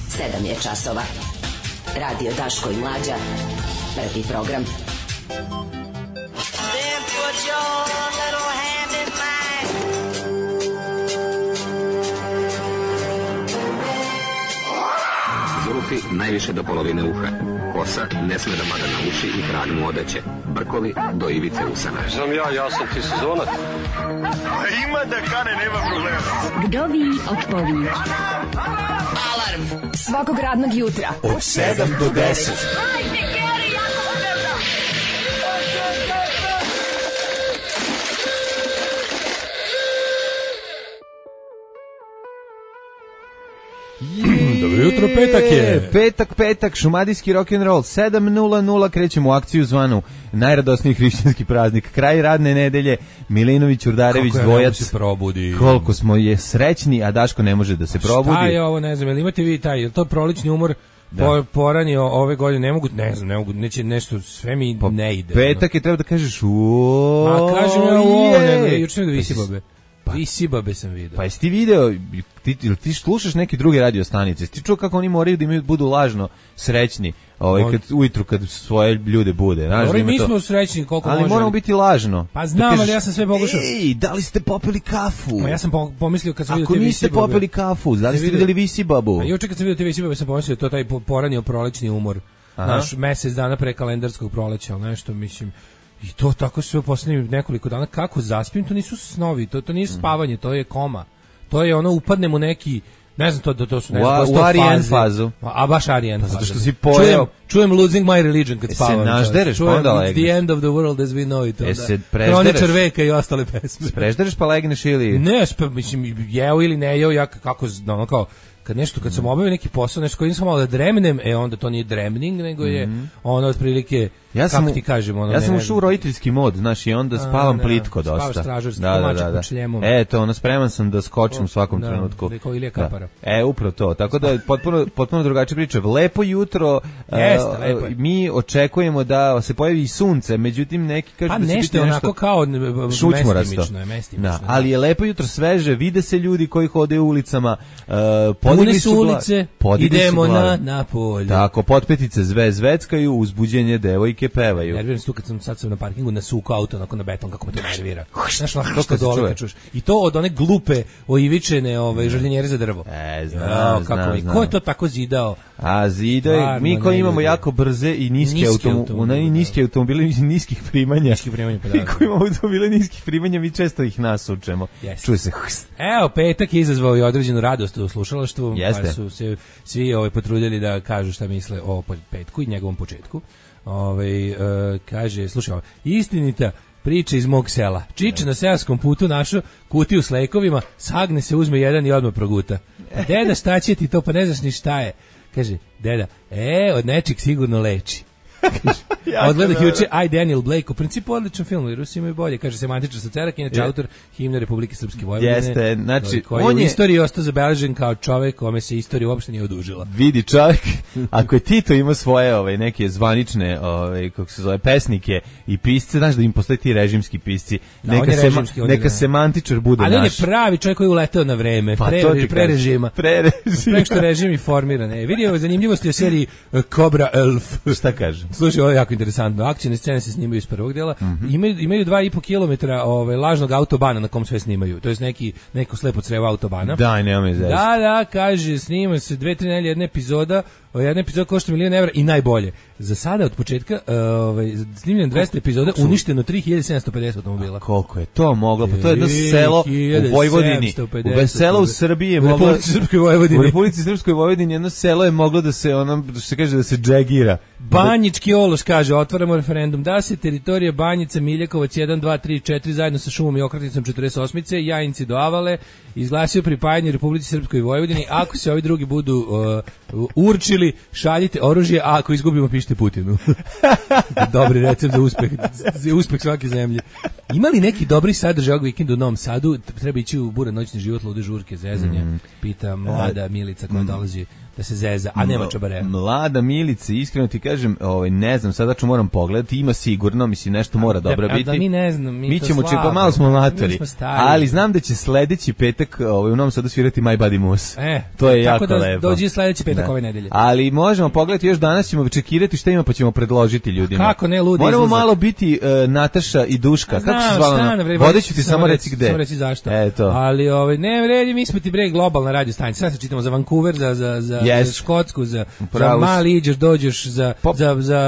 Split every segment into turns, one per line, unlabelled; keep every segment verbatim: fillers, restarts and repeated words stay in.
sedam je časova. Radio Daško i Mlađa. Prvi program. Then put your little hand in mine.
Zulufi najviše do polovine uha. Kosa ne sme da mada na uši i krag mu odeće. Brkovi do ivice usana.
Znam ja, ja sam ti sezonac.
Ima da kane, nema problema.
Vdovi otpovi.
Alarm svakog radnog jutra
od sedam do deset.
Dobro jutro, petak je.
Petak, petak, šumadijski rock'n'roll, sedam nula nula, krećemo u akciju zvanu najradosniji hrišćanski praznik, kraj radne nedelje, Milinović, Urdarević, dvojac.
Se probudi.
Koliko smo je srećni, a Daško ne može da se probudi.
Šta je ovo, ne znam, jel imate vi taj, je to prolični umor? Po, poranio ove godine, ne mogu, ne znam, ne mogu, neće nešto, sve mi po ne ide.
Petak je treba da kažeš uuuu.
Ma kažem ja ovo, nego, juče nego visi babe. Pa, visi babe sam vidio.
Pa jesi ti video, ti, ti slušaš neke druge radio stanice, ti čuo kako oni moraju da imaju, budu lažno srećni, ovaj, kad, ujutru kad svoje ljude bude. Znaš,
Dobro, mi
to,
smo srećni koliko
ali
može.
Ali moramo biti lažno.
Pa znam, kažeš, ali ja sam sve pogušao.
Ej, da li ste popili kafu?
Ma ja sam pomislio kad sam vidio
te Visi babe. Ako niste popili kafu, da li ste videli Visi babu?
A juče kad sam vidio te Visi babe sam pomislio to taj poranio prolećni umor. Aha. Naš mesec dana pre kalendarskog proleća, nešto mislim. I to tako sve u poslednjih nekoliko dana, kako zaspim, to nisu snovi, to, to nije spavanje, to je koma. To je ono, upadnem u neki, ne znam, to, to, to su ne znam,
u Arijen fazu.
A baš Arijen fazu.
Zato što si pojeo.
Čujem, čujem Losing My Religion kad spavam.
Se našdereš, pa onda legneš.
It's the end of the world as we know it.
E se preždereš.
Kroničar veka i ostale pesme.
Preždereš pa legneš ili?
Ne, spe, mislim, jeo ili ne jeo, ja kako, ono kao, kad nešto, kad sam obavio neki posao, nešto koji nisam malo da dremnem, e onda to nije dremning, nego je mm-hmm. ono otprilike,
ja sam,
kako ti kažem, ono
ja sam ušao u roditeljski mod, znaš, i onda spavam a, plitko dosta.
Spavaš stražarski,
da, da, da, da.
Šljemom.
Eto, ono, spreman sam da skočim o, u svakom
da,
trenutku.
Da, kao Ilija Kapara.
Da. E, upravo to, tako da je potpuno, potpuno drugačija priča. Lepo jutro,
Jeste,
uh,
lepo je.
Mi očekujemo da se pojavi i sunce, međutim neki kažu
pa
da će
nešto
biti
nešto onako kao mestimično je, mestimično.
Da, ali je lepo jutro, sveže, vide se ljudi koji hode u ulicama, uh,
podigli su ulice, idemo na, na polje.
Tako, potpetice zve zveckaju, uzbuđenje devojke pevaju.
Nerviram se tu kad sam sad sam na parkingu nasukao auto onako na beton, kako me to nervira. Znaš, što dole kad čuješ. I to od one glupe oivičene ove, žrljenjere za drvo.
E, znam,
ja,
znam,
kako
znam.
Ko je to tako zidao?
A zidao, mi koji imamo jako brze i niske automobile, i niske automobile niskih primanja.
Niskih primanja, pa da.
Mi koji imamo automobile niskih primanja, mi često ih nasučemo.
Yes.
Čuje se.
Evo, petak je izazvao i određenu radost u slušalaštvu,
Jeste.
pa su se svi ovaj potrudili da kažu šta misle o petku i njegovom početku. Ovaj e, kaže, slušaj, istinita priča iz mog sela. Čiče na seoskom putu našo kutiju s lekovima, sagne se, uzme jedan i odmah proguta. Pa deda, šta će ti to, pa ne znaš ni šta je. Kaže, deda, e, od nečeg sigurno leči. Odgledah juče I, Daniel Blake, u principu odličan film, i Rusi imaju bolje, kaže semantičar sa Cerak, inače je autor himne Republike Srpske Vojvodine.
Jeste, znači,
koji on je u istoriji ostao zabeležen kao čovek kome se istorija uopšte nije odužila.
Vidi čovjek, ako je Tito ima svoje ove, neke zvanične, ove, kako se zove, pesnike i pisce, znaš da im postoje ti režimski pisci,
da,
neka, sema,
režimski,
neka semantičar bude naš.
Ali on je pravi čovjek koji je uleteo na vreme,
pa,
pre, pre režima.
Pre režima.
Pre što režim i formiran. E, vidi ove zanimljivosti o seriji Cobra Elf.
Šta kaže?
Slušaj, ovo je jako interesantno. Akcijne scene se snimaju iz prvog dela. Mm-hmm. Imaju, imaju dva i po kilometra ove, lažnog autobana na kom sve snimaju. To je neki, neko slepo crevo autobana.
Daj, nema me zezati.
Da, da, kaže, snima se dve, tri nelje, jedna epizoda, jedna epizoda košta milion evra i najbolje. Za sada od početka ovaj, snimljen dvesta epizoda, uništeno tri hiljade sedamsto pedeset automobila.
A koliko je to moglo? Pa to je jedno selo u Vojvodini. U selo u Srbiji je moglo...
U Republici Srpskoj Vojvodini.
U Republici Srpskoj Vojvodini jedno selo je moglo da se, ono, što se kaže, da se džegira.
Banjički Ološ kaže, otvaramo referendum, da se teritorija Banjica, Miljakovac jedan, dva, tri, četiri zajedno sa šumom i okretnicom četrdeset osmice, Jajinci do Avale, izglasio pripajanje Republici Srpskoj Vojvodini, ako se ovi drugi budu uh, určili ili šaljite oružje, a ako izgubimo pišite Putinu. Dobri recept za uspeh, za uspeh svake zemlje. Ima li neki dobri sadržaj ovog vikenda u Novom Sadu? Treba ići u buran noćni život, lude žurke, zezanje. Mm. Pita mlada Milica koja mm. dolazi da se zeza, a nema čabare.
Mlada Milica, iskreno ti kažem, ovaj, ne znam, sada ću moram pogledati, ima sigurno, mislim, nešto mora dobro biti.
A da mi ne znam, mi,
mi
to
ćemo
slabo.
Pa malo smo matori, ali znam da će sledeći petak ovaj, u Novom Sadu svirati My Body Moose.
E,
to je
tako
jako
da
lepo.
Dođi sledeći petak
da.
ove nedelje.
Ali možemo pogledati, još danas ćemo čekirati šta ima, pa ćemo predložiti ljudima.
Kako ne, ludi
Moramo
izlazak.
Malo biti uh, Nataša i Duška.
Znam,
kako se zvala? Vodeću ti samo reci gde.
Samo reci zašto.
E, to.
Ali ovaj, ne vredi, mi smo ti bre globalna radio stanica. Sad se čitamo za Vancouver, za, za, za,
yes.
za Škotsku, za, za Mali, iđeš, dođeš, za,
Pop.
za, za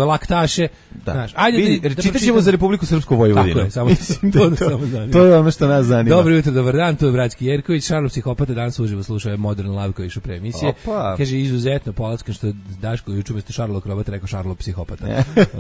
laktaše.
Da.
Znaš, ajde
Vidi,
da, da
čitat ćemo za Republiku Srpsku Vojvodinu.
Tako je, samo,
Mislim,
to,
to,
to,
to,
samo zanima.
to je ono što nas zanima.
Dobro jutro, dobar dan, tu je Bratski Jerković, Šarlo Psihopata, danas uživo slušao je Modern Love koji išu pre emisije.
Opa.
Kaže, izuzetno polackan što Daško juče umesto Šarlo Krobata rekao Šarlo Psihopata.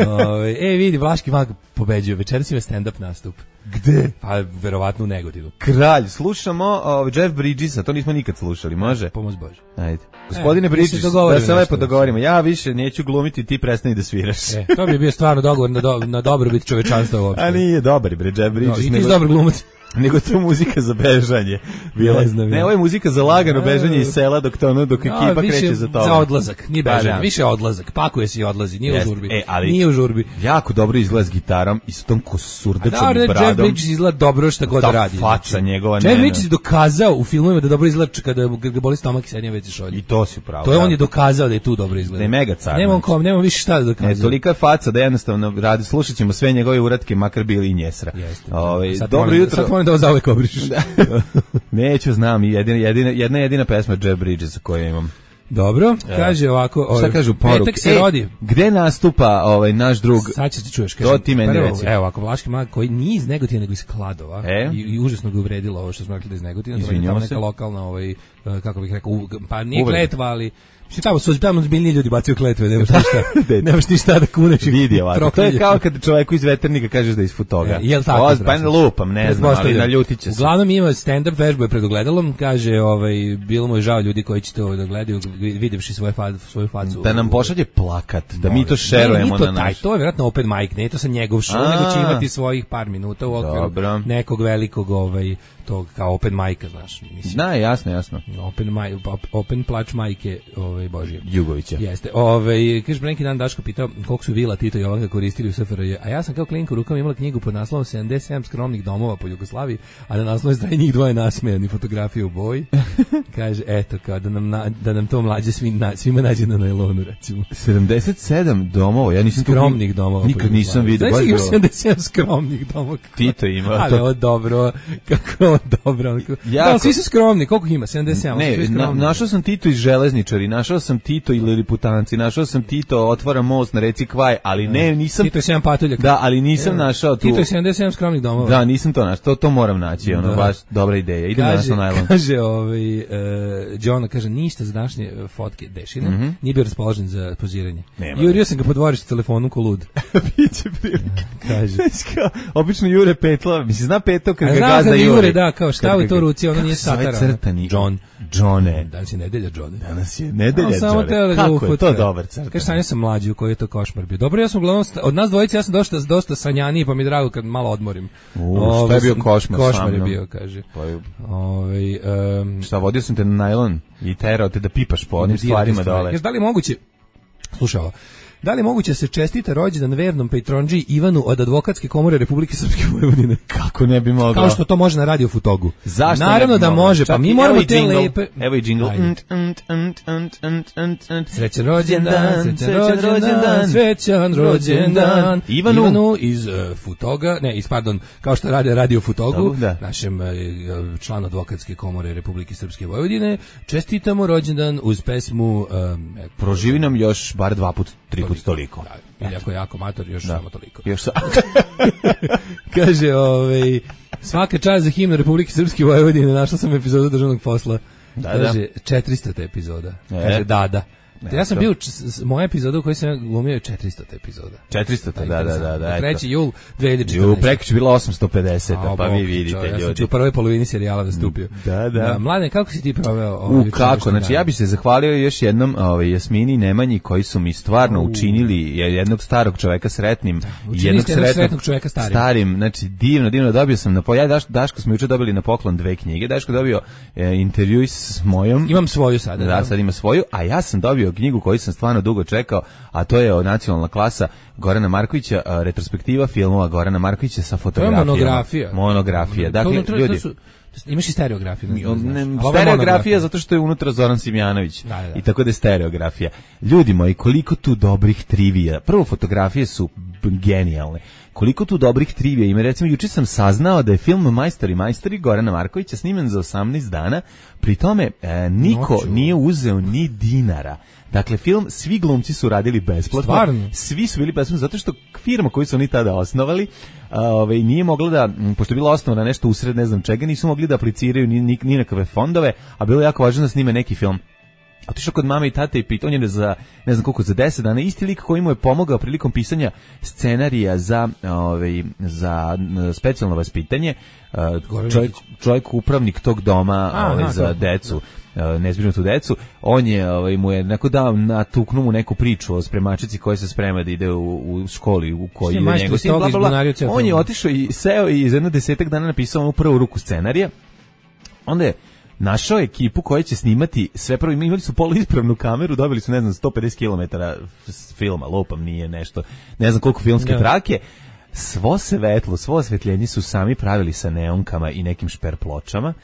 Ove, e, vidi, Vlaški mag pobeđuje, večeras ima stand-up nastup.
Gde?
Pa, verovatno u Negodinu.
Kralj, slušamo uh, Jeff Bridgesa, to nismo nikad slušali, može?
Pomoz Bože.
Ajde. Gospodine
e,
Bridges, da se lepo dogovorimo. Ja više neću glumiti, ti prestani da sviraš.
E, to bi bio stvarno dogovor na, do, na dobrobit čovečanstva uopšte.
A nije dobar, bre, Jeff Bridges.
No, i ti si dobar glumac.
Nego to muzika za bežanje. Bila.
Ne znam.
Ne, ovo je muzika za lagano bežanje iz sela dok to ono, dok ekipa no, kreće za to.
Za odlazak, nije bežanje, da. Više odlazak. Pakuje se i odlazi, nije Jest. u žurbi.
E, ali
nije u žurbi.
Jako dobro izgleda s gitarom i s tom kosurdačom
da,
bradom.
Jeff Bridges izgleda dobro šta god
ta
radi.
faca njegova.
Jeff Bridges je dokazao u filmovima da dobro izgleda kada ga boli stomak i sednje već šolje.
I to si pravo.
To je on je dokazao da je tu dobro izgleda.
Da je mega car.
Nemam kom, nemam više šta da dokazuje.
Ne, tolika faca da jednostavno radi, slušaćemo sve njegove uratke, makar bili i njesra. Ovaj dobro jutro.
Sad moram da vas zauvek obrišeš.
Neću, znam, jedina, jedina, jedna jedina pesma Jeff Bridges koju imam.
Dobro, kaže ovako, ovaj,
šta kažu poruk?
Petak se e, rodi.
Gde nastupa ovaj naš drug?
Sad ćeš ti čuješ, kaže.
To ti meni reci.
Evo, ovako, Vlaški mag koji nije iz Negotina nego iz Kladova
e?
i, i užasno ga uvredilo ovo što smo rekli da iz Negotina, to je neka lokalna ovaj kako bih rekao, pa nije kletva, ali Mislim, tamo su tamo zbiljni ljudi bacaju kletve, nemaš ništa, nemaš ništa da kuneš.
Vidi ovako, to je kao kad čovjeku iz veternika kaže da je iz Futoga.
Ja, jel tako?
Oz, pa ne lupam, ne znam, ali naljutit će se.
Uglavnom ima stand-up vežbu je pred ogledalom, kaže, ovaj, bilo mu je žao ljudi koji će to da gledaju, videvši svoje fa, svoju facu.
Da nam pošalje plakat, da mi to šerujemo na naš.
To je vjerojatno open mic, ne to sa njegov show, nego će imati svojih par minuta u okviru nekog velikog ovaj, tog kao open mic-a, znaš. Mislim.
Da, jasno, jasno.
Open, mic, open plač majke ovaj, Božije.
Jugovića.
Jeste. Ovaj, kaže, neki dan Daško pitao koliko su vila Tito i Jovanka koristili u S F R J, a ja sam kao klinka u rukama imala knjigu pod naslovom sedamdeset sedam skromnih domova po Jugoslaviji, a na naslovnoj strani njih dvoje nasmejani, fotografije u boji. Kaže, eto, kao da nam, na, da nam to mlađe svim, na, svima nađe na najlonu, recimo.
sedamdeset sedam domova, ja nisam
skromnih domova.
Nikad nisam vidio.
Znači, ima sedamdeset sedam skromnih domova.
Tito ima.
Ali ovo dobro, kako ovo dobro. Da, svi su skromni, koliko ima? sedamdeset sedam.
Ne, na, našao sam Tito iz Železničari, našao sam Tito i Liliputanci, našao sam Tito otvara most na reci Kvaj, ali ne, nisam...
Tito je sedam patuljaka.
Da, ali nisam Evo, našao tu...
Tito je sedamdeset sedam skromnih domova.
Da, nisam to našao, to, to moram naći, ono, da. Baš dobra ideja. Idem na naslov najlon.
Kaže, ovaj, uh, John, kaže, ništa za današnje fotke Dešina, mm-hmm. nije bio raspoložen za poziranje. Nema. Jurio sam ga po dvorištu telefonom ko lud.
Biće prilike.
Kaže.
Obično Jure petla, mislim, zna petao kad ga
gazda
Jure.
Jure, da, kao stavi to u ruci, ono nije satara.
Crtani.
John.
Johne.
Danas je nedelja, Johne.
Danas je nedelja,
Johne.
Da kako je to dobar crtan?
Kaže, sanja sam mlađi, u koji je to košmar bio. Dobro, ja sam uglavnom, od nas dvojice, ja sam dosta, dosta sanjaniji, pa mi je drago kad malo odmorim.
U, šta je bio košmar?
Košmar je bio, kaže.
Pa je...
Ove, um,
šta, vodio sam te na najlon i terao te da pipaš po onim stvarima dole.
Kaže, da li je moguće, slušaj ovo, da li je moguće se čestita rođendan vernom patronđi Ivanu od Advokatske komore Republike Srpske Vojvodine?
Kako ne bi moglo?
Kao što to može na Radio Futogu.
Zašto
Naravno da
moglo?
može, pa mi moramo te lepe...
Evo i džingl.
Srećan rođendan, srećan rođendan, srećan rođendan.
Ivanu,
Ivanu iz uh, Futoga, ne, iz, pardon, kao što radi Radio Futogu,
da.
našem uh, članu Advokatske komore Republike Srpske Vojvodine, čestitamo rođendan uz pesmu... Um,
Proživi nam još bar dva put, tri put toliko.
Da, ili ako je jako mator, još da. Samo toliko.
Još sa...
Kaže, ovaj, svaka čast za himnu Republike Srpske Vojvodine, našla sam epizodu državnog posla.
Da,
kaže,
da.
četiristo epizoda. E. Kaže, da, da. Ja sam bio, moja epizoda u kojoj sam glumio je četiristo epizoda.
četiristo, da, da, da, da.
treći jul dve hiljade četrnaeste.
Ju, prekoć bila osamsto pedeset, pa vi vidite,
čovjek,
ljudi.
Ja sam u prvoj polovini serijala nastupio.
Da, da.
da Mladen, kako si ti proveo?
U, kako, znači ja bih se zahvalio još jednom ovaj, Jasmini i Nemanji koji su mi stvarno U. učinili jednog starog čoveka sretnim.
Da,
jednog
sretnog, sretnog čoveka starim.
Starim, znači divno, divno, dobio sam na ja Daš, Daško smo juče dobili na poklon dve knjige. Daško dobio e, intervju s mojom.
Imam svoju sada.
Da, sad ima svoju, a ja sam dobio knjigu koju sam stvarno dugo čekao, a to je Nacionalna klasa Gorana Markovića, a, retrospektiva filmova Gorana Markovića sa fotografijama.
To je monografija.
Monografija. Dakle,
to,
ljudi,
to su, imaš i stereografiju. Ne,
ne, ne, stereografija zato što je unutra Zoran Simjanović. Da, da. I tako da je stereografija. Ljudi moji, koliko tu dobrih trivija. Prvo, fotografije su genijalne. Koliko tu dobrih trivija ima. Recimo, juče sam saznao da je film Majstori majstori Gorana Markovića snimen za osamnaest dana. Pri tome, e, niko Noću. nije uzeo ni dinara. Dakle, film, svi glumci su radili besplatno. Stvarno? Svi su bili besplatno, zato što firma koju su oni tada osnovali, ovaj, nije mogla da, pošto je bila osnovana nešto usred ne znam čega, nisu mogli da apliciraju ni, ni, ni nekakve fondove, a bilo je jako važno da snime neki film. Otišao kod mame i tate i pitao, on je za, ne znam koliko, za deset dana, isti lik koji mu je pomogao prilikom pisanja scenarija za, ovaj, za specijalno vaspitanje, čovjek, čovjek upravnik tog doma Aha, ovaj, za decu, nezbrinutu decu, on je ovaj, mu je neko dao, natuknu mu neku priču o spremačici koja se sprema da ide u, u školi u kojoj ide njegov sin, bla, bla, bla. On je otišao i seo i za jedno desetak dana napisao onu prvu ruku scenarija. Onda je našao ekipu koja će snimati sve prvo, imali su poluispravnu kameru, dobili su, ne znam, sto pedeset kilometara filma, lupam, nije nešto, ne znam koliko filmske yeah. trake, svo svetlo, svo osvetljenje su sami pravili sa neonkama i nekim šper pločama.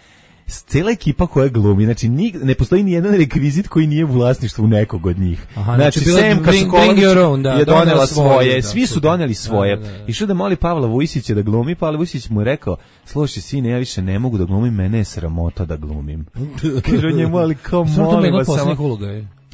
Cijela ekipa koja glumi, znači ni, ne postoji ni jedan rekvizit koji nije u vlasništvu nekog od njih.
Aha,
znači,
znači
Semka Sokolović da, je donela svoje, da, svi su doneli svoje.
Da, da, da.
Išao da moli Pavla Vujsića da glumi, Pavle Vujsić mu je rekao, slušaj sine, ja više ne mogu da glumim, mene je sramota da glumim. Kaže njemu, ali kao molim vas samo...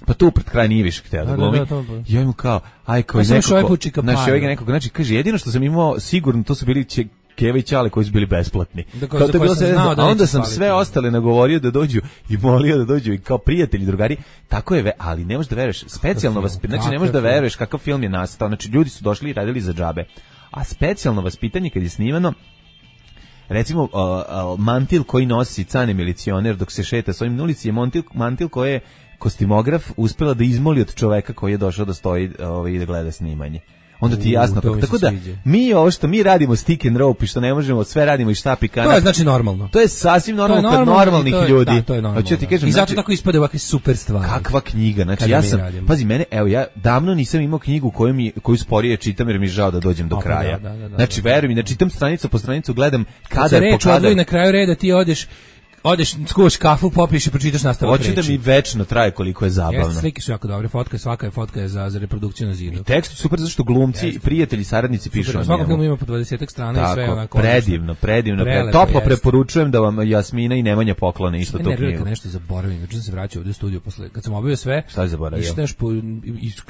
Pa tu pred kraj nije više htio da glumi. Da, da, da, da. I on mu kao, aj kao
pa
nekako, znači ovaj nekako, znači kaže, jedino što sam imao sigurno, to su bili će, Keva i Ćale koji su bili besplatni. Da, kao to bilo sve, a onda sam sve spaliti. Ostale nagovorio da dođu i molio da dođu i kao prijatelji, drugari. Tako je, ali ne možeš da veruješ, specijalno vaspitanje, znači ne možeš da veruješ kakav film je nastao. Znači ljudi su došli i radili za džabe. A specijalno vaspitanje kad je snimano, recimo uh, uh, mantil koji nosi Cane milicioner dok se šeta s ovim na ulici je mantil, mantil koji je kostimograf uspela da izmoli od čoveka koji je došao da stoji ovaj, i da gleda snimanje. Onda ti je jasno, tako, tako da sviđa. Mi ovo što mi radimo stick and rope i što ne možemo, sve radimo i štap i kanap.
To je znači normalno.
To je sasvim normalno kod normalnih
to je,
ljudi.
Da, to je normalno.
Ti kažem,
i zato
znači,
tako ispade ovakve super stvari.
Kakva knjiga, znači ja sam, radimo. Pazi mene, evo ja davno nisam imao knjigu koju mi koju sporije čitam jer mi je žao da dođem do Opa, kraja. Da, da, da, znači veruj mi, da čitam stranicu po stranicu, gledam kadar po kadar.
Na kraju reda ti odeš Odeš, skuvaš kafu, popiješ i pročitaš nastavak reči.
Hoće da mi večno traje koliko je zabavno.
Jeste, slike su jako dobre, fotka, svaka je fotka je za, za reprodukciju na zidu.
I tekst super zato što glumci, Jeste. prijatelji, saradnici pišu o njemu.
Svakog filmu ima po dvadesetak strana Tako, i sve onako.
predivno, predivno. Prelepo, Toplo jeste. preporučujem da vam Jasmina i Nemanja poklone isto to knjigu.
Ne, nešto zaboravim, juče sam se vraćao ovdje u studiju posle, kad sam obavio sve.
Šta je zaboravio?
Ništa po,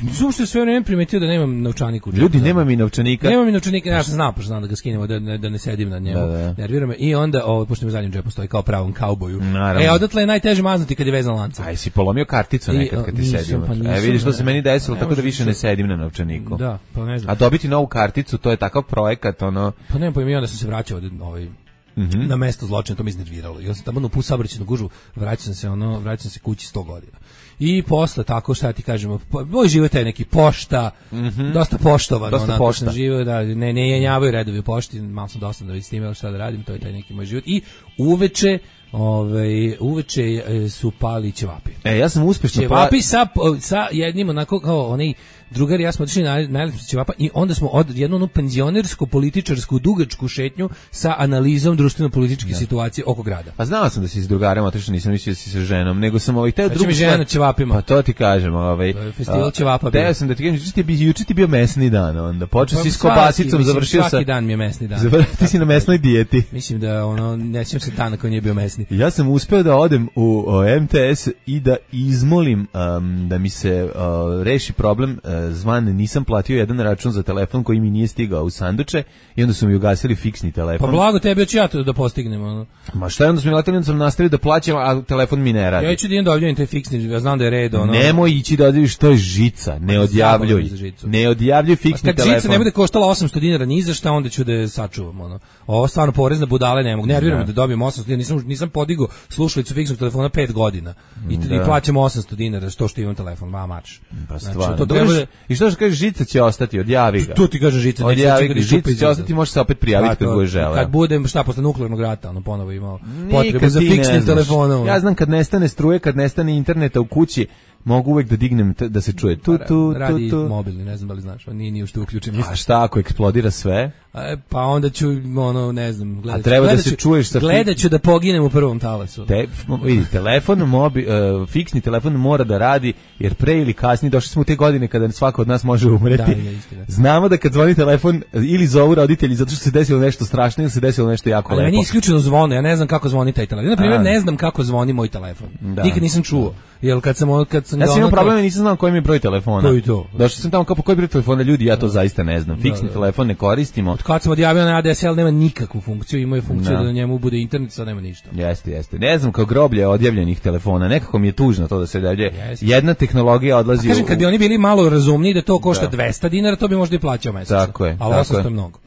nisam što sve vreme primetio da nemam novčanik u džepu.
Ljudi, nema mi novčanika.
Nema mi novčanika, ja sam znao, pošto znam da ga skinemo, da ne, da ne sedim na njemu. Nervira me. I onda, ovo, pošto mi u zadnjem džepu stoji kao pravom kauboju. E, odatle je najteže maznuti kad je vezan lancem.
Aj, si polomio karticu nekad kad ti sedim. Pa e, vidiš što se meni desilo, tako da više ne sedim na novčaniku.
Da, pa ne znam.
A dobiti novu karticu, to je takav projekat, ono...
Pa nemam pojma, onda sam se vraćao od ovaj... Mm -hmm. na mesto zločina, to mi iznerviralo. Ja sam tamo u saobraćajnu gužvu, vraćam se ono, vraćam se kući sto godina. I posle tako šta ti kažemo, moj život je neki pošta, mm -hmm. dosta poštovano,
dosta
onako
pošta.
Sam živio, da ne ne jenjavaju redovi u pošti, malo sam dosta da vidim s tim šta da radim, to je taj neki moj život. I uveče Ove, uveče su pali ćevapi.
E, ja sam uspešno
ćevapi pa... sa, sa jednim onako kao onaj drugar i ja smo otišli na najlepšu ćevapa i onda smo od jednu onu penzionersku političarsku dugačku šetnju sa analizom društveno-političke situacije oko grada.
Pa znao sam da si s drugarem otišao, nisam mislio da si sa ženom, nego sam ovaj teo drugu
žena na ćevapima.
Pa to ti kažem, ovaj
festival ćevapa.
Teo sam da ti kažem, juče ti bio juče ti bio mesni dan, onda počeo si s kobasicom, završio sa
svaki dan mi je mesni dan.
Završio si na mesnoj dijeti.
Mislim da ono ne sjećam se dana koji nije bio mesni fiksni.
Ja sam uspeo da odem u o, M T S i da izmolim um, da mi se uh, reši problem uh, zvan, nisam platio jedan račun za telefon koji mi nije stigao u sanduče i onda su mi ugasili fiksni telefon.
Pa blago tebi, hoću ja to da postignem. Ono.
Ma šta je, onda su mi letali, onda sam nastavio da plaćam, a telefon mi ne radi.
Ja ću da idem da odjavim taj fiksni, ja znam da je red. Ono.
Nemoj ići da odjaviš, to je žica, ne odjavljuj. Ne odjavljuj fiksni
kad
telefon.
Kad žica ne bude koštala osamsto dinara ni za šta, onda ću da je sačuvam. Ono. Ovo stvarno porez na budale ne mogu. Nerviram da. da dobijem osamsto dinara, nisam, nisam podigao slušalicu fiksnog telefona pet godina. I, da. I plaćam osamsto dinara što što imam telefon, ma marš.
Pa
znači,
to treba da... I što što kaže, žica će ostati, odjavi ga.
Tu ti kaže žica,
odjavi ga, žica će ostati, možeš se opet prijaviti kad budeš želeo.
Kad budem, šta, posle nuklearnog rata, ono ponovo imao potrebu za fiksnim telefonom.
Ja znam kad nestane struje, kad nestane interneta u kući, mogu uvek da dignem t- da se čuje tu tu tu
radi
tu.
Mobilni, ne znam da li znaš, on nije ni ušte uključen.
A šta ako eksplodira sve?
A, pa onda ću ono ne znam, gledat.
A treba
gledat
da se
ću,
čuješ sa
gledaću da poginem u prvom talasu.
Te, vidi, telefon, mobi, uh, fiksni telefon mora da radi, jer pre ili kasnije došli smo u te godine kada svako od nas može umreti. Da, znamo da kad zvoni telefon ili zovu roditelji zato što se desilo nešto strašno ili se desilo nešto jako
ali
lepo.
Ali meni isključeno zvone, ja ne znam kako zvoni taj telefon. Na primjer, ne znam kako zvoni moj telefon. Da. Nikad nisam čuo. Jel kad sam kad sam
ja sam imao problem, nisam znao koji mi je broj telefona.
To i to.
Došao sam tamo kao po koji broj telefona, ljudi, ja to da. zaista ne znam. Fiksni da, da. telefon ne koristimo.
Od kad sam odjavio na A D S L nema nikakvu funkciju, ima je funkciju da. da na njemu bude internet, sad nema ništa.
Jeste, jeste. Ne znam, kao groblje odjavljenih telefona, nekako mi je tužno to da se dalje. Jedna tehnologija odlazi.
A kažem, u... kad bi oni bili malo razumniji da to košta da. dvesta dinara, to bi možda i plaćao mesečno.
Tako je.
A osamsto je mnogo.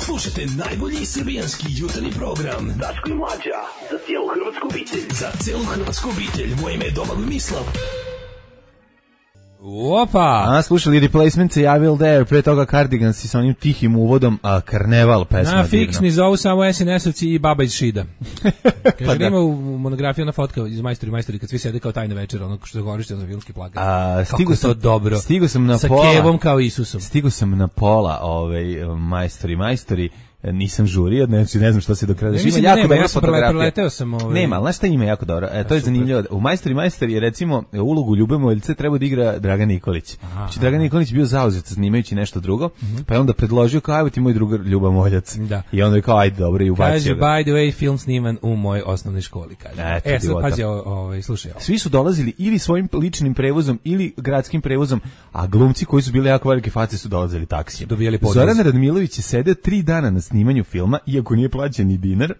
Slušajte najbolji srbijanski jutarnji program Daško i Mlađa za cijelu hrvatsku obitelj. Za cijelu hrvatsku obitelj. Moje ime je Domagoj Mislav.
Opa!
A, slušali Replacement se javil there, pre toga Cardigans i sa onim tihim uvodom, a Karneval pesma.
Na fiksni zovu samo S N S-ovci i baba iz Šida. Kaže, pa da. Ima u monografiji ona fotka iz Majstori Majstori kad svi sede kao tajna večera, ono što je korišteno za filmski plakat. A,
stigo sam,
dobro.
Stigo sam na
sa
pola.
Sa Kevom kao Isusom.
Stigo sam na pola ovaj, Majstori Majstori. Nisam žurio, znači ne znam što se do kraja.
Ima jako nema, dobra fotografija. Preleteo sam ovaj.
Nema, al znaš šta ima jako dobro? E, to je zanimljivo. U Majstori Majstori je recimo ulogu Ljubomoljce treba da igra Dragan Nikolić. Znači Dragan Nikolić bio zauzet snimajući nešto drugo, uh-huh. pa je onda predložio kao evo ti moj drugar Ljubomoljac. Da. I onda je kao ajde dobro i ubacio.
Kaže
ga.
By the way film sniman u mojoj osnovnoj školi, kaže. E, sad pazi, ovaj slušaj. Ovo.
Svi su dolazili ili svojim ličnim prevozom ili gradskim prevozom, a glumci koji su bili jako velike face su dolazili taksijem. Zoran Radmilović je sedeo tri dana na snimanju filma, iako nije plaćen ni dinar,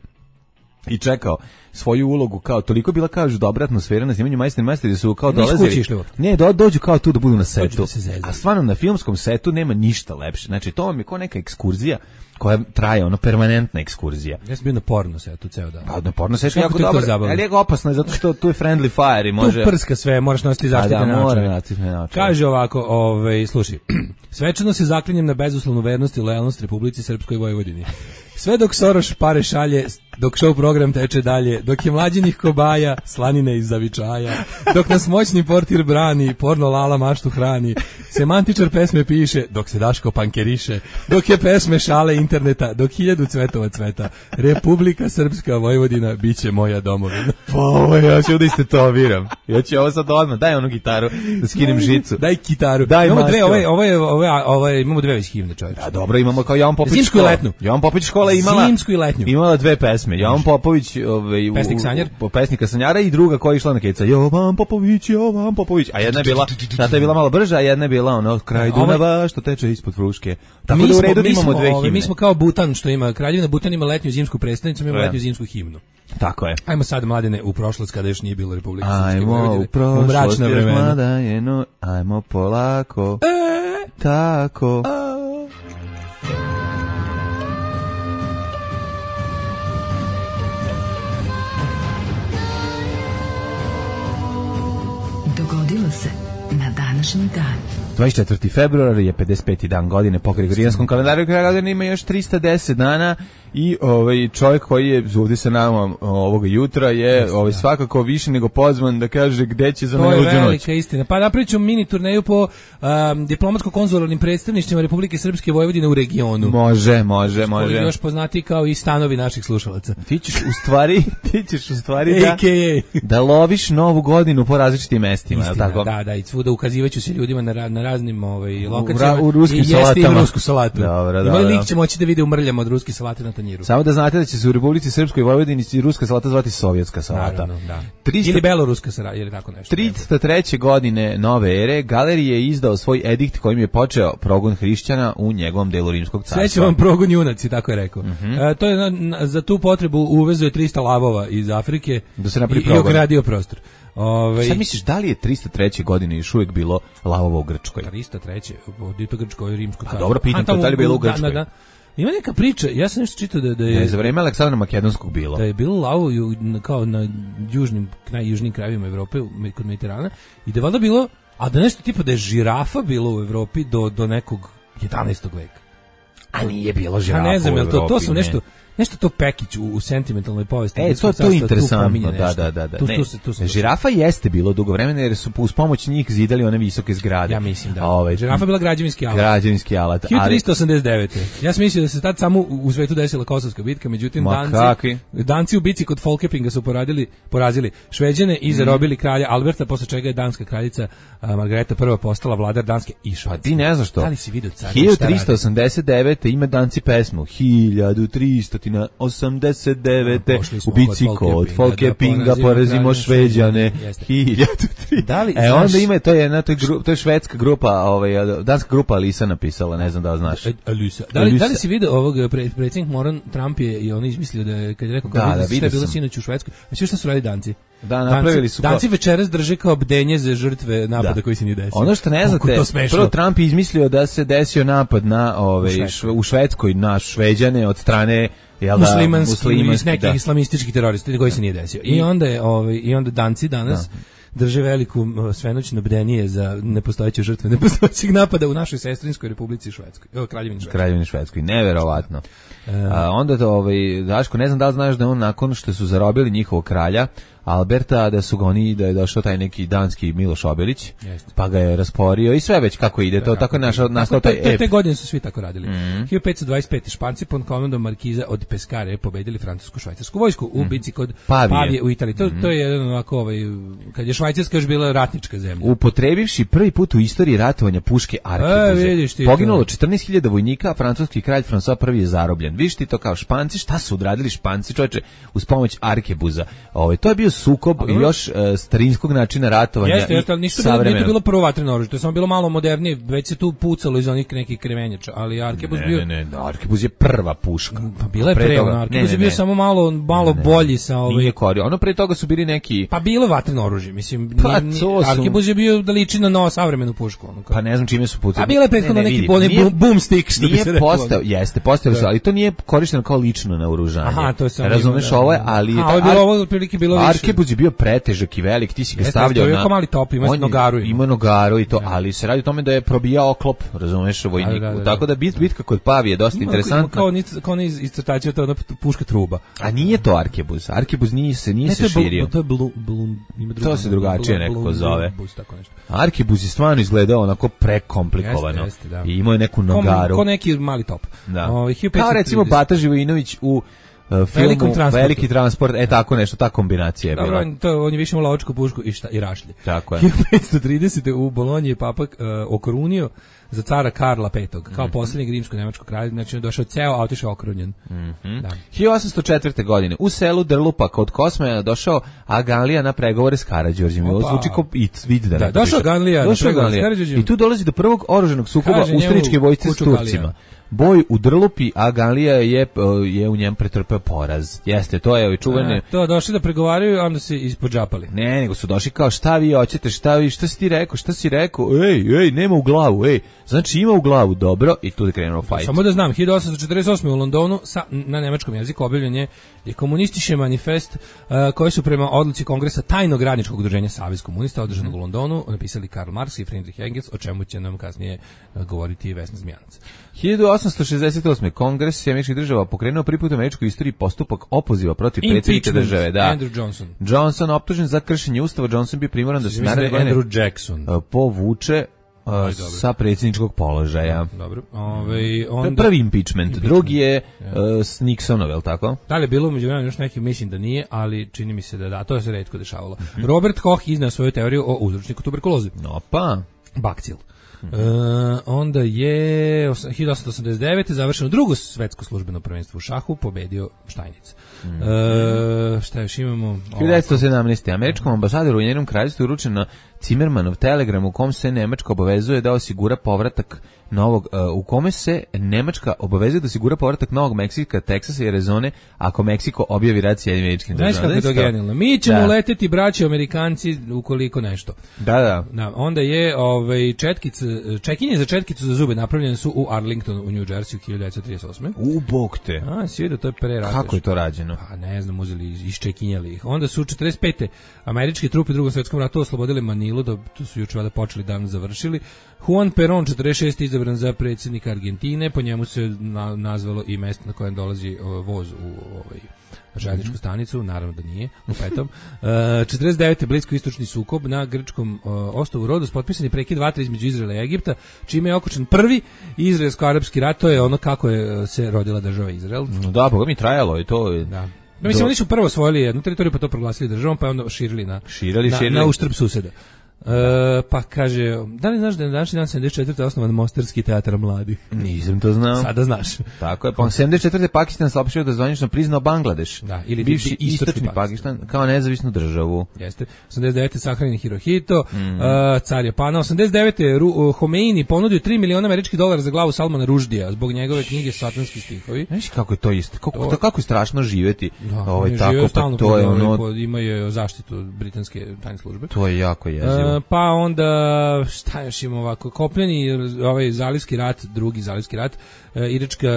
i čekao svoju ulogu, kao toliko bila kao dobra atmosfera na snimanju Majstori Majstori su kao dolazili. Ne, do, dođu kao tu da budu na setu. Da a stvarno na filmskom setu nema ništa lepše. Znači to vam je kao neka ekskurzija koja traje, ono permanentna ekskurzija.
Ja sam bio na porno setu ceo dan.
Pa na porno setu jako dobro. Ali je opasno je zato što tu je friendly fire i može.
Tu prska sve, moraš nositi zaštitne naočare. Kaže ovako, ovaj slušaj. Svečano se zaklinjem na bezuslovnu vernost i lojalnost Republici Srpskoj Vojvodini. Sve dok Soroš pare šalje, dok show program teče dalje, dok je mlađinih kobaja, slanine iz zavičaja, dok nas moćni portir brani, porno lala maštu hrani, semantičar pesme piše, dok se Daško pankeriše, dok je pesme šale interneta, dok hiljadu cvetova cveta, Republika Srpska Vojvodina biće moja domovina.
Pa ovo, ja ću da istetoviram. Ja ću ovo sad odmah, daj onu gitaru, da skinem žicu.
Daj kitaru.
Daj
imamo dve, ovo je, ovo je, ovo je, ovo je, imamo dve već himne, čovječe.
Da, dobro, imamo kao Jovan Popović.
Zimsku i letnju.
Jovan Popović škola imala
zimsku i letnju.
Imala dve pesme. Jovan Popović, ovaj
pesnik sanjar,
u, pesnika sanjara i druga koja je išla na keca. Jovan Popović, Jovan Popović. A jedna je bila, ta je bila malo brža, a jedna je bila ono kraj Dunava što teče ispod Fruške. Tako da u redu imamo dve himne.
Mi smo kao Butan što ima Kraljevina Butan ima letnju zimsku prestonicu, mi imamo letnju zimsku himnu.
Tako je.
Ajmo sad mladene u prošlost kada još nije bilo Republike
Srpske
Vojvodine.
Ajmo u prošlost, mlada je no, ajmo polako.
E,
tako.
A.
Dogodilo se na današnji dan.
dvadeset četvrti februar je pedeset peti dan godine po gregorijanskom kalendaru, kraja godine ima još trista deset dana i ovaj čovjek koji je ovdje sa nama ovoga jutra je ovaj svakako više nego pozvan da kaže gde će za najluđu noć.
To je velika istina. Pa napraviću mini turneju po um, diplomatsko-konzularnim predstavništvima Republike Srpske Vojvodine u regionu.
Može, može, može.
Koji još poznati kao i stanovi naših slušalaca.
Ti ćeš u stvari, ti ćeš u stvari da,
A K A
da loviš novu godinu po različitim mestima, je li tako?
Da, da, i potrebu da ukazivaću se ljudima na, ra, na raznim ovaj, lokacijama
u, u ruskim
i jeste im
salatama.
rusku salatu.
Dobro,
I moj lik će moći da vide umrljama od ruske salate na tanjiru.
Samo da znate da će se u Republici Srpskoj i Vojvodini i ruska salata zvati sovjetska salata.
Naravno, da.
tristo
Ili beloruska salata, ili tako nešto.
tristo treće godine nove ere Galerije je izdao svoj edikt kojim je počeo progon hrišćana u njegovom delu Rimskog carstva.
Sve će vam progon junaci, tako je rekao.
Mm-hmm.
E, to je na, na, za tu potrebu uvezuje trista lavova iz Afrike
da se napravi
i, i ogradio prostor. Ove,
Šta misliš, da li je tristo treće godine još uvijek bilo lavova u Grčkoj?
tristo treće, dito Grčko i Rimsko carstvo.
A dobro, pitam to, da li je bilo u Grčkoj? Da, da, da.
Ima neka priča, ja sam nešto čitao da, da je...
Ne, za vreme Aleksandra Makedonskog bilo.
Da je bilo lavo kao na južnim, najjužnijim krajevima Evrope, kod Mediterana, i da je valjda bilo, a da nešto tipa da je žirafa bilo u Evropi do, do nekog jedanaestog veka.
A nije bilo žirafa
ne znam,
u Evropi.
To, to su nešto... Nešto to Pekić u, u sentimentalnoj povesti.
E, to, to je interesantno, da, da, da. da.
Tu,
ne,
tu se, tu se,
žirafa jeste bilo dugo vremena jer su uz pomoć njih zidali one visoke zgrade.
Ja mislim da.
Ove,
žirafa bila građevinski alat.
Građevinski alat.
hiljadu tristo osamdeset devete. Ja sam mislio da se tad samo u svetu desila Kosovska bitka, međutim
Ma,
Danci,
kakvi?
Danci u bici kod Folkepinga su poradili, porazili Šveđane i zarobili kralja Alberta, posle čega je danska kraljica a, Margareta prva postala vladar Danske i Švedske.
Pa ti ne znaš što.
Da li si vidio car?
hiljadu tristo osamdeset devete ima Danci pesmu. hiljadu tristo osamdeset devete u bici kod Folkepinga porazimo Šveđane. hiljadu tristo E onda ima, to je jedna, to je, gru, to je švedska grupa, ovaj, danska grupa Alisa napisala, ne znam da li znaš.
Alisa. Da li, da li si vidio ovog pre, predsjednik Moran Trump je i on izmislio da je, kad je rekao kao
da, da,
šta je bilo sinoć u Švedskoj, a sve šta su radili Danci?
Da, napravili su.
Danci večeras drže kao bdenje za žrtve napada da. koji se nije desio.
Ono što ne znate, prvo Trump je izmislio da se desio napad na ove, u, u Švedskoj na Šveđane od strane jel da,
muslimanskih nekih da. islamističkih terorista koji se nije desio. I, I onda je ovaj i onda Danci danas da. drže veliku svenoćno bdenije za nepostojeće žrtve nepostojećeg napada u našoj sestrinskoj Republici Švedskoj. Evo Kraljevini Švedskoj.
Kraljevini Švedskoj, neverovatno. A, onda to ovaj Daško, ne znam da li znaš da on nakon što su zarobili njihovog kralja Alberta, da su ga oni, da je došao taj neki danski Miloš Obilić, Jeste. pa ga je rasporio i sve već kako ide, to, to tako je našao, nastao taj ep.
Te, te godine su svi tako radili. Mm-hmm. hiljadu petsto dvadeset pete. Španci pod komandom Markiza od Pescara pobedili francusku švajcarsku vojsku u bici kod Pavije, Pavije u Italiji. To, mm-hmm. to je jedan ovako, ovaj, kad je Švajcarska još bila ratnička zemlja.
Upotrebivši prvi put u istoriji ratovanja puške arkebuze. Poginulo četrnaest hiljada vojnika, a francuski kralj François prvi je zarobljen. Viš ti to kao Španci, šta su odradili Španci, čoveče, uz pomoć arkebuza. Ovaj to je bio sukob i još uh, starinskog načina ratovanja.
Jeste, jeste, ali nisu bilo, nije to bilo prvo vatreno oružje, to je samo bilo malo modernije, već se tu pucalo iz onih nekih krevenjača, ali arkebuz
ne,
bio...
Ne, ne, ne, arkebuz je prva puška.
Pa bila je pre, ono, arkebuz je bio samo malo, malo ne, bolji sa ovaj...
Nije korio, ono pre toga su bili neki...
Pa bilo vatreno oružje, mislim,
pa,
ni,
su...
arkebuz je bio da liči na novo savremenu pušku. Ono,
pa ne znam čime su pucali.
A bila je prethodno ne, ne, neki bolni boom, boom stick, što bi se rekao.
Postao, jeste, postavili su, ali to nije korišteno kao lično naoružanje.
Aha, to je samo...
Razumeš ovo je, ali...
A, ovo je bilo, ovo otprilike bilo više.
Arkebuz je bio pretežak i velik, ti si ga stavljao na...
Jeste, mali top, ima nogaru.
Ima nogaru i to, da. Ali se radi o tome da je probijao oklop, razumeš, vojniku. Da, da, da. Tako da bit, bitka kod Pavije je dosta
ima,
interesantna.
Kao, kao iz, iz crtačeva, to je ona puška truba.
A nije to arkebuz. Arkebuz nije se, nije ne, se širio.
To je blu, blu, ima druga,
to se drugačije
blu,
nekako
blu,
zove.
Blu, tako nešto.
Arkebuz je stvarno izgledao onako prekomplikovano. Jeste, jeste, da. I imao je neku nogaru.
Ko neki mali top.
Da. O, kao recimo Bata Živojinović u Uh, filmu Veliki transport, e tako nešto, ta kombinacija je bila.
Dobro, to, on je više imao lovačku pušku i, šta, i rašlje.
Tako je.
hiljadu petsto tridesete. u Bolonji je papa uh, okorunio za cara Karla petog, kao mm-hmm. posljednjeg rimsko-nemačkog kralja, znači je došao ceo, a otišao okrunjen.
Mm-hmm. Da. hiljadu osamsto četvrte. godine u selu Drlupa kod Kosmeja došao Agalija na pregovore s Karađorđem. Ovo zvuči kao vid da,
da došao Agalija na pregovore s Karađorđem.
I tu dolazi do prvog oružanog sukoba ustaničke vojske s Turcima. Boj u Drlupi, a Galija je, je u njem pretrpeo poraz. Jeste, to je ovi čuvene...
To, došli da pregovaraju, onda se ispodžapali.
Ne, nego su došli kao šta vi hoćete, šta vi, šta si ti rekao, šta si rekao, ej, ej, nema u glavu, ej. Znači ima u glavu, dobro, i tu je krenuo fajt.
Samo da znam, hiljadu osamsto četrdeset osme. u Londonu sa, na nemačkom jeziku objavljen je, je komunistički manifest uh, koji su prema odluci Kongresa tajnog radničkog udruženja Savez komunista održanog mm. u Londonu napisali Karl Marx i Friedrich Engels, o čemu će nam kasnije uh, govoriti Vesna Zmijanac.
hiljadu osamsto šezdeset osme. Kongres Američkih država pokrenuo prvi put u američkoj istoriji postupak opoziva protiv predsjednika države. Da.
Andrew Johnson.
Johnson optužen za kršenje ustava. Johnson bio primoran da se naredne godine
Andrew Jackson.
povuče uh, sa predsjedničkog položaja.
Dobro. Ove, onda...
To je prvi impeachment, impeachment. Drugi je uh, s Nixonov, je li tako?
Da li je bilo među vremenu još neki, mislim da nije, ali čini mi se da da, to se retko dešavalo. Mm-hmm. Robert Koch iznao svoju teoriju o uzročniku tuberkuloze.
Opa.
Bakcil. Uh, onda je hiljadu osamsto osamdeset devete završeno drugo svetsko službeno prvenstvo u šahu, pobedio Štajnic. Mm. Uh, šta još imamo?
hiljadu devetsto sedamnaeste. Američkom ambasadoru u njenom kraljevstvu uručeno Cimermanov telegram u kom se Nemačka obavezuje da osigura povratak novog, uh, u kome se Nemačka obavezuje da osigura povratak Novog Meksika, Teksasa i Arizone ako Meksiko objavi rat s Sjedinjenim Američkim Državama.
Znaš kako je to genijalno? Mi ćemo da. leteti, braći Amerikanci, ukoliko nešto.
Da, da.
da onda je ovaj, četkice, čekinje za četkicu za zube napravljene su u Arlingtonu u New Jersey u hiljadu devetsto trideset osme.
U, bog te.
A, si vidio, to je pre rata.
Kako je to rađeno?
Pa ne znam, uzeli, iščekinjali ih. Onda su četrdeset pete američke trupe u Drugom svjetskom ratu oslobodili Manilu, da to su juče valjda počeli, dan završili. Juan Perón, četrdeset šeste izabran za predsjednika Argentine, po njemu se na, nazvalo i mesto na kojem dolazi o, voz u ovaj željezničku stanicu, naravno da nije, u petom. Uh, četrdeset devete bliskoistočni sukob na grčkom uh, ostrvu Rodos, potpisan je prekid vatre između Izraela i Egipta, čime je okončan prvi izraelsko-arapski rat, to je ono kako je se rodila država Izrael.
Da, boga mi trajalo i to je...
Da. No, mislim, oni su prvo osvojili jednu teritoriju, pa to proglasili državom, pa onda širili na,
širili,
na,
širili.
na uštrb suseda. Uh, pa kaže, da li znaš da je na današnji dan sedamdeset četvrte osnovan Mostarski teatar mladih?
Nisam to znao.
Sada znaš.
Tako je, pa sedamdeset četvrte Pakistan saopštio da zvanično priznao Bangladeš,
da, ili
bivši istočni, istočni Pakistan, kao nezavisnu državu.
Jeste. osamdeset devete sahranjen Hirohito, mm. uh, car Japana. osamdeset devete Uh, Homeini ponudio tri miliona američkih dolara za glavu Salmana Ruždija zbog njegove knjige Satanski stihovi.
Znaš kako je to isto? Kako, to, kako je strašno živjeti.
Da,
ovaj, tako, pa to je ono...
Ima je zaštitu britanske tajne službe.
To je jako jezivo.
Uh, pa onda šta još ima ovako, kopljeni ovaj zalivski rat, drugi zalivski rat, e, iračka,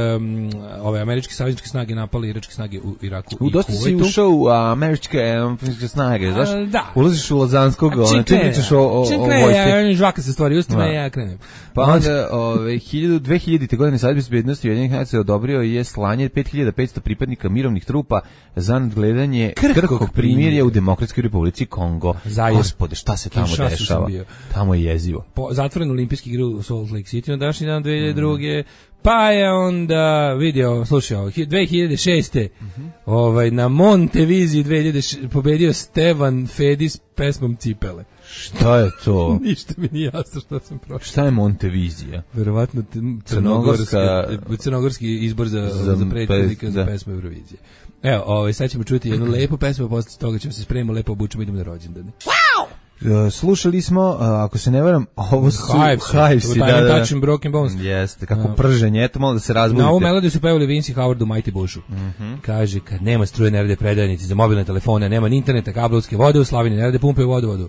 ove američke savezničke snage napali iračke snage u Iraku u i
dosta
Kuvajtu.
Si ušao u američke um, snage, znaš?
A, da.
Ulaziš u Lazanskog, ona, ti pričaš o, o,
čim
o
krene,
vojsci.
Ja, žvaka se stvari ustima, ja krenem.
Pa onda, ove, dve hiljadite godine Savjet bezbednosti Ujedinjenih nacija odobrio je slanje pet hiljada petsto pripadnika mirovnih trupa za nadgledanje krhkog primirja u Demokratskoj Republici Kongo.
Zajer.
Gospode, šta se tamo dešava? Tamo je jezivo.
Po, zatvoren olimpijski igre u Salt Lake City na današnji dan dve hiljade druge. Mm. Pa je onda vidio, slušao, dve hiljade šeste Mm-hmm. ovaj, na Monteviziji dve hiljade šeste pobedio Stevan Fedi s pesmom Cipele.
Šta je to?
Ništa mi nije jasno što sam prošao.
Šta je Montevizija?
Verovatno crnogorska, crnogorski izbor za, za, za predsjednika za pesmu Eurovizije. Evo, ovaj, sad ćemo čuti jednu lepu pesmu, posle toga ćemo se spremimo, lepo obučemo, idemo na rođendane. Wow!
Uh, slušali smo, uh, ako se ne varam, ovo su
Hivesi, da, da, da. Broken Bones.
Jeste, kako uh, prženje, eto malo da se razbudite.
Na ovu melodiju su pevali Vince i Howard u Mighty Bushu.
Mm-hmm.
Kaže, kad nema struje, ne rade predajnici za mobilne telefone, nema ni interneta, kablovske vode u Slavini, ne rade pumpe u vodovodu.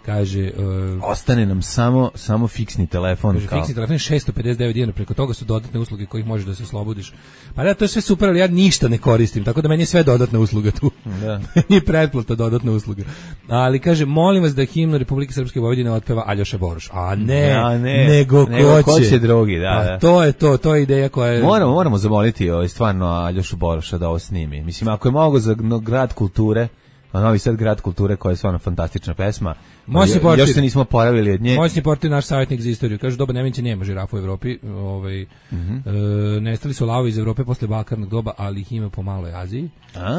Kaže, uh,
ostane nam samo samo fiksni telefon.
Kaže,
kao.
fiksni telefon je šesto pedeset devet dinara, preko toga su dodatne usluge kojih možeš da se oslobodiš. Pa da, to je sve super, ali ja ništa ne koristim, tako da meni je sve dodatna usluga tu.
Da.
I pretplata dodatna usluga. Ali kaže, molim vas da himnu Republike Srpske Vojvodine otpeva Aljoša Boroš. A ne,
ja, ne
nego,
nego
ko će.
će drugi, da, da.
A to je to, to je ideja koja je...
Moramo, moramo zamoliti ovaj, stvarno Aljošu Boroša da ovo snimi. Mislim, ako je mogo za grad kulture, Novi Sad grad kulture, koja je stvarno fantastična pesma.
Moćni portir.
Još se nismo oporavili od nje.
Moćni portir, naš savjetnik za istoriju. Kaže, doba Nemanjića nema žirafa u Evropi. Ovaj,
mm-hmm.
e, nestali su lavovi iz Evrope posle bakarnog doba, ali ih ima po maloj Aziji.
A.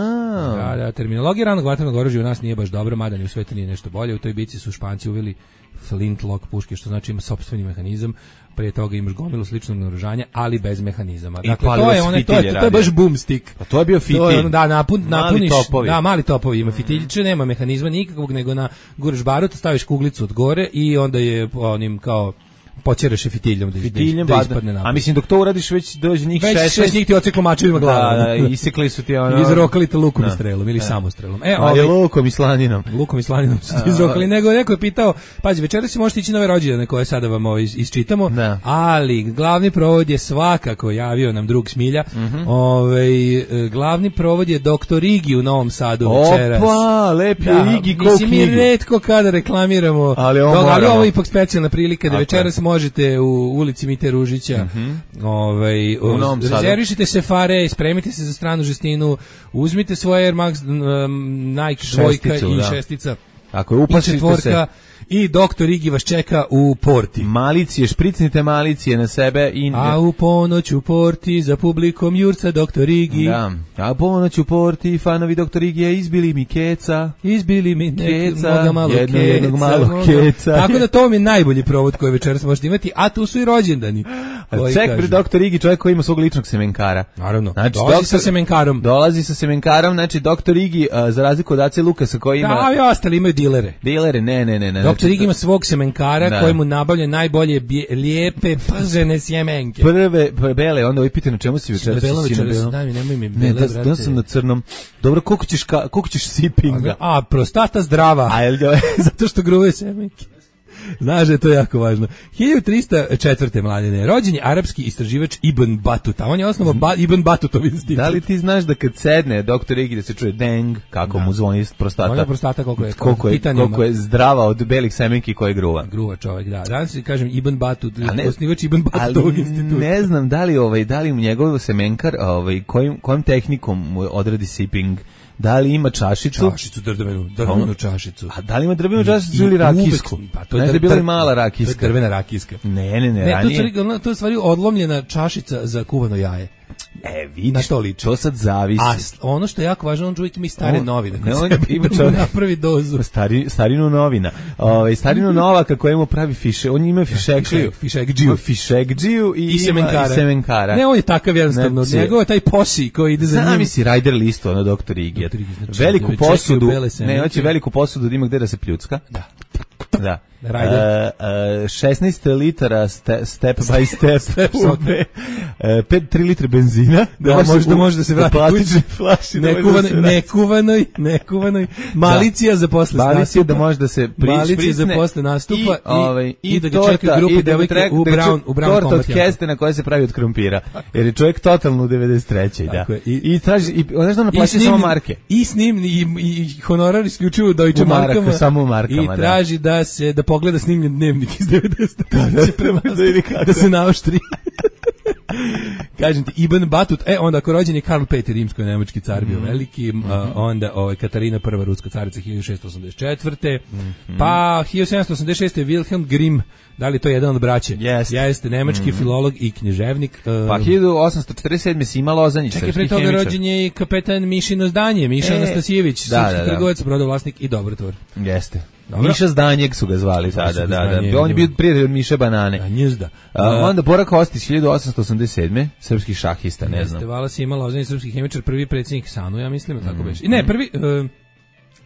Da, da, terminologija ranog vatrenog oružja u nas nije baš dobra, mada ni u svetu nije nešto bolje. U toj bici su Španci uveli flintlock puške, što znači ima sopstveni mehanizam. Prije toga imaš gomilu sličnog naoružanja, ali bez mehanizama.
I
dakle, to je, one, to, je, to je baš boomstick.
Pa to je bio fitilj.
To je ono, da, napun, napuniš,
mali topovi.
Da, mali topovi. Ima fitiljiće, nema mehanizma nikakvog, nego na guraš barut, staviš kuglicu od gore i onda je onim kao počereš je fitiljom da,
Fitiljem,
da, da ispadne napad.
A mislim, dok to uradiš, već dođe njih šest.
Već šest njih ti oceklo mačevima glava.
Da, da, isekli su ti ono...
I izrokali te lukom i strelom, ili samostrelom.
E, ali ovaj, lukom i slaninom.
Lukom i slaninom su ti izrokali. Nego neko je pitao, pazi, večeras si možete ići nove rođendane koje sada vam ovo isčitamo,
da.
Ali glavni provod je svakako, javio nam drug Smilja,
mm-hmm.
ovaj, glavni provod je doktor Igi u Novom Sadu večeras.
Opa, lepi da, Igi ko knjigu.
Mislim, mi retko kada reklamiramo,
ali ovo,
dok, ali ovo je ipak specijalna prilika da večeras možete u ulici Mite Ružića,
mm-hmm.
ovaj,
u Novom Sadu.
Rezervišite se fare, spremite se za stranu žestinu, uzmite svoje Air Max um, Nike dvojka i
da.
šestica
Ako je upasite se...
I doktor Igi vas čeka u porti.
Malicije, špricnite malicije na sebe. I...
A u ponoć u porti za publikom jurca doktor Igi.
Da. A u ponoć u porti fanovi doktor Igija izbili mi keca.
Izbili mi nek,
keca,
mnoga malo
jedno,
keca.
Jednog malo
mnoga.
keca.
Tako da to mi je najbolji provod koji večeras možete imati, a tu su i rođendani.
Ček pri doktor Igi, čovjek koji ima svog ličnog semenkara.
Naravno,
znači,
dolazi doktor, sa semenkarom.
Dolazi sa semenkarom, znači doktor Igi, uh, za razliku od Ace Lukasa koji ima...
Da, i ostali imaju dilere.
Dilere, ne, ne, ne. ne
doktor Igi ima svog semenkara
da.
koji mu nabavlja najbolje bje, lijepe pržene sjemenke.
Prve, prve bele, onda ovaj pita na čemu si večeras?
Belo večeras, daj mi, nemoj mi bele,
ne, da, da sam na crnom. Dobro, koliko ćeš, ka, koliko ćeš sipinga?
A, prostata zdrava.
A, jel,
zato što gruje semenke. Znaš da je to jako važno. hiljadu trista četvrte mladine, rođen je arapski istraživač Ibn Batuta. On je osnovao ba, Ibn Batutov institut.
Da li ti znaš da kad sedne doktor Igi da se čuje deng, kako da. mu zvoni prostata?
Ona prostata koliko je,
koliko je, koliko je zdrava od belih semenki koje gruva.
Gruva čovjek, da. Danas si kažem Ibn Batut, osnivač Ibn Batutovog instituta.
Ne znam da li ovaj da li mu njegov semenkar ovaj kojim kojim tehnikom mu odradi sipping. Da li ima čašicu?
Čašicu drvenu, drvenu čašicu.
A da li ima drvenu čašicu ili rakijsku?
Pa to
je bila i mala rakijska.
To je drvena rakijska.
Ne, ne, ne,
ne
ranije.
To je, to je stvari odlomljena čašica za kuvano jaje.
E, vidiš, to, to sad zavisi.
A ono što je jako važno, on čovjek ima i stare
on,
novine.
Ne, on ima čovjek
napravi dozu.
Stari, starinu novina. Ove, starinu novaka kojemu pravi fiše. On ima fišekdžiju.
Fišekdžiju.
Fišekdžiju i,
I, semenkara.
i semenkara.
Ne, on je takav jednostavno. Znači, njegov je taj posi koji ide za njim.
Zami si Rider listu, ono doktor Igi. Znači, veliku posudu. Ne, hoće veliku posudu da ima gde da se pljucka.
Da.
Da. Uh, uh, šesnaest litara ste, step by step, step uh, pet, tri litre benzina
da, da može da može da se vrati
plastične flaše
nekuvano, da nekuvanoj nekovanoj malicija da. za posle
malicija da može da se
malicija za posle nastupa i,
ovaj,
i, i da ga čeka grupa devojke u Brown u Brown
torta od kestena koja se pravi od krompira jer je čovjek totalno u devedeset trećoj da
je, i,
i traži i ona što naplaća samo marke
i snim i, i honorar isključivo Deutsche markama
samo u markama
i traži da se da pogleda snimljen dnevnik iz devedesetih
da, da,
da, da se naoštri. Kažem ti, Ibn Batut, e, onda ako rođen je Karl Peti, rimsko-nemački car bio mm. veliki, mm -hmm. uh, onda ovaj, Katarina prva, ruska carica, hiljadu šeststo osamdeset četvrte Mm -hmm. Pa hiljadu sedamsto osamdeset šeste Wilhelm Grimm, da li je to jedan od braće?
Yes.
Jeste, nemački mm -hmm. filolog i književnik. Uh,
pa hiljadu osamsto četrdeset sedme Sima Lozanjić,
čekaj, pre toga rođen je i kapetan Mišino zdanje, Miša e, Anastasijević,
da,
srpski
da, da.
trgovac, brodovlasnik i dobrotvor.
Jeste.
Dobro.
Miša Zdanjeg su ga zvali tada, da, da. On je bio prijatelj od Miše Banane.
A njuzda.
A, onda Bora Kostić, hiljadu osamsto osamdeset sedme srpski šahista, ne znam.
Jeste, vala si imala ozvanji srpski hemičar, prvi predsjednik SANU, ja mislim, tako mm. I ne, prvi... Uh,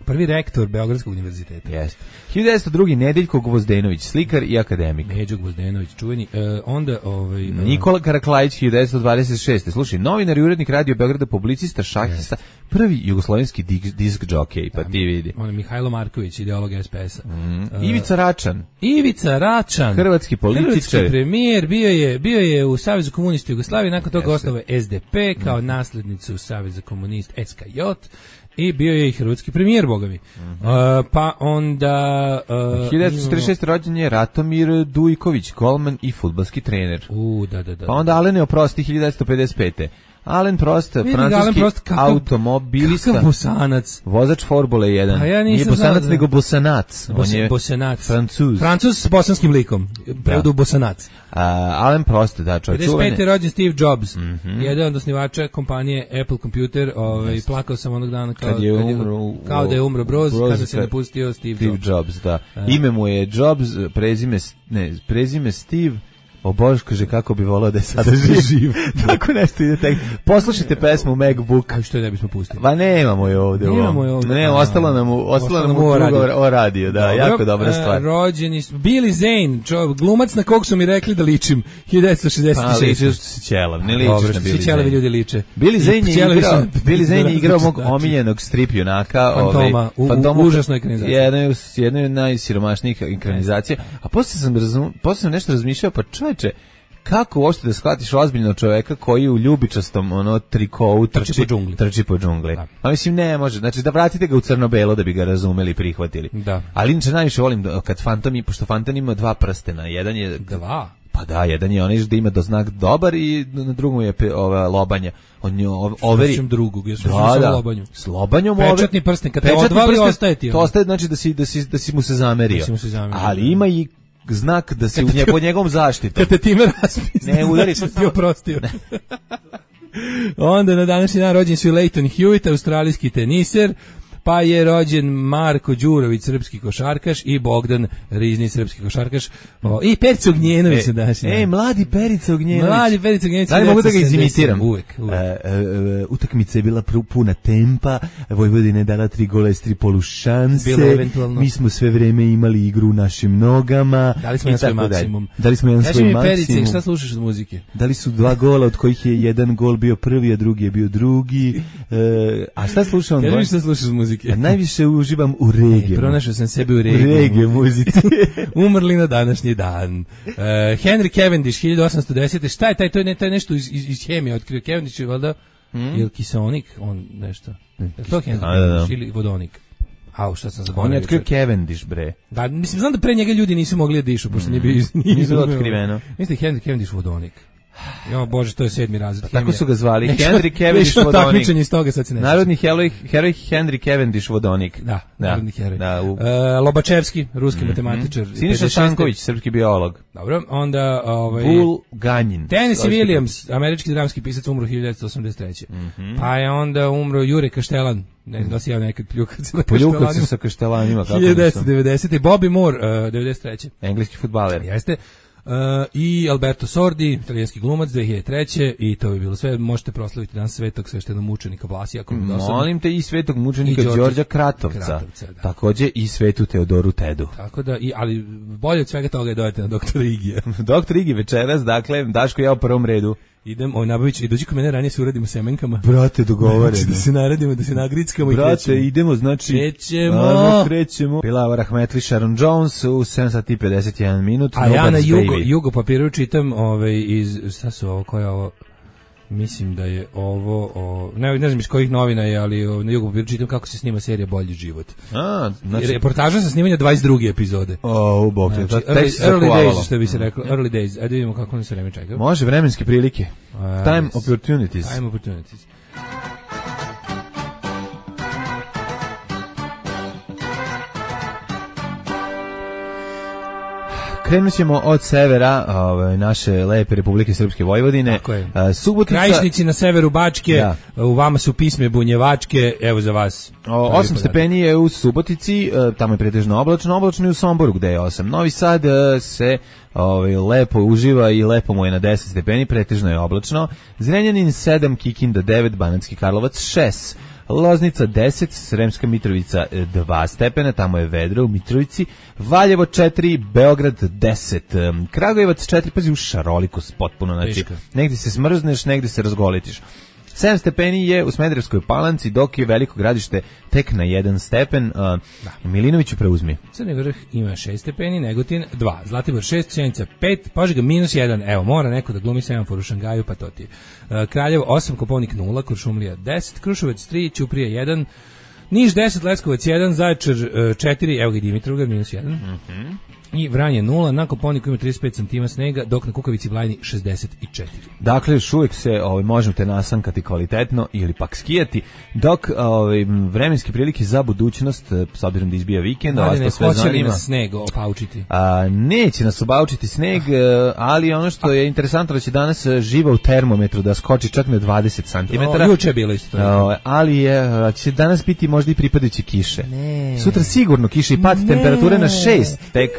prvi rektor Beogradskog univerziteta.
Jeste. hiljadu devetsto drugi Nedeljko Gvozdenović, slikar i akademik.
Međo Gvozdenović, čuveni. E, onda ovaj uh,
Nikola Karaklajić, hiljadu devetsto dvadeset šeste Slušaj, novinar i urednik Radio Beograda, publicista, šahista, yes. prvi jugoslovenski disk džokej, pa ti vidi.
On je Mihajlo Marković, ideolog S P S-a.
Mm. Uh, Ivica Račan.
Ivica Račan.
Hrvatski političar.
Hrvatski premijer, bio je bio je u Savezu komunista Jugoslavije, nakon toga osnovao S D P kao mm. naslednicu Saveza komunista S K J. I bio je i hrvatski premijer, boga mi. Uh -huh. uh, pa onda... Uh,
hiljadu devetsto trideset šeste rođen je Ratomir Dujković, golman i fudbalski trener.
U, da, da, da.
Pa onda Alen je oprosti, hiljadu devetsto pedeset pete Alen Prost, francuski Prost, kakav, automobilista,
kakav bosanac.
Vozač Formule jedan.
A ja
Nije bosanac, nego bosanac.
Bos,
On je
bosanac.
Francuz.
Francuz s bosanskim likom. Prevodu bosanac.
Uh, Alen Prost, da, čovjek čuvene.
pedeset pete rođen Steve Jobs.
Mm -hmm.
Jedan od osnivača kompanije Apple Computer. Ovaj, yes. Plakao sam onog dana kao,
kad je umro,
kao da je umro Broz, Broz kada se napustio Steve,
Steve
Jobs.
Jobs da. Uh. Ime mu je Jobs, prezime, ne, prezime Steve. O Bož, kaže kako bi volao da je sada živ. Tako nešto ide tek. Poslušajte pesmu MacBook.
A što je ne bismo pustili?
Pa nemamo je ovde.
Nemamo je ovde.
Ne, ostalo nam u ostalo nam u radio. o radio, da, dobro, jako dobra stvar.
Rođeni Billy Zane, čovjek, glumac na kog su mi rekli da ličim, hiljadu devetsto šezdeset šeste.
Pa ličiš se ćelav, ne ličiš na Billy Zane.
Svi ćelavi ljudi liče.
Billy Zane je igrao, Billy Zane je igrao mog omiljenog strip junaka,
Fantoma, u užasnoj ekranizaciji.
Jedna jedna od najsiromašnijih ekranizacija. A posle sam razum, posle sam nešto razmišljao, pa čoveče, kako uopšte da shvatiš ozbiljno čoveka koji u ljubičastom ono trikovu trči,
trči po džungli.
Trči po džungli. Da. A mislim ne može. Znači da vratite ga u crno-belo da bi ga razumeli i prihvatili.
Da.
Ali inače najviše volim da, kad Fantom, pošto Fantom ima dva prstena. Jedan je
dva.
Pa da, jedan je onaj da ima doznak dobar i na drugom je pe, ova lobanja. On je overi
drugog, ja sam
da, da.
lobanju.
S lobanjom
pečatni prsten, kad te odvali ostaje ti.
To ostaje znači da si da si da si mu se zamerio.
Da mu se zamerio.
Ali ima i znak da se u nje pod njegovom zaštitom.
Kad te time raspisne,
ne udari
znači, ti oprostio. Onda na današnji dan rođen su Leighton Hewitt, australijski teniser, pa je rođen Marko Đurović, srpski košarkaš, i Bogdan Rizni, srpski košarkaš, o, i Perica Ognjenović se danas.
Ej, mladi Perica Ognjenović.
Mladi Perica Ognjenović.
Da li mogu da ga izimitiram?
Uvek, uvek.
E, e, utakmica je bila puna tempa, Vojvodina je dala tri gola iz tri polušanse, mi smo sve vreme imali igru u našim nogama.
Dali smo jedan svoj maksimum.
Dali smo jedan svoj maksimum.
Kaži mi Perice, šta slušaš od muzike?
Dali su dva gola, od kojih je jedan gol bio prvi, a drugi je bio drugi. E, a šta slušam?
Kaži mi šta slušaš od muzike?
A najviše uživam u regiju.
E, pronašao sam sebe u regiju.
U regiju muzici.
Umrli na današnji dan. Uh, Henry Cavendish, hiljadu osamsto desete. Šta je taj? To je, ne, taj nešto iz, iz, iz hemije otkrio. Cavendish je valjda, mm. je li kiseonik? On nešto. Je to Henry
a, da, da.
Cavendish ili vodonik? Au, šta sam zaboravio.
On je otkrio Cavendish, bre.
Da, mislim, znam da pre njega ljudi nisu mogli da dišu, pošto mm. nije bio
nije bilo otkriveno.
Mislim, Henry Cavendish vodonik. Jo, bože, to je sedmi razred.
Tako su ga zvali. Henry Cavendish vodonik.
Takmičenje iz toga, sad se ne.
Narodni heroj, heroj Henry Cavendish vodonik.
Da, da. Narodni heroj. Da, u... uh, Lobačevski, ruski mm-hmm. matematičar.
Siniša Stanković, srpski biolog.
Dobro, onda... Ovaj,
Bulganin.
Tennessee Williams, američki dramski pisac, umro hiljadu devetsto osamdeset treće. Mm-hmm. Pa je onda umro Jure Kaštelan. Ne znam da si ja nekad pljukac na
Pljukac sa Kaštelanima.
hiljadu devetsto devedesete. Bobby Moore, uh, devedeset treće.
Engleski fudbaler.
Jeste. Uh, i Alberto Sordi, italijanski glumac, dve hiljade treće. I to bi bilo sve. Možete proslaviti dan svetog sveštenog mučenika Vlasija.
Molim te, i svetog mučenika Đorđa Kratovca, Kratovca da. Takođe i svetu Teodoru Tedu.
Tako da, i, ali bolje od svega toga je dojete na doktora Igija.
Doktor Igi večeras, dakle, Daško ja u prvom redu.
Idem, oj, nabavić, i dođi ko mene ranije se uradimo semenkama.
Brate, dogovoreno.
Znači, da se naradimo, da se nagrickamo.
Brate,
i krećemo.
Brate, idemo, znači...
Krećemo.
Ano, krećemo. Bilava Rahmetli, Sharon Jones u sedam sati i pedeset jedan minut.
A ja na Jugo, Jugo papiru čitam ovaj, iz... Šta su ovo, koja je ovo? Mislim da je ovo... O, ne, ne znam iz kojih novina je, ali o, na Jugo papiru čitam kako se snima serija Bolji život.
A, znači...
Reportaža sa snimanja dvadeset druge epizode.
O, u bok,
znači,
to
early, early days, što bi se reklo. Early days. Ajde vidimo kako nam se vreme čeka.
Može, vremenske prilike.
Uh,
Time opportunities.
Time opportunities.
Krenut ćemo od severa, ove, naše lepe Republike Srpske Vojvodine.
Tako je.
Uh, Subotica...
Krajišnici na severu Bačke, da. U vama su pisme bunjevačke, evo za vas.
O, osam stepeni je u Subotici, uh, tamo je pretežno oblačno, oblačno i u Somboru gde je osam. Novi Sad uh, se ove, lepo uživa i lepo mu je na deset stepeni, pretežno je oblačno. Zrenjanin sedam, Kikinda devet, Banatski Karlovac šest. Loznica deset, Sremska Mitrovica dva stepena, tamo je vedro u Mitrovici, Valjevo četiri, Beograd deset, Kragujevac četiri, pazi u šarolikost potpuno, znači negdje se smrzneš, negdje se razgolitiš. sedam stepeni je u Smederevskoj Palanci, dok je Veliko Gradište tek na jedan stepen. Uh, da. Milinoviću preuzmi.
Crni Vrh ima šest stepeni, Negotin dva, Zlatibor šest, Sjenica pet, Požega minus jedan, evo, mora neko da glumi semafor u Šangaju, pa to ti je. Uh, Kraljevo osam, Koponik nula, Kuršumlija deset, Kruševac tri, Ćuprija jedan, Niš deset, Leskovac jedan, Zaječar četiri, evo ga Dimitrovgrad minus jedan. Mhm. I Vranje nula, na Koponiku ima trideset pet centimetara snega, dok na Kukavici Vlajni šezdeset četiri.
Dakle, još uvijek se ovaj, možete nasankati kvalitetno ili pak skijati, dok ovaj, vremenske prilike za budućnost, s obzirom da izbija vikend,
ali sve hoće li nas sneg opaučiti?
A, neće nas obaučiti sneg, ah. ali ono što je interesantno da će danas živa u termometru da skoči čak na dvadeset centimetara.
O, juče je bilo isto.
O, ali je, će danas biti možda i pripadajući kiše.
Ne.
Sutra sigurno kiše i pad ne. temperature na šest tek.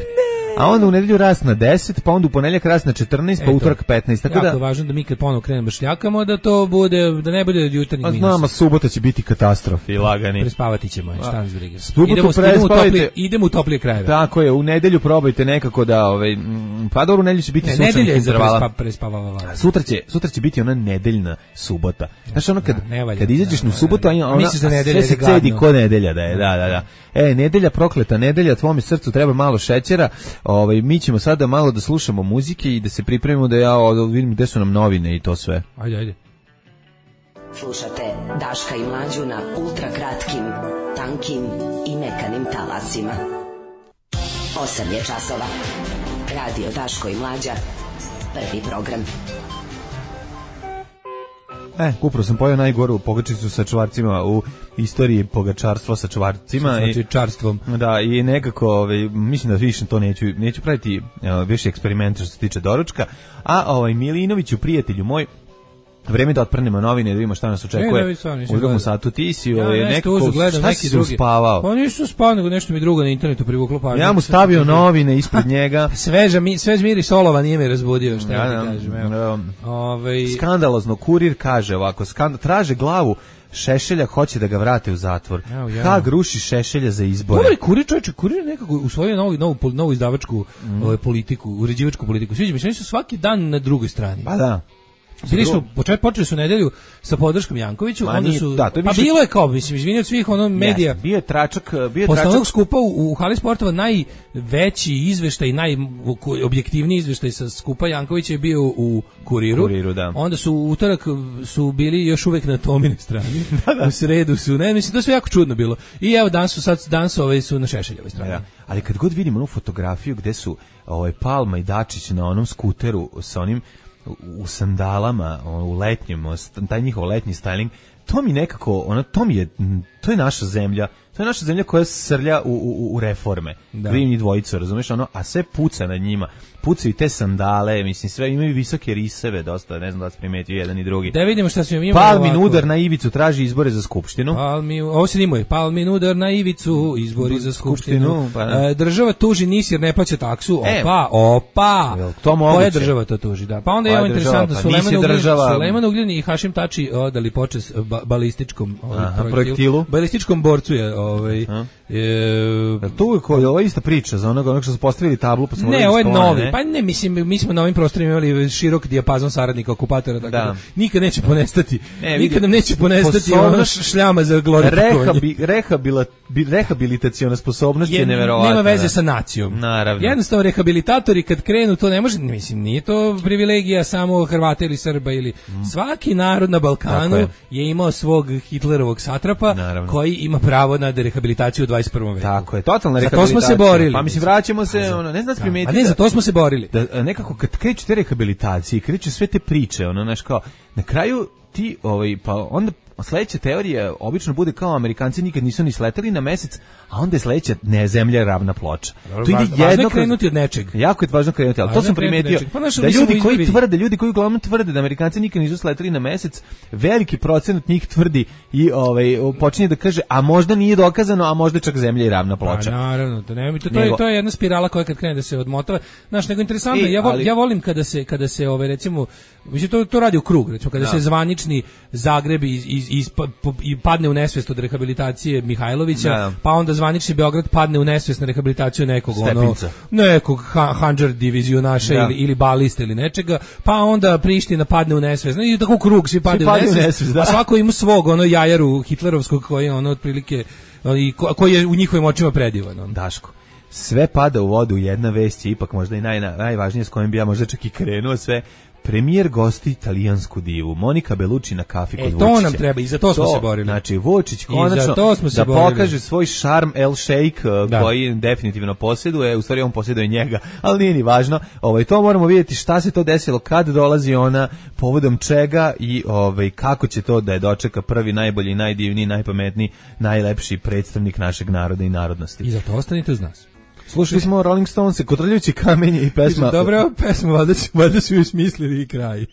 A onda u nedelju rast na deset, pa onda u ponedjeljak rast na četrnaest, pa utorak petnaest. Tako
jako
da
važno da mi kad ponovo krenemo šljakamo da to bude, da ne bude jutarnjih minusa.
Znamo, subota će biti katastrofi, lagani.
Prespavati ćemo, šta nas briga.
Idemo, idemo, u toplije,
idemo u toplije krajeve.
Tako je, u nedelju probajte nekako da, ovaj, pa dobro, u nedelju će biti
ne,
sunčanih intervala.
Prespa, prespavava.
Sutra će, sutra će biti ona nedeljna subota. Znaš, ono kad, da, kad izađeš u subotu, ona, ona sve se cedi ko nedelja da je, da, da, da. E, nedelja, prokleta nedelja, tvome srcu treba malo šećera, ovaj, mi ćemo sada malo da slušamo muzike i da se pripremimo da ja da vidim gde su nam novine i to sve.
Ajde, ajde.
Slušate Daška i Mlađu na ultra kratkim, tankim i mekanim talasima. osam je časova. Radio Daško i Mlađa. Prvi program.
E, upravo sam pojao najgoru pogačicu sa čvarcima u istoriji pogačarstva sa čvarcima.
Sa čvarstvom.
Da, i nekako, ovaj, mislim da više to neću, neću praviti uh, više eksperimenta što se tiče doručka. A ovaj Milinoviću, prijatelju moj, vreme da otprnemo novine, da vidimo šta nas očekuje
ne, da,
u drugom satu. Ti si
ja,
ovaj, nekako,
uzu, gledam,
šta
neki
si
drugi.
uspavao?
Pa nisu spavao, nego nešto mi drugo na internetu privuklo pažnju.
Ja mu stavio novine ispred njega.
Sveža mi, svež miris solova nije me razbudio, šta ja,
ja
ti kažem. Evo.
Ja,
Ove...
Skandalozno, Kurir kaže ovako, skand... traže glavu Šešelja, hoće da ga vrate u zatvor.
Evo, ja.
Hag ruši Šešelja za izbore.
Dobar, Kurir, čovječe, Kurir nekako usvojio novu, novu, novu izdavačku mm. ovaj, politiku, uređivačku politiku. Sviđa mi se, oni su svaki dan na drugoj strani.
Pa da.
Bili su, počeli su nedelju sa podrškom Jankoviću,
Ma,
onda
nije,
su,
da, to je
pa
više...
bilo je kao, mislim, izvini od svih ono medija.
Yes, bio je tračak, bio je
posle
tračak.
onog skupa u, u Hali sportova najveći izveštaj, najobjektivniji izveštaj sa skupa Jankovića je bio u Kuriru.
Kuriru, da.
Onda su u utorak su bili još uvek na Tomine strani. da, da. U sredu su, ne, mislim, to sve jako čudno bilo. I evo, danas su, sad, danas ovaj su na Šešeljevoj strani. Da.
Ali kad god vidimo onu fotografiju gde su ovaj, Palma i Dačić na onom skuteru sa onim u sandalama, u letnjem, taj njihov letnji styling, to mi nekako, ono, to mi je, to je naša zemlja, to je naša zemlja koja srlja u, u, u reforme. Da. Vidim njih dvojicu, razumiješ, ono, a sve puca na njima. Pucaju te sandale, mislim, sve imaju visoke riseve, dosta, ne znam da vas primetio jedan i drugi.
Da vidimo šta su imamo.
Palmin udar na ivicu, traži izbore za skupštinu.
Palmi, ovo se nimuje, Palmin udar na ivicu, izbori za skupštinu. skupštinu
pa
e, država tuži N I S jer ne plaća taksu, opa,
e,
opa.
To moguće.
Koja država to tuži, da. Pa onda je ovo interesantno,
pa,
Sulejman Ugljen,
država...
Sulejman Ugljen i Hašim Tači odali počest ba, balističkom ovaj,
Aha, projektilu.
projektilu. Balističkom borcu je, ovaj,
E, tu je koja ova ista priča za onoga onog što su postavili tablu pa smo
ne, ovo je novi. Ne? Pa ne, mislim, mi smo na ovim prostorima imali širok dijapazon saradnika okupatora, tako da, da nikad neće ponestati. Ne, nikad nam neće ponestati ona šljama za glorifikovanje.
Rehabi, rehabila, rehabilitaciona sposobnost je, je neverovatna.
Nema veze sa nacijom.
Naravno.
Jednostavno rehabilitatori kad krenu to ne može, mislim, nije to privilegija samo Hrvata ili Srba ili mm. svaki narod na Balkanu je. je imao svog Hitlerovog satrapa Naravno. koji ima pravo na rehabilitaciju u dvadeset prvom veku.
Tako je, totalna
Za
rehabilitacija.
to smo se borili.
Pa mislim, vraćamo se, za, ono, ne znam da primetiti.
A ne, za to smo se borili.
Da, nekako, kad kreću te rehabilitacije, kreću sve te priče, ono, znaš, kao, na kraju ti, ovaj, pa onda sledeća teorija obično bude kao Amerikanci nikad nisu ni sleteli na mesec, a onda je sledeća ne zemlja ravna ploča.
Dobro, to ide jedno važno je krenuti od nečeg.
Jako je važno krenuti, ali važno to sam primetio. Pa da ljudi koji izbili. tvrde, ljudi koji uglavnom tvrde da Amerikanci nikad nisu sleteli na mesec, veliki procenat njih tvrdi i ovaj počinje da kaže, a možda nije dokazano, a možda čak zemlja i ravna ploča.
Pa naravno, to ne, to, to, je, to je jedna spirala koja kad krene da se odmotava. Znaš, nego interesantno, e, ja, vol, ali, ja volim kada se kada se ove recimo, mislim to to radi u krug, recimo kada da. se zvanični Zagreb iz, iz, iz i padne u nesvest od rehabilitacije Mihajlovića, da. pa onda zvanični Beograd padne u nesvest na rehabilitaciju nekog
Stepinca.
ono, nekog ha, handžar divizionaša da. ili, ili balista ili nečega, pa onda Priština padne u nesvest, i tako krug, svi padne u nesvest, nesvest da. a svako ima svog ono jajaru hitlerovskog koji je ono otprilike, i ko, koji je u njihovim očima predivan. On.
Daško, sve pada u vodu, jedna vest je ipak možda i naj, najvažnija s kojim bi ja možda čak i krenuo sve. Premijer gosti italijansku divu Monika Bellucci na kafi kod Vučića.
E, to nam treba, i za to smo to, se borili.
Znači, Vučić konačno da borili. pokaže svoj šarm El Sheikh da. koji definitivno posjeduje, u stvari on posjeduje njega, ali nije ni važno. Ovaj, to moramo vidjeti šta se to desilo, kad dolazi ona, povodom čega i ovaj, kako će to da je dočeka prvi, najbolji, najdivniji, najpametniji, najlepši predstavnik našeg naroda i narodnosti.
I za to ostanite uz nas.
Slušali smo Rolling Stones, Kotrljajući kamenje i pesma.
Dobro, pesma, valjda, valjda su ju smislili i kraj.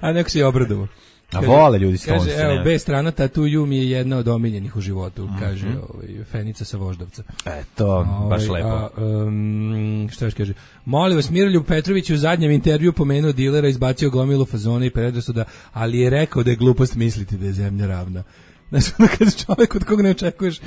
A neko se je obradovao.
A vole ljudi Stones.
Kaže, evo, B strana Tattoo You mi je jedna od omiljenih u životu, mm-hmm. kaže ovaj, Fenica sa Voždovca.
E, to, ovaj, baš lepo.
A, um, šta još kaže? Molim vas, Miroljub Petrović u zadnjem intervju pomenuo dilera, izbacio gomilu fazona i predrasuda, ali je rekao da je glupost misliti da je zemlja ravna. Znači, ono kad čovjek od koga ne očekuješ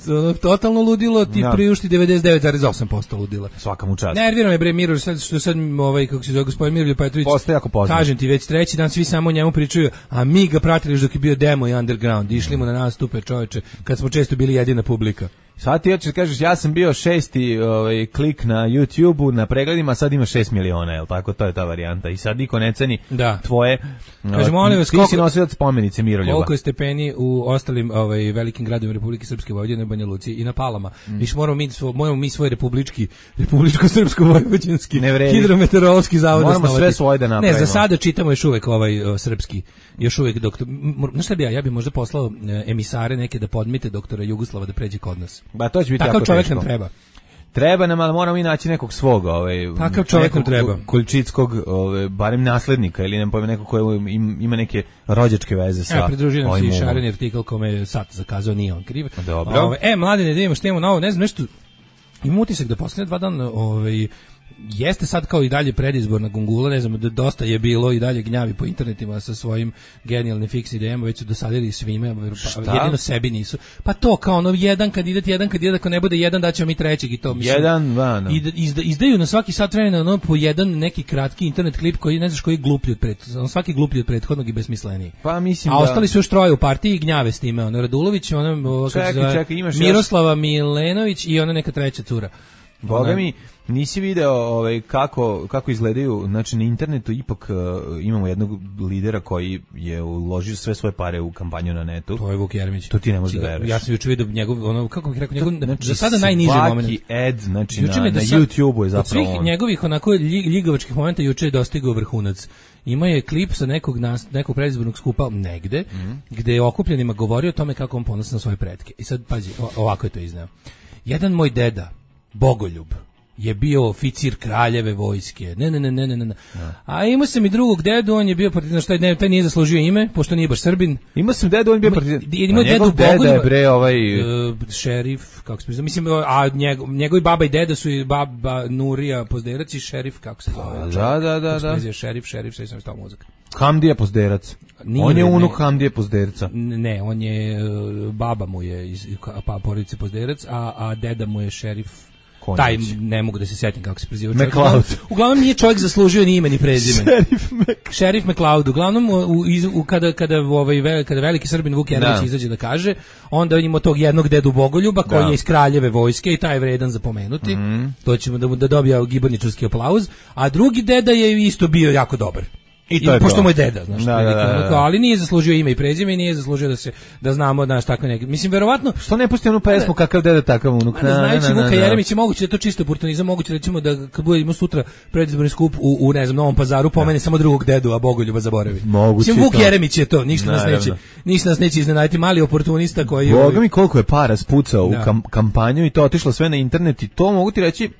ono, totalno ludilo, ti ja. priušti devedeset devet zarez osam posto ludila.
Svaka mu čast.
Nervira me bre Miro, sad, što sad ovaj, kako se zove gospodin Miroljub Petrović,
postaje jako poznat.
Kažem ti, već treći dan svi samo o njemu pričaju, a mi ga pratili dok je bio demo i underground, išli mu na nastupe čoveče, kad smo često bili jedina publika.
Sad ti hoćeš kažeš ja sam bio šesti ovaj, klik na YouTubeu na pregledima, sad ima šest miliona, jel tako? To je ta varijanta. I sad niko ne ceni da. tvoje...
Kaže, molim vas,
ti
koliko,
si nosilac spomenice Miroljuba.
Koliko je stepeni u ostalim ovaj, velikim gradovima Republike Srpske, Vojvodine, Banja Luci i na Palama. Mm. Viš moramo mi, svo, moramo mi svoj republički, republičko-srpsko-vojvođanski hidrometeorološki zavod
moramo
osnovati.
Sve svoje da napravimo.
Ne, za sada čitamo još uvek ovaj o, srpski. Još uvek doktor... Znaš šta bi ja? Ja bi možda poslao e, emisare neke da podmite doktora Jugoslava da pređe kod nas.
Ba, to će biti
takav
jako
čovjek
teško.
nam treba.
Treba nam, ali moramo i naći nekog svog, ovaj,
takav čovjek nam treba.
Kuljčitskog, ovaj, barem naslednika, ili ne pojme neko ko ima neke rođačke veze sa...
E, pridružio nam se i šareni artikl kome je sad zakazao, nije on kriv.
Dobro.
Ove, e, mladine, da imamo što imamo novo, ne znam, nešto... Imam utisak da posljednje dva dana, ovaj... jeste sad kao i dalje predizborna gungula, ne znam, dosta je bilo i dalje gnjavi po internetima sa svojim genijalnim fiks idejama, već su dosadili svime, pa, jedino sebi nisu. Pa to kao ono, jedan kandidat, jedan kandidat, ako ne bude jedan, daćemo mi trećeg i to. Mislim,
jedan, vano.
Izda, izdaju na svaki sat vremena ono, po jedan neki kratki internet klip koji ne znaš koji je gluplji od prethodnog, svaki gluplji od prethodnog i besmisleniji.
Pa mislim
A
da...
ostali su još troje u partiji i gnjave s time, ono, Radulović, ono,
čekaj,
zove,
čekaj, imaš
Miroslava još... Milenović i ona neka treća cura.
Boga mi, nisi video ovaj, kako, kako izgledaju, znači na internetu ipak uh, imamo jednog lidera koji je uložio sve svoje pare u kampanju na netu.
To je Vuk Jeremić.
To ti ne možeš da veruješ.
Ja sam juče vidio njegov, ono, kako bih rekao, njegov,
znači,
za sada najniži moment.
Svaki ad, znači juče na, na YouTubeu je zapravo
od svih
on.
njegovih onako ljigavačkih momenta juče je dostigao vrhunac. Ima je klip sa nekog, nas, nekog predizbornog skupa negde, mm. gde je okupljenima govorio o tome kako on ponosi na svoje pretke. I sad, pazi, ovako je to izneo. Jedan moj deda, Bogoljub, je bio oficir kraljeve vojske. Ne, ne, ne, ne, ne, ne. A imao sam i drugog dedu, on je bio partizan, šta je, taj nije zaslužio ime, pošto nije baš Srbin.
Imao sam dedu, on je bio partizan.
Imao dedu Bogoljuba,
je bre ovaj
uh, šerif, kako se zove, mislim, a njego, njegovi baba i deda su i baba Nurija Pozderac i šerif, kako se zove.
Da, da, da, da.
Se šerif, šerif, sve sam stao mozak.
Hamdija Pozderac. Nije, on je unuk Hamdije Pozderca.
Ne, on je, baba mu je iz pa, porodice Pozderac, a, a deda mu je šerif. Konjić. Taj ne mogu da se setim kako se preziva čovjek. Uglavnom, uglavnom nije čovjek zaslužio ni ime ni prezime.
Šerif Mc...
Šerif McLeod. Uglavnom u, u, u, kada kada ovaj kada veliki Srbin Vuk Jeremić izađe da kaže, onda imamo tog jednog dedu Bogoljuba koji da. je iz kraljeve vojske i taj je vredan za pomenuti. Mm. To ćemo da da dobija giborničarski aplauz, a drugi deda je isto bio jako dobar. I to I, je pošto moj deda, znaš, da, veliki, da, da, da. Ali nije zaslužio ime i prezime i nije zaslužio da se da znamo da naš tako neki. Mislim verovatno
što ne pusti onu pesmu kakav deda takav unuk.
Ne znajući Vuka Jeremića moguće da to čisto oportunizam, moguće recimo da kad budemo sutra predizborni skup u, u ne znam Novom Pazaru pomene samo drugog dedu, a Bogoljuba zaboravi. Mislim Vuk Jeremić je to, ništa nas neće, ništa nas neće iznenaditi, mali oportunista koji
Boga mi koliko je para spucao u kam, kampanju i to otišlo sve na internet i to mogu ti reći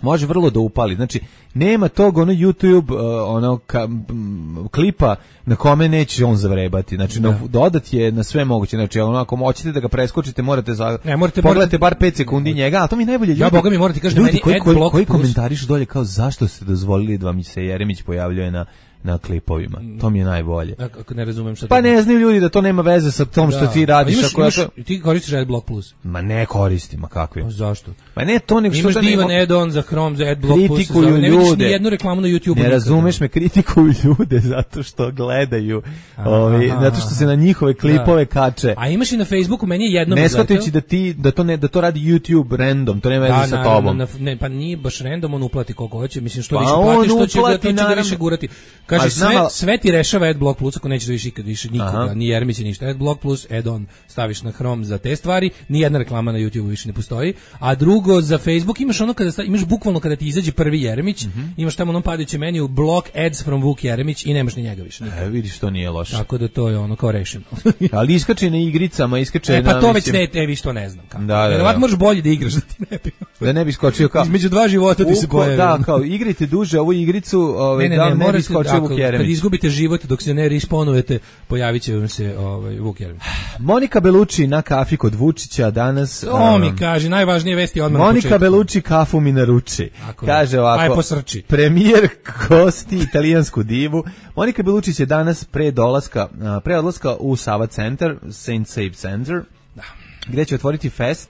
može vrlo da upali. Znači, nema tog ono YouTube uh, ono ka, m, klipa na kome neće on zavrebati. Znači, da. dodat je na sve moguće. Znači, ono, ako hoćete da ga preskočite, morate, za,
ne, morate
pogledate bar pet sekundi njega, a to mi najbolje ljudi.
Ja, Boga mi morate kažete
ljudi
meni
koji, koji, koji komentarišu dolje kao zašto ste dozvolili da vam se Jeremić pojavljuje na na klipovima. To mi je najbolje.
Ako ne razumem šta.
Pa ne znaju ljudi da to nema veze sa tom da. što ti radiš.
Imaš,
ako
imaš,
to...
ti koristiš Adblock Plus?
Ma ne koristim, a kakvi?
A zašto?
Pa ne to nego što
imaš divan nema... add-on za Chrome, za Adblock Plus.
Kritikuju
ne
ljude.
vidiš ni jednu reklamu na YouTubeu.
Ne razumeš me, kritikuju ljude zato što gledaju, ovi, zato što se na njihove klipove da. kače.
A imaš i na Facebooku, meni je jedno
ne shvatajući da ti da to ne da to radi YouTube random, to nema veze da, sa tobom.
Na, ne, pa nije baš random, on uplati koliko hoće, mislim što pa više platiš, što će uplati, da, to će da više gurati. Kaže sve sve ti rešava Adblock Plus, ako nećeš da više ikad više nikoga, Aha. ni Jeremić ništa. Adblock Plus, add-on staviš na Chrome za te stvari, ni jedna reklama na YouTubeu više ne postoji. A drugo, za Facebook imaš ono kada stavi, imaš bukvalno kada ti izađe prvi Jeremić, mm-hmm. imaš tamo onom padajući meniju block ads from Vuk Jeremić i nemaš ni njega više.
E, vidiš, to nije loše.
Tako da to je ono kao rešeno.
Ali iskače na igricama, iskače
e, pa
na...
to već ne, e, vi što ne znam kako.
Da, da,
Verovatno možeš bolje da igraš da ti ne bi.
Da ne bi skočio kao...
Između dva života ti se pojavi.
Da, kao igrajte duže ovu igricu, ovaj,
ne, ne,
da
ne,
ne bi skočio Vuk Jeremić.
Kad izgubite život dok se ne respawnujete, pojavit će vam se ovaj, Vuk Jeremić.
Monika Belucci na kafi kod Vučića danas.
To um, mi kaže, najvažnije vesti odmah
Monika
na početku.
Belucci kafu mi naruči. Kaže ovako,
aj posrči.
Premijer kosti italijansku divu. Monika Belucci će danas pre dolaska, pre odlaska u Sava Centar, Saint Save Center, da. gde će otvoriti fest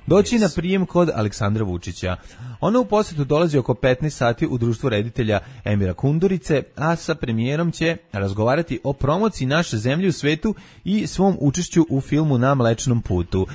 doći yes. na prijem kod Aleksandra Vučića. Ona u posjetu dolazi oko petnaest sati u društvu reditelja Emira Kundurice, a sa premijerom će razgovarati o promociji naše zemlje u svetu i svom učešću u filmu Na Mlečnom putu,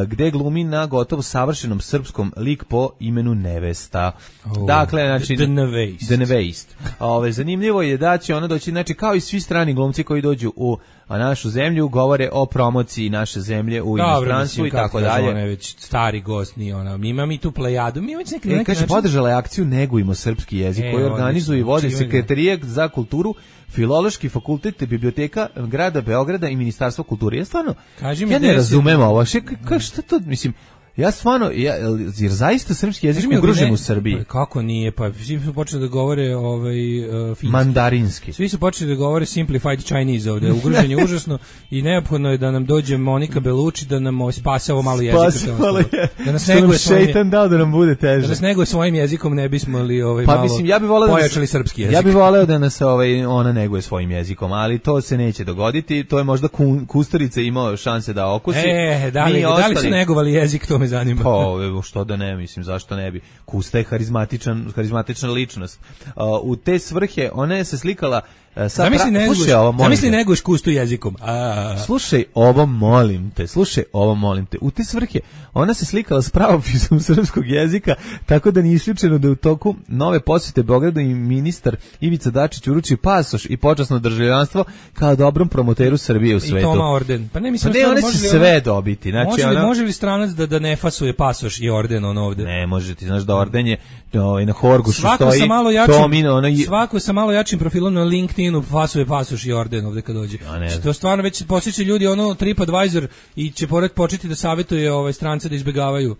gde glumi na gotovo savršenom srpskom lik po imenu Nevesta.
Oh,
dakle, znači...
The Nevest.
The Nevest. Ove, zanimljivo je da će ona doći, znači, kao i svi strani glumci koji dođu u našu zemlju, govore o promociji naše zemlje u inostranstvu i tako dalje.
Ona je već stari gost, nije ona. Mi imamo i tu plejadu. Mi imamo neki,
e,
neki
kaže,
način...
podržala je akciju Negujmo srpski jezik, e, koju organizuje i vodi Sekretarijat za kulturu, Filološki fakultet, biblioteka grada Beograda i Ministarstvo kulture. Ja stvarno,
Kaži
ja ne razumem ovo. Šta, šta to, mislim... Ja stvarno, ja, jer zaista srpski jezik ugrožen u Srbiji.
Pa kako nije, pa svi su počeli da govore ovaj, uh, finski.
Mandarinski.
Svi su počeli da govore simplified Chinese ovde, ugrožen je užasno i neophodno je da nam dođe Monika Belucci da nam spase ovo malo jezika.
Spasavalo je.
Da nas neguje svojim,
šeitan dao da nam bude teže.
Da nas neguje svojim jezikom, ne bismo li ovaj,
pa,
malo
mislim, ja bi voleo
pojačali
da
srpski jezik.
Ja bih voleo da nas ovaj, ona neguje svojim jezikom, ali to se neće dogoditi. To je možda Kusturica imao šanse da okusi.
E, da li, da li su negovali jezik, to me zanima.
Pa, što da ne, mislim, zašto ne bi. Kusta je harizmatičan, harizmatična ličnost. Uh, u te svrhe ona je se slikala uh, sa
zamisli
pra...
neguš,
slušaj ovo, molim
zamisli
te.
neguš Kustu jezikom. A.
Slušaj ovo, molim te. Slušaj ovo, molim te. U te svrhe ona se slikala s pravopisom srpskog jezika, tako da nije isključeno da u toku nove posjete Beogradu i ministar Ivica Dačić uruči pasoš i počasno državljanstvo kao dobrom promoteru Srbije u svetu.
I Toma orden. Pa ne, mislim,
pa ne, one će sve dobiti. Znači,
može, li,
ona...
može li stranac da, da ne fasuje pasoš i orden on ovde?
Ne, može, ti znaš da orden je ovaj, na Horgošu
svako
stoji.
Sa malo jačim,
Tomina, ona...
Svako sa malo jačim profilom na LinkedInu fasuje pasoš i orden ovde kad dođe. Ja, to stvarno već posjeća ljudi ono TripAdvisor i će pored početi da savjetuje ovaj strance da izbegavaju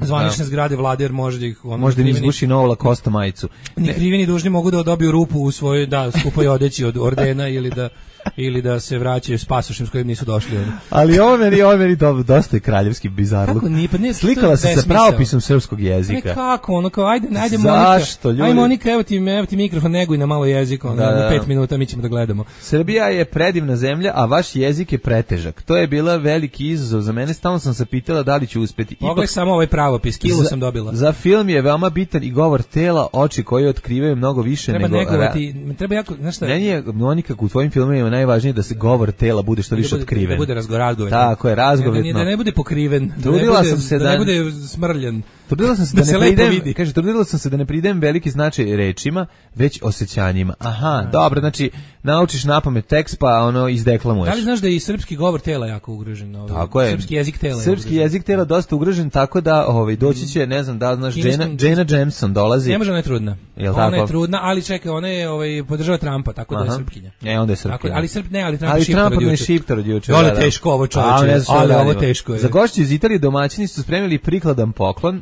zvanične zgrade vlade, jer može da ih... Ono,
možda im izbuši novu Lacoste majicu.
Ni krivi ni dužni mogu da dobiju rupu u svojoj, da, skupoj odeći od ordena ili da ili da se vraćaju s pasošem s kojim nisu došli. Oni.
Ali ovo meni, ovo meni do, dosta je kraljevski bizarluk.
Kako nije? Pa ne,
slikala se sa pravopisom srpskog jezika.
Ne, kako? Ono kao, ajde, ajde Monika.
Zašto, ljudi?
Ajde Monika, evo ti, evo ti mikrofon, neguj na malo jezik, ono, da, da. pet minuta mi ćemo da gledamo.
Srbija je predivna zemlja, a vaš jezik je pretežak. To je bila veliki izazov za mene, stalno sam se pitala da li ću uspeti.
Pogledaj samo ovaj pravopis, kilu sam dobila.
Za film je veoma bitan i govor tela, oči koji otkrivaju mnogo više
treba
nego...
Negovati, treba jako, znaš šta?
Meni je, Monika, u tvojim filmovima najvažnije da se govor tela bude što više
da bude,
otkriven.
Da bude razgoradgovet.
Tako je, razgovetno.
Da, da ne bude pokriven,
trudila
da ne bude,
sam se
da,
da
ne bude smrljan.
Trudila sam se da, da, da ne pridem, kaže, trudila sam se da ne pridem veliki značaj rečima, već osjećanjima. Aha, a, dobro, znači naučiš napamet tekst pa ono izdeklamuješ.
Da li znaš da je i srpski govor tela jako ugrožen? Ovaj,
tako je.
Srpski jezik tela.
Srpski je jezik tela dosta ugrožen, tako da ovaj doći će, ne znam da znaš, Jana, Jana Jameson dolazi.
Ne može, ona je trudna.
Jel
ona
tako?
je trudna, ali čekaj, ona je ovaj podržava Trumpa, tako
aha,
da je srpkinja.
E, onda je srpkinja.
Tako, ali Srp ne, ali Trump
ali
šiptar
od juče. Šiptar od juče. Ali
teško ovo čoveče. Ali ovo teško je.
Za gošće iz Italije domaćini su spremili prikladan poklon,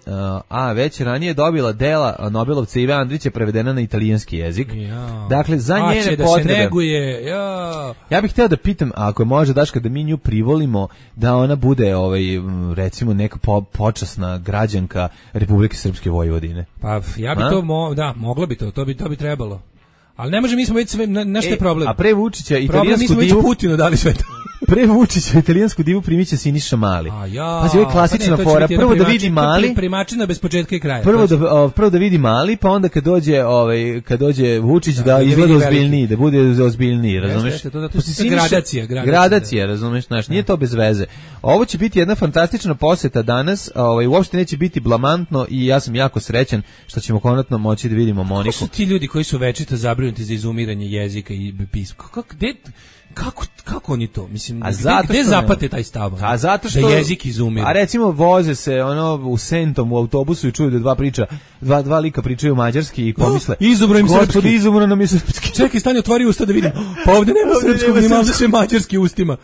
a već ranije dobila dela Nobelovca Ive Andrića prevedena na italijanski jezik.
Ja.
Dakle, za
a,
njene
da
potrebe.
Se neguje. Ja.
Ja bih hteo da pitam, ako je može Daška da mi nju privolimo, da ona bude ovaj recimo neka po, počasna građanka Republike Srpske Vojvodine.
Pa ja bi a? to mo, da, moglo bi to, to bi to bi trebalo. Ali ne može, mi smo već sve, nešto je problem.
A pre Vučića italijansku
problem, mi smo
divu...
već Putinu dali sve to.
Pre Vučića italijansku divu primiće Siniša Mali.
A ja.
Pazi, ovo je klasična
pa ne,
fora. Prvo da vidi Mali,
primačina bez početka i kraja.
Prvo da o, prvo da vidi Mali, pa onda kad dođe, ovaj kad dođe Vučić da, da izgleda ozbiljniji, da bude ozbiljniji, razumeš?
Jeste, to da to je gradacija, gradacija.
Gradacija, razumeš, znaš, nije to bez veze. Ovo će biti jedna fantastična poseta danas, ovaj uopšte neće biti blamantno i ja sam jako srećan što ćemo konačno moći da vidimo Moniku.
Ko su ti ljudi koji su večito zabrinuti za izumiranje jezika i pisma? Kako gde Kako, kako oni to? Mislim, a gde, gde zapate taj stav?
A zato što
da jezik izumire.
A recimo voze se ono u Sentom u autobusu i čuju da dva priča, dva dva lika pričaju mađarski i pomisle.
Oh, izumro im srpski.
Izumro nam je srpski.
Čekaj, stani, otvori usta da vidim. Pa ovde nema srpskog, nema sve mađarski ustima.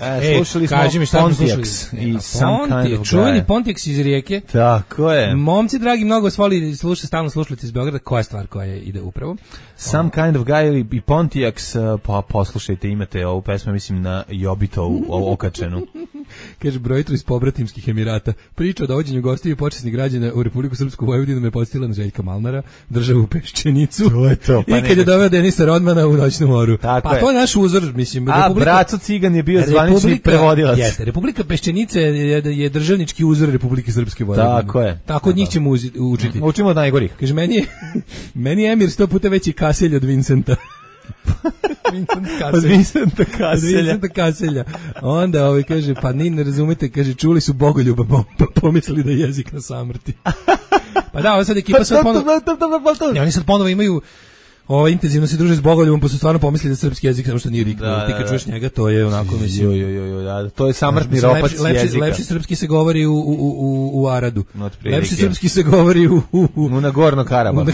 E, slušali smo
kaži mi šta
Pontiacs i Some Kind of
čuveni Pontiacs iz Rijeke.
Tako je.
Momci dragi, mnogo vas voli slušati, stalno slušati iz Beograda. Koja je stvar koja ide upravo?
Some Kind of Guy i Pontiacs, pa poslušajte, imate ovu pesmu, mislim, na Jobitovu okačenu.
Kaže, brojitru iz pobratimskih Emirata. Priča o dovođenju gostiju i počasnih građana u Republiku Srpsku Vojvodinu me podsjetila na Željka Malnara, državu Peščenicu.
To je to. Pa
i kad je doveo Denisa Rodmana u Noćnu moru.
Tako
pa
je.
to je naš uzor, mislim.
A
Republika...
Braco Cigan je bio zvanični zvanični prevodilac.
Jeste, Republika Peščenice je, je državnički uzor Republike Srpske Vojvodine.
Tako je.
Tako od njih ćemo učiti.
Učimo od najgorih.
Kaže, meni je, meni je Emir sto puta veći Kaselj od Vincenta. Vincent Kaselj.
Od Vincenta Kaselja.
Od Vincenta Kaselja. Onda ovaj kaže, pa ni ne razumete, kaže, čuli su Bogoljuba, pa pomislili da je jezik na samrti. Pa da, ovo sad ekipa sad ponovo... Ne, oni sad ponovo imaju... Ovo intenzivno se druže s Bogoljubom, pa su stvarno pomislili da srpski jezik samo što nije riknuo. Da, ti kad čuješ njega, to je onako mislim.
Jo, jo, jo, jo, to je samrtni ropac jezika.
Lepši srpski se govori u u u u Aradu. Lepši srpski se govori u u
u na Gorno Karabahu.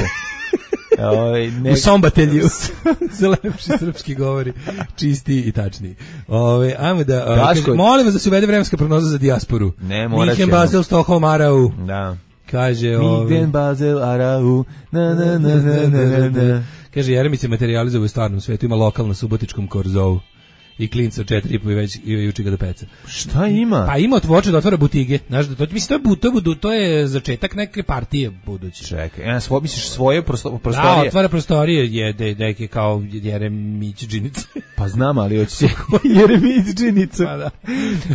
Oj,
ne... U Sombatelju se lepši srpski govori, čisti i tačniji. Ove, ajmo da, kaže, molim vas da se uvede vremenska prognoza za dijasporu.
Ne, morat ćemo.
Minhen, Basel, Stockholm, Arau.
Da.
Kaže, ove...
Minhen, Basel, Arau, na, na, na, na, na, na.
Kaže, Jeremić se materializuje u stvarnom svetu, ima lokal na Subotičkom korzovu. I klinca četiri i po i već i juče ga do peca.
Šta ima?
Pa ima otvoče da otvara butige. Znaš da to mislim to je but, to je, to je začetak neke partije buduće.
Čekaj, ja svo misliš svoje prostorije.
Da, otvara prostorije je da neke kao Jeremić džinice.
Pa znam, ali hoće Jeremić džinicu.
Pa da.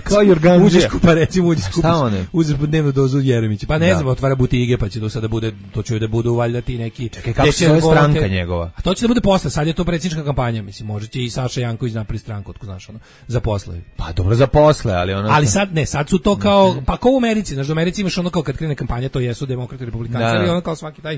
Kao Jorgan.
Uđeš pa recimo uđeš kupiš.
Šta one?
Uzeš po dnevnu dozu Jeremića. Pa ne da. znam, otvara butige pa će to sada bude to će da bude valjda ti neki.
Čekaj, kako se zove stranka njegova?
A to će da bude posle, sad je to predsjednička kampanja, mislim, može će i Saša Janković napraviti stranku. Ko znaš ono, za posle.
Pa dobro za posle, ali ono
Ali sad ne, sad su to kao pa kao u Americi, znači u Americi imaš ono kao kad krene kampanja, to jesu demokrati, republikanci, ali ono kao svaki taj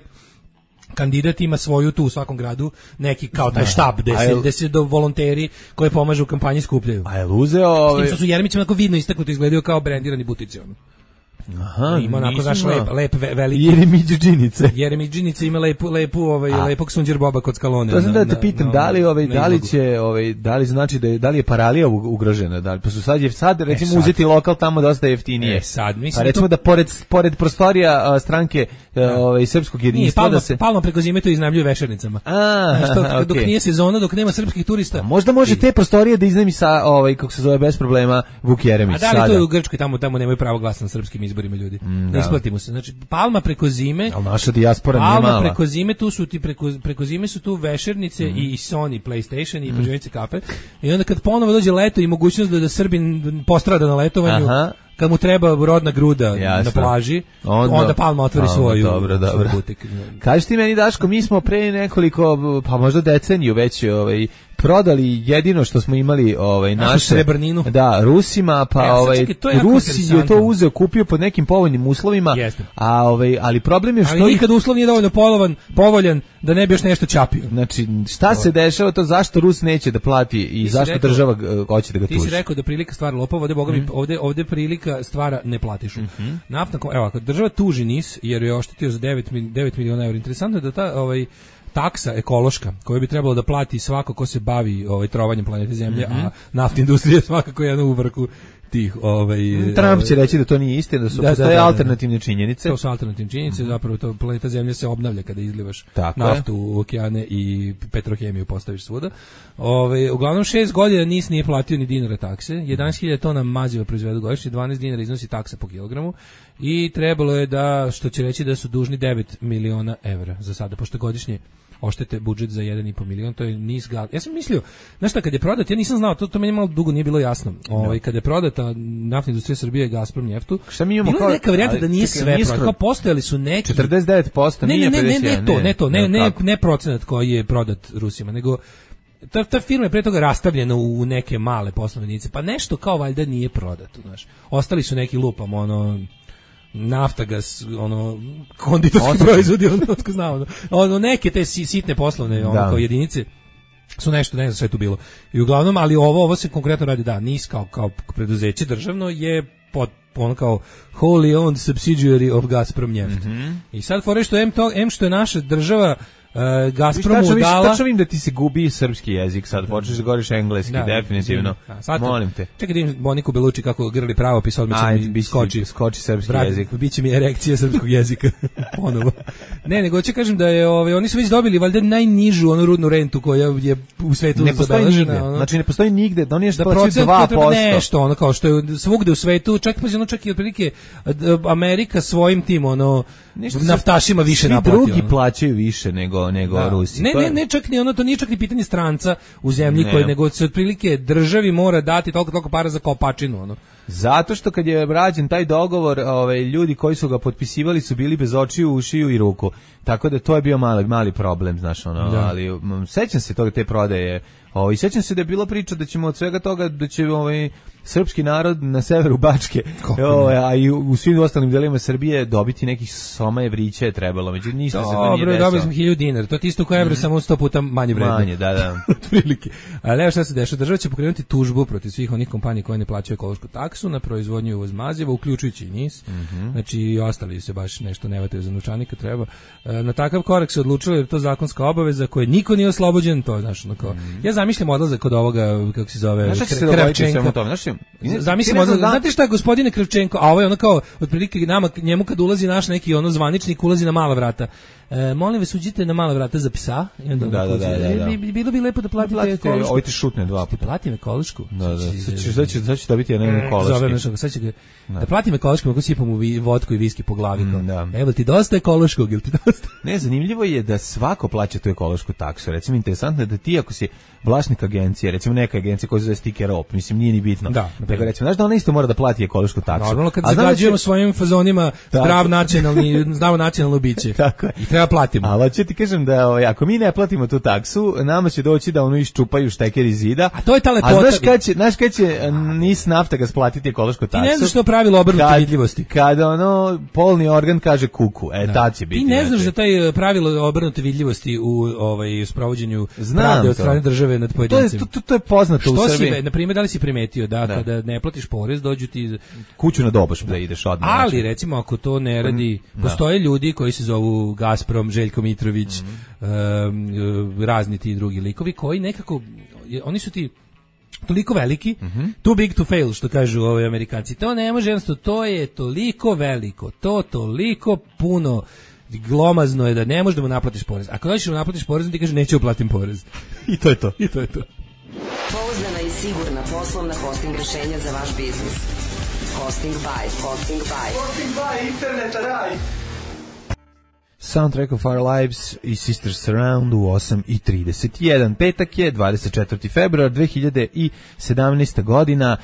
kandidat ima svoju tu u svakom gradu neki kao taj štab gde se, gde se do volonteri koji pomažu u kampanji skupljaju.
A je uzeo ovaj...
S tim što su Jeremić onako vidno istaknuto izgledaju kao brendirani butici ono.
Aha,
ima onako znaš lep, lep veliki
Jeremić džinice.
Jeremić džinice ima lepu lepu ovaj A. lepog sunđer boba kod skalone.
To sam da te pitam na, da li ovaj da li će ovaj da li znači da je, da li je paralija ugrožena, da li pa su sad je sad recimo e, sad. uzeti lokal tamo dosta jeftinije.
E, sad mislim
pa recimo to... da pored pored prostorija a, stranke da. ovaj srpskog jedinstva
palma,
da se
palma preko zime to iznajmljuju vešernicama.
A,
znači, to, okay. Dok nije sezona, dok nema srpskih turista.
A možda može te prostorije da iznajmi sa ovaj kako se zove bez problema Vuk Jeremić.
A da li to je u Grčkoj tamo tamo nemaju pravo glasa na srpskim izborima ljudi. Mm, isplatimo se. Znači Palma preko zime,
al naša dijaspora nije mala.
Palma preko zime tu su ti preko preko zime su tu vešernice mm. i Sony PlayStation i mm. prženice kafe. I onda kad ponovo dođe leto i mogućnost da da Srbin postrada na letovanju, aha. Kad mu treba rodna gruda jasno. Na plaži, onda, onda Palma otvori svoju,
dobro, dobro.
butik.
Kažeš ti meni Daško, mi smo pre nekoliko pa možda deceniju već ovaj prodali jedino što smo imali ovaj našu
srebrninu.
Da, Rusima, pa ja, ovaj Rusi je to uzeo, kupio pod nekim povoljnim uslovima.
Jeste.
A ovaj ali problem je što
ali nikad uslov nije dovoljno polovan, povoljan da ne bi još nešto čapio.
Znači, šta se dešava to zašto Rus neće da plati i ti zašto rekao, država hoće da ga tuži?
Ti si rekao da prilika stvara lopova, ovde boga mi mm. ovde ovde prilika stvara neplatišu. Mm -hmm. Naftna, evo, ako država tuži N I S jer je oštetio za devet miliona evra, interesantno je da ta ovaj taksa ekološka koju bi trebalo da plati svako ko se bavi ovaj trovanjem planete Zemlje, mm -hmm. a naftna industrija svakako je jedna u vrhu tih ovaj
Trump će reći da to nije istina, da su da, postoje da, da, alternativne činjenice.
To su alternativne činjenice, mm-hmm. zapravo to planeta Zemlja se obnavlja kada izlivaš
tako
naftu
je.
U okeane i petrohemiju postaviš svuda. Ovaj uglavnom šest godina N I S nije platio ni dinara takse, jedanaest hiljada tona maziva proizvedu godišnje, dvanaest dinara iznosi taksa po kilogramu i trebalo je da, što će reći da su dužni devet miliona evra za sada, pošto godišnje oštete budžet za jedan i po milion, to je niz gal. Ja sam mislio, znaš šta, kad je prodat, ja nisam znao, to, to meni malo dugo nije bilo jasno. Ovaj, kad je prodata naftna industrija Srbije i Gazprom njeftu,
šta mi imamo
bilo
kao,
neka varijanta da nije sve prodat, kao postojali su neki...
četrdeset devet posto
ne,
nije
ne, ne, ne,
ne,
ne, to, ne to, ne, ne, ne procenat koji je prodat Rusima, nego ta, ta firma je pre toga rastavljena u neke male poslovne jedinice, pa nešto kao valjda nije prodato, znaš. Ostali su neki lupam, ono... Naftagas, ono, konditorski proizvodi, ono, tko zna, ono, ono, neke te sitne poslovne, ono, kao jedinice, su nešto, ne znam sve je tu bilo. I uglavnom, ali ovo, ovo se konkretno radi, da, N I S kao, kao preduzeće državno je pod, ono kao wholly owned subsidiary of Gazprom njeft. Mm -hmm. I sad fore što M, to, M što je naša država Uh, Gazpromu
viš,
dala...
Tačno vidim da ti se gubi srpski jezik, sad počneš da govoriš engleski, da, definitivno. Da, molim te.
Čekaj da im Moniku Beluči kako grli pravopis, odmah će mi skoči,
skoči srpski
Brat,
jezik.
Biće mi erekcija srpskog jezika ponovo. Ne, nego će kažem da je, ovaj, oni su već dobili valjda najnižu onu rudnu rentu koja je u svetu
ne zabeležena. Ono, znači ne postoji nigde, da oni je što plaćaju dva posto.
Nešto, ono kao što je svugde u svetu, čak pa ono čak i otprilike Amerika svojim tim, ono, naftašima više naplatio.
Svi drugi plaćaju više nego nego nego
da.
Rusi.
Ne,
to je...
ne, ne čak ni ono, to nije čak ni pitanje stranca u zemlji koji, nego se otprilike državi mora dati toliko toliko para za kopačinu, ono.
Zato što kad je rađen taj dogovor, ovaj ljudi koji su ga potpisivali su bili bez očiju, ušiju i ruku. Tako da to je bio mali mali problem, znaš, ono, da. Ali m, sećam se toga te prodaje. Ovaj sećam se da je bila priča da ćemo od svega toga da će ovaj srpski narod na severu Bačke, ovaj, a i u, u svim ostalim delovima Srbije dobiti nekih soma evrića je trebalo. Međutim ništa se to nije desilo. Dobro, dobili
smo hiljadu dinara. To je isto kao evro, mm. samo sto puta manje vredno.
Manje, da, da.
Otprilike. Ali evo šta se dešava, država će pokrenuti tužbu protiv svih onih kompanija koje ne plaćaju ekološku taksu na proizvodnju i uvoz maziva, uključujući i N I S. Mm -hmm. Znači i ostali se baš nešto ne vataju za novčanika treba. Na takav korak se odlučilo jer je to zakonska obaveza koje niko nije oslobođen, to je znaš, onako. Mm. Ja zamišljam odlazak kod ovoga, kako se zove, Kravčenka. Zamislimo, znate šta je gospodine Kravčenko, a ovo je ono kao otprilike nama njemu kad ulazi naš neki ono zvaničnik ulazi na mala vrata. E, molim vas uđite na mala vrata za psa i onda
da, da, da, da, da.
Bi, bilo bi lepo da platite, platite ekološku.
Ovo ti šutne dva puta.
Platim ekološku.
Da, da. Sad će sad će dobiti jedan ekološki.
Zove nešto, sad će ga da platim ekološku, mogu sipam u vodku i viski po glavi. Mm, evo ti dosta ekološkog, ili ti dosta.
Ne, zanimljivo je da svako plaća tu ekološku taksu. Recimo interesantno je da ti ako si vlasnik agencije, recimo neka agencija koja se zove Sticker Op, mislim nije ni bitno. Da, nego recimo znaš da ona isto mora da plati ekološku taksu.
Normalno kad zagađujemo svojim fazonima zdrav nacionalni, zdravo nacionalno biće. Tako je. I treba platimo.
Ali ću ti kažem da ovaj, ako mi ne platimo tu taksu, nama će doći da ono iščupaju šteker iz zida.
A to je ta lepota.
A znaš kad će, znaš kad će N I S nafta ga splatiti ekološku taksu?
Ti ne znaš što pravilo obrnute vidljivosti.
Kada ono polni organ kaže kuku, e tad će biti.
Ti ne znaš da taj pravilo obrnute vidljivosti u ovaj sprovođenju pravde od strane države nad pojedincima.
To je to, to je poznato u Srbiji.
Si, na primjer, da li si primetio da, da kada ne platiš porez dođu ti
kuću na doboš da ideš odmah.
Ali znači, recimo ako to ne radi, da. Postoje ljudi koji se zovu Gazprom, Željko Mitrović, mm -hmm. um, razni ti drugi likovi koji nekako oni su ti toliko veliki, mm -hmm. too big to fail, što kažu ovi Amerikanci. To ne može, jednostavno, to je toliko veliko, to toliko puno glomazno je da ne možeš da mu naplatiš porez. Ako hoćeš da mu naplatiš porez, ti kaže neću uplatim porez. I to je to. I to je to.
Pouzdana i sigurna poslovna hosting rešenja za vaš biznis. Hosting by, hosting by.
Hosting by interneta raj.
Soundtrack of Our Lives i Sisters Surround u osam i trideset jedan. Petak je dvadeset četvrti februar dve hiljade sedamnaeste. godina.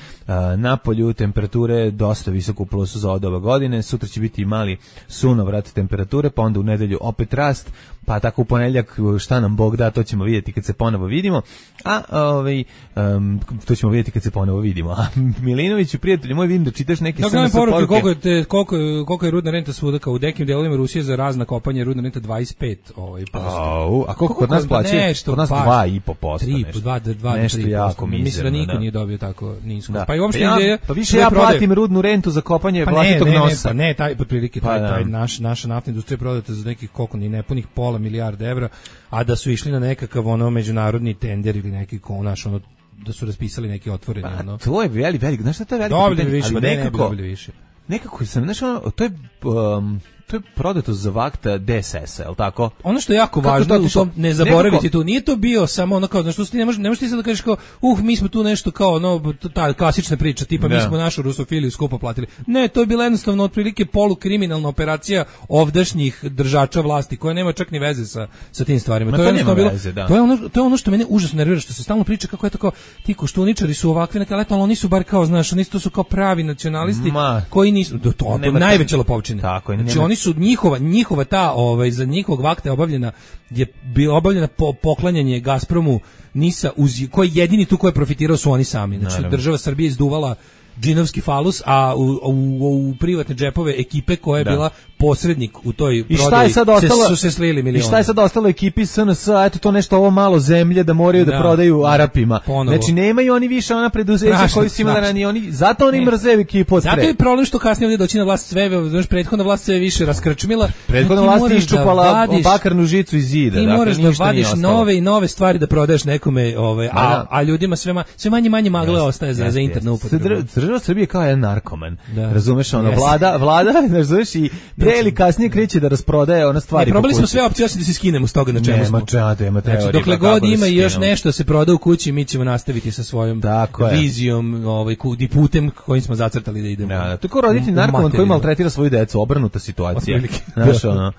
Na polju temperature dosta visoko u plusu za od ove godine. Sutra će biti mali sunovrat temperature, pa onda u nedelju opet rast, pa tako u ponedjeljak šta nam Bog da, to ćemo vidjeti kad se ponovo vidimo. A ovaj um, to ćemo vidjeti kad se ponovo vidimo. A Milinoviću, prijatelju moj, vidim da čitaš neke
S M S poruke. Koliko je, te, koliko, koliko je rudna renta svuda, kao u nekim delovima Rusije za razna kopanje rudna renta dvadeset pet ovaj posto.
A koliko kod nas plaća? Kod nas dva i po posto.
tri, dva, dva, nešto jako mizerno. Mislim da niko nije dobio tako nisko. Da. Pa i uopšte
pa ja, pa više ja platim prodaje rudnu rentu za kopanje pa vlastitog
ne,
nosa.
Ne, ne, pa ne, taj otprilike taj, pa taj naš naša naftna industrija prodata za nekih koliko ni nepunih pola milijarde evra, a da su išli na nekakav ono međunarodni tender ili neki konaš ono da su raspisali neki otvoreni
pa,
ono.
To je velik, velik, znaš šta to je veliko
dobili
pitanje,
više,
ali
ne,
nekako,
ne dobili više.
Nekako sam, znaš ono, to je um, to je prodato za vakta D S S, je li tako?
Ono što je jako kako važno, to, to ne zaboraviti tu, nije to bio samo ono kao, znaš, što ti ne možeš, ne možeš ti sad da kažeš kao, uh, mi smo tu nešto kao, ono, ta klasična priča, tipa da. Mi smo našu rusofiliju skupo platili. Ne, to je bila jednostavno otprilike polukriminalna operacija ovdašnjih držača vlasti, koja nema čak ni veze sa, sa tim stvarima.
Ma
to,
to,
je jednostavno bilo,
veze, da.
to, je ono, to je ono što mene užasno nervira, što se stalno priča kako je to kao, ti koštuničari su ovakvi, neka leto, ali oni su bar kao, znaš, oni su kao pravi nacionalisti, Ma, koji nisu, to, to, to najveća lopovčina. Tako, znači, oni su njihova njihova ta ovaj za njihovog vakta je obavljena je bilo obavljena po, poklanjanje Gazpromu Nisa uz koji jedini tu ko je profitirao su oni sami. Znači naravno. Država Srbije izduvala džinovski falus, a u, u, u privatne džepove ekipe koja je da. bila posrednik u toj prodaji se, su se slili milioni.
I šta je sad ostalo ekipi S N S, eto to nešto ovo malo zemlje da moraju da, da prodaju Arapima. Ponovo. Znači nemaju oni više ona preduzeća koji su imali ranije, oni zato oni mrze ekipu od pre.
Zato je problem što kasnije ovdje doći na vlast sve, znači prethodna vlast sve više raskrčmila.
Prethodna vlast je iščupala da bakarnu žicu iz zida.
Ti moraš da vadiš nove i nove stvari da prodaješ nekome, ovaj, a, a ljudima sve, ma, sve manje manje magle ostaje za, za internu upotrebu.
država Srbije kao jedan narkoman.
Da.
Razumeš, ono,
Yes.
vlada, vlada, razumeš, i pre ili kasnije kreće da rasprodaje ona stvari.
Ne, probali
po
smo
kući.
sve opcije osim da se skinemo s toga na čemu
Nema
smo.
čemu, nema teorije.
Znači, dokle
pa
god
kako da
ima
se
i još
skinemo.
nešto se proda u kući, mi ćemo nastaviti sa svojom
Tako je.
vizijom, ovaj, ku- i putem kojim smo zacrtali da idemo.
Da, da, to je kao roditelj
U- u
narkoman koji
materiju.
maltretira svoju decu, obrnuta situacija.
Otprilike.
Znaš, ono,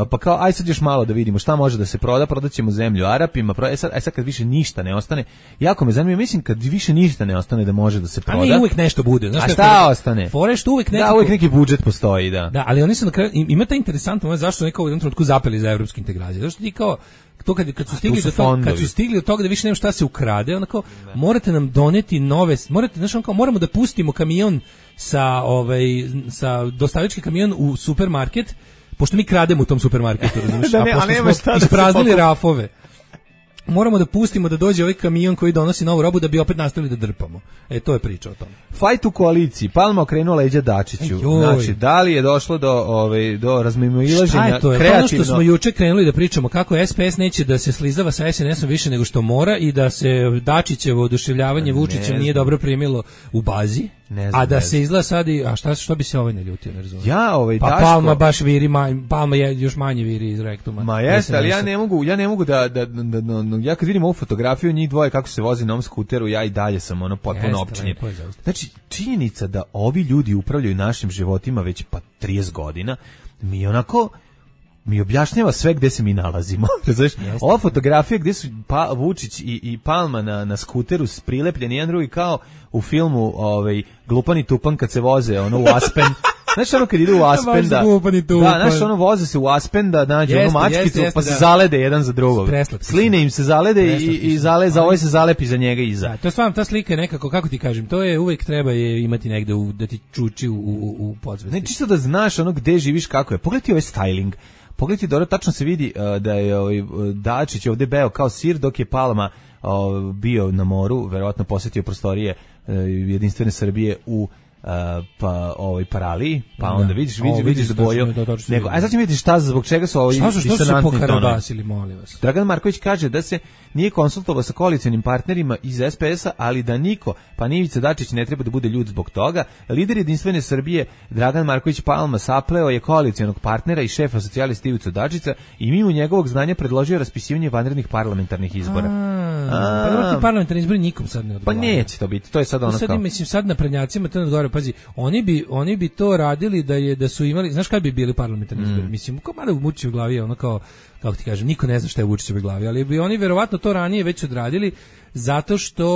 pa kao, aj sad još malo da vidimo šta može da se proda, prodat ćemo zemlju Arapima, pro, e sad, aj sad kad više ništa ne ostane, jako me zanima, mislim kad više ništa ne ostane da može da se
A
proda.
ne, uvek nešto bude. Znaš
A
kako-
šta ostane?
Fore što uvek nekako...
Da, uvijek neki budžet postoji, da.
Da, ali oni su na kraju, im- ima ta interesantno moment zašto neko u jednom trenutku zapeli za evropske integracije. Zašto ti kao to kad kad su stigli
su
do toga, kad
fondovi.
su stigli do toga da više nema šta se ukrade, onako morate nam doneti nove, morate, znači kao moramo da pustimo kamion sa ovaj sa dostavički kamion u supermarket, pošto mi krademo u tom supermarketu, razumiješ?
Da ne,
a
a
pošto
nema
smo
šta da se
ispraznili
pokupi.
rafove. Moramo da pustimo da dođe ovaj kamion koji donosi novu robu da bi opet nastavili da drpamo. E, to je priča o tome.
Fajt u koaliciji, Palma okrenuo leđa Dačiću.
Ejoj.
Znači, da li je došlo do, ovaj, do razmimoilaženja
Šta je to? Je to ono
kreativno?
što smo juče krenuli da pričamo kako S P S neće da se slizava sa S N S-om više nego što mora i da se Dačićevo oduševljavanje Vučićem
znam.
nije dobro primilo u bazi,
Ne znam,
a da
ne
se
znam.
izgleda sad i, a šta, što bi se ovaj ne ljutio, ne razumijem.
Ja, ovaj,
Pa
Daško...
Palma baš viri, ma, Palma je još manje viri iz rektuma.
Ma jeste, ali ja
S N S-a.
ne mogu, ja ne mogu da, da, da, da, da- ja kad vidim ovu fotografiju njih dvoje kako se vozi na ovom skuteru, ja i dalje sam ono potpuno
Jeste,
opčinjen.
lepo je zaista.
Znači, činjenica da ovi ljudi upravljaju našim životima već pa trideset godina, mi onako mi objašnjava sve gde se mi nalazimo. Znaš, ova fotografija gde su pa, Vučić i, i Palma na, na skuteru prilepljeni jedan drugi kao u filmu ovaj, Glupan i Tupan kad se voze ono u Aspen. Znaš ono kad ide u Aspen
Baš
da,
Glupan i Tupan.
da, znaš ono voze se u Aspen da nađe
Jeste,
ono mačkicu
jeste, jeste,
pa se
da.
zalede jedan za drugog.
Preslatki su.
Sline im se zalede i,
Preslatki
i
su.
zale, za
Ali-
ovaj se zalepi za njega iza.
Da, to je stvarno, ta slika je nekako, kako ti kažem, to je uvijek treba je imati negde u, da ti čuči u, u, u podzvesti.
Ne, čisto da znaš ono gde živiš, kako je. Pogledaj ti ovaj styling. Pogledaj ti dobro, tačno se vidi uh, da je ovaj, uh, Dačić ovde beo kao sir, dok je Palma uh, bio na moru, verovatno posetio prostorije uh, Jedinstvene Srbije u Uh, pa ovaj Paraliji, pa
Da.
onda vidiš, vidiš,
O,
vidiš
vidiš,
boju.
točno, to točno
Nego,
vidim.
a sad ćemo vidjeti šta zbog čega su ovi
Šta su, što su se
disonantni tonovi.
pokarabasili, molim vas?
Dragan Marković kaže da se nije konsultovao sa koalicionim partnerima iz S P S-a, ali da niko, pa ni Ivica Dačić ne treba da bude ljud zbog toga. Lider Jedinstvene Srbije Dragan Marković Palma sapleo je koalicionog partnera i šefa socijalista Ivicu Dačića i mimo njegovog znanja predložio raspisivanje vanrednih parlamentarnih izbora.
A, pa dobro, ti parlamentarni izbori nikom sad ne
Pa
odgovaraju.
neće to biti, to je sad
To
ono
sad,
kao...
mislim, sad na prednjacima to ne odgovara, pazi, oni bi, oni bi to radili da je da su imali, znaš kad bi bili parlamentarni izbori,
Mm.
mislim, kao malo u Vučićevoj glavi je ono kao, kako ti kažem, niko ne zna šta je u Vučićevoj glavi, ali bi oni verovatno to ranije već odradili, zato što,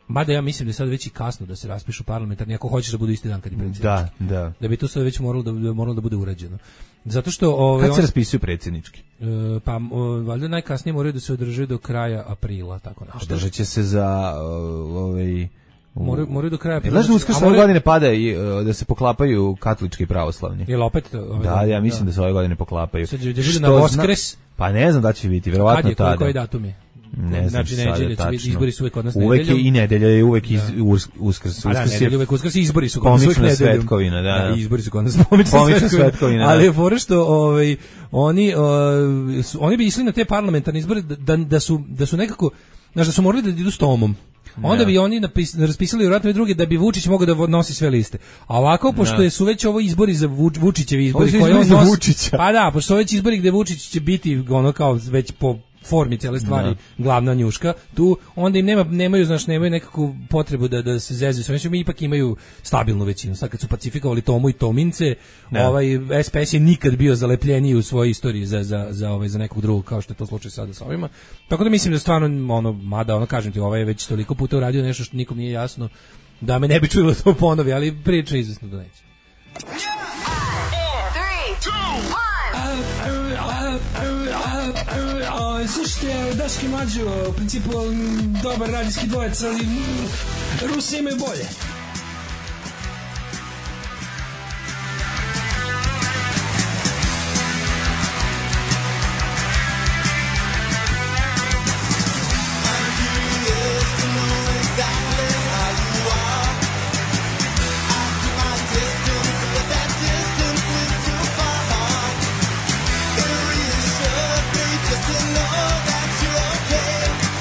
mada ja mislim da je sad već i kasno da se raspišu parlamentarni, ako hoćeš da budu isti dan kad je predsjednički.
Da, da.
Da bi to sad već moralo da, da moralo da bude urađeno. Zato što ovaj
Kad se
on-
raspisuju predsjednički?
e, pa o, valjda najkasnije moraju da se održe do kraja aprila, tako nešto.
Održat će se za uh, ovaj... u-
Moraju, moraju do kraja
E,
aprila.
Znaš da
A
uskrs ove
moraju-
godine pada i uh, da se poklapaju katolički i pravoslavni?
Jel opet to, ove
Da,
godine?
ja mislim da se ove godine poklapaju.
Sad će da bude
Što
na
zna-
Voskres.
Pa ne znam da će biti,
Kad
verovatno
je, koji,
tada.
koji datum je?
Ne znam
Znači,
sada
nedelje će biti,
tačno.
izbori su uvek kod nas
Uvek je
nedeljom.
i nedelja je uvek iz, urs, uskrs.
A da,
Uskrs je
nedelje uvek uskrs i izbori su kod nas uvek
pomična
nedeljom.
svetkovina, da, da.
I izbori su kod nas pomična,
Pomična svetkovina, da.
Ali je fora što ovaj, oni, uh, su, oni bi išli na te parlamentarne izbore da, da, da, su, da su nekako, znaš, da su morali da idu s tomom. Onda
Da.
bi oni napis, raspisali vjerojatno i drugi da bi Vučić mogao da vo- nosi sve liste. A ovako, pošto
Da.
je su već ovo izbori za Vuč, Vučićevi izbori,
Ovo su
koje
izbori
on
za
nosi-
Vučića.
Pa da, pošto su već izbori gde Vučić će biti ono kao već po formi cijele stvari
Da.
glavna njuška, tu onda im nema, nemaju, znaš, nemaju nekakvu potrebu da, da se zezuju. Sve mi ipak imaju stabilnu većinu. Sad kad su pacifikovali Tomu i Tomince,
Da.
ovaj S P S je nikad bio zalepljeniji u svojoj istoriji za, za, za, ovaj, za nekog drugog, kao što je to slučaj sada sa ovima. Tako da mislim da stvarno, ono, mada, ono, kažem ti, ovaj je već toliko puta uradio nešto što nikom nije jasno, da me ne bi čulo to ponovi, ali priča je izvesno da neće.
Slušajte, Daški Mađo, u principu m, dobar radijski dvojec, ali m, Rusi imaju bolje.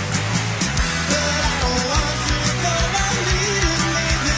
But I don't want to go on leading me.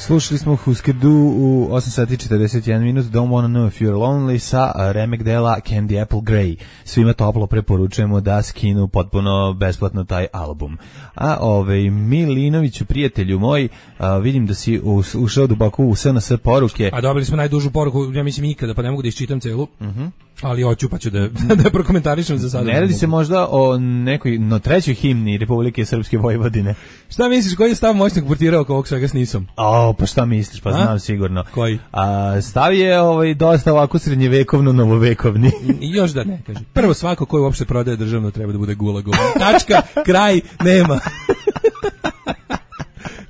Slušali smo Husker Du u osam sati četrdeset jedan minut, Don't Wanna Know If You're Lonely sa remek dela Candy Apple Grey. Svima toplo preporučujemo da skinu potpuno besplatno taj album. A ovaj Milinoviću, prijatelju moj, a, vidim da si ušao duboko u S N S poruke.
A dobili smo najdužu poruku, ja mislim ikada, pa ne mogu da iščitam celu.
Mhm. Mm
ali hoću pa ću da, da prokomentarišem za sada.
Ne radi se možda o nekoj no, trećoj himni Republike Srpske Vojvodine.
Šta misliš, koji je stav moćnog portira oko ovog svega s nisom?
O, pa šta misliš, pa A? znam sigurno.
Koji?
A, stav je ovaj, dosta ovako srednjevekovno, novovekovni.
I još da ne, kaže. Prvo, svako koji uopšte prodaje državno treba da bude gulagom. Tačka, kraj, nema.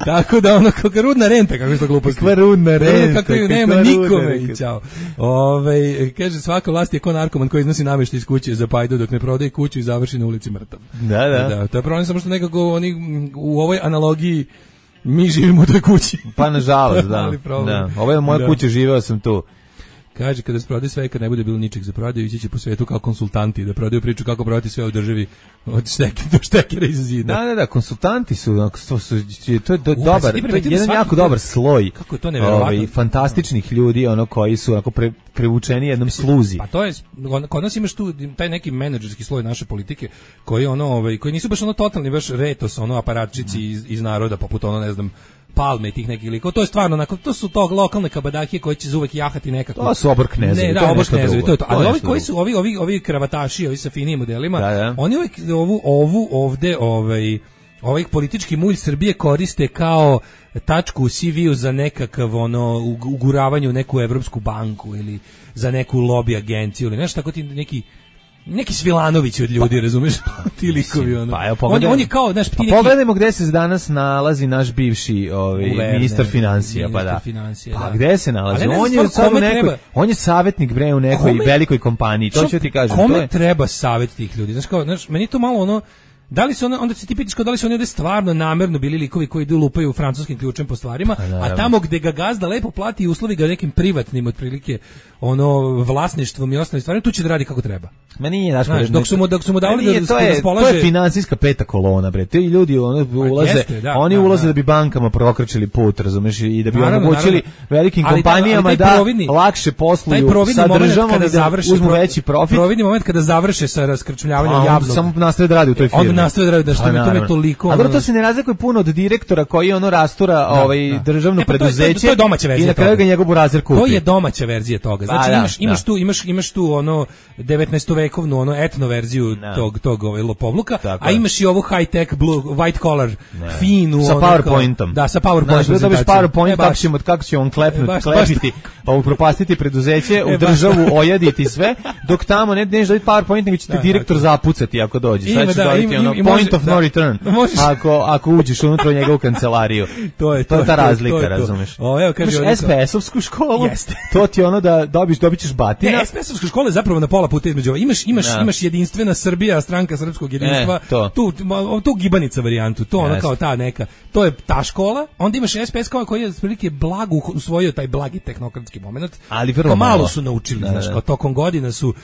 Tako da ono kako rudna renta, kako je to glupost.
Kakva rudna renta.
Kako je nema nikome i čao. Ovaj kaže svaka vlast je ko narkoman koji iznosi nameštaj iz kuće za pajdu dok ne prodaje kuću i završi na ulici mrtav.
Da, da.
Da, to je problem samo što nekako oni u ovoj analogiji mi živimo u toj kući.
Pa nažalost, da. Da. Ovo je moja da. kuća, živeo sam tu.
Kaže, kada se prodaje sve, kad ne bude bilo ničeg za prodaju, ići će po svetu kao konsultanti, da prodaju priču kako prodati sve u državi od štekera do štekera iz zida.
Da, da, da, konsultanti su, to, su, to je do, dobar, to je jedan jako dobar sloj.
Kako je to neverovatno?
Ovaj, fantastičnih ljudi, ono, koji su onako pre, prevučeni jednom sluzi.
Pa to je, kod nas imaš tu taj neki menadžerski sloj naše politike, koji ono, ovaj, koji nisu baš ono totalni, baš retos, ono, aparatčici iz, iz naroda, poput ono, ne znam, Palme i tih nekih likova. To je stvarno onako, to su tog lokalne kabadahije koji će uvek jahati nekako.
To su obor knezovi.
Ne, da, obor knezovi, to je to. Ali ovi koji su ovi ovi ovi kravataši, ovi sa finim modelima, da, da. Oni uvek ovu ovu ovde ovaj ovaj politički mulj Srbije koriste kao tačku u C V-u za nekakav ono uguravanje u neku evropsku banku ili za neku lobby agenciju ili nešto tako, ti neki neki Svilanović od ljudi, razumeš? Ti likovi ono.
Pa, evo,
on, on je kao, znaš, ti
pa, neki... Pogledajmo gde se danas nalazi naš bivši ovaj Uverner, ministar financija, pa da.
Financije,
pa
da.
Gde se nalazi? On je sad u nekoj, treba... on je savjetnik bre u nekoj kome... velikoj kompaniji. To ću ti kažem,
kome
to je...
treba savjet tih ljudi? Znaš kao, znaš, meni to malo ono da li su onda, onda se ti pitaš kao da li su oni ovde stvarno namerno bili likovi koji idu lupaju francuskim ključem po stvarima, a, a tamo gde ga gazda lepo plati i uslovi ga nekim privatnim otprilike ono vlasništvom i ostalim stvarima, tu će da radi kako treba.
Ma nije, znaš,
znaš, dok su mu dok su mu dali
nije,
da
to je,
raspolaže.
To je finansijska peta kolona, bre. Ti ljudi ono ulaze,
jeste, da,
oni
da,
ulaze da.
da
bi bankama prokrčili put, razumeš, i da bi
naravno,
omogućili
naravno.
velikim
ali
kompanijama
da,
da
providni,
lakše posluju sa državom
kada
da
završe
uzmu veći profit.
Providni moment kada završe sa raskrčmljavanjem javnog.
Samo nastaje da radi u toj firmi.
On nastaje da radi, da što mi to me toliko.
A dobro, to se ne razlikuje puno od direktora koji ono rastura ovaj državno preduzeće. I na kraju ga njegov burazer kupi.
To je domaća verzija toga. Znači imaš imaš tu imaš imaš tu ono devetnaestovekovnu ono etno verziju tog tog ovaj lopovluka, a imaš i ovu high tech blue white collar finu
sa PowerPointom.
Da, sa PowerPointom.
Da dobiš PowerPoint, kako ćemo kako će on klepnuti, klepiti, pa upropastiti preduzeće, u državu ojaditi sve, dok tamo ne neš dobiti PowerPoint, nego će te direktor zapucati ako dođe. Sad će dobiti ono point of no return. Ako ako uđeš unutra u njegovu kancelariju. To je to, to je ta razlika, razumeš.
O, evo kaže
S P S-ovsku školu. To ti ono da dobiš dobićeš batina.
Ne, S P S-ovska škola je zapravo na pola puta između. Imaš imaš ja. imaš jedinstvena Srbija, stranka srpskog jedinstva. E, to. Tu tu gibanica varijantu, to ona kao ta neka. To je ta škola. Onda imaš S P S koji je otprilike blago usvojio taj blagi tehnokratski momenat.
Ali vrlo
malo.
malo
su naučili, da, znaš, kao tokom godina su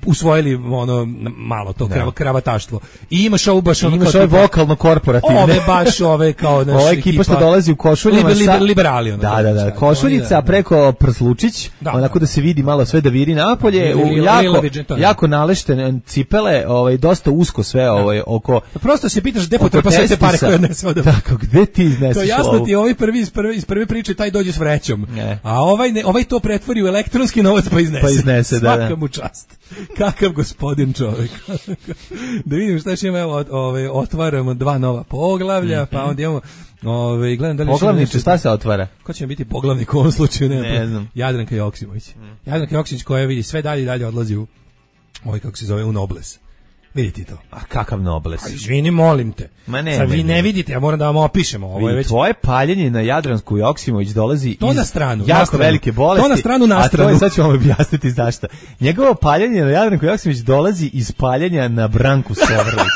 usvojili ono malo to da. kravataštvo. I imaš ovu baš ono
imaš ovaj vokalno korporativne.
Ove baš ove kao naš
ova ekipa što dolazi u košuljama
liber, liber, liberali ono.
Da, da, da, košuljica preko prslučić, da, onako da se vidi malo sve da viri napolje, u jako jako naleštene cipele, ovaj dosta usko sve ovaj oko.
Prosto se pitaš gde potrpa sve te pare koje odnese od.
Tako, gde ti izneseš?
To jasno ti ovaj prvi iz prve iz prve priče taj dođe s vrećom. A ovaj ne, ovaj to pretvori u elektronski novac pa iznese.
Pa iznese, da.
Svaka mu čast. Kakav gospodin čovjek. Da vidim šta će ima, evo, ovaj otvaramo dva nova poglavlja, mm-hmm. pa onda imamo ovaj gledam da li
poglavniče šta se otvara.
Ko će biti poglavnik u ovom slučaju, ne,
ne znam.
Jadranka Joksimović. Mm. Jadranka Joksimović koja vidi sve dalje i dalje odlazi u ovaj kako se zove u Nobles. Vidite to.
A kakav Nobles?
A izvini, molim te.
Ma ne,
sad vi ne vidite, ja moram da vam opišemo. Ovo je već...
Tvoje paljenje na Jadransku Joksimović dolazi
to
iz
na stranu,
jako
na stranu.
velike bolesti.
To na stranu, na stranu.
A to je, sad ću vam objasniti zašto. Njegovo paljenje na Jadranku Joksimović dolazi iz paljenja na Branku Sovrlić.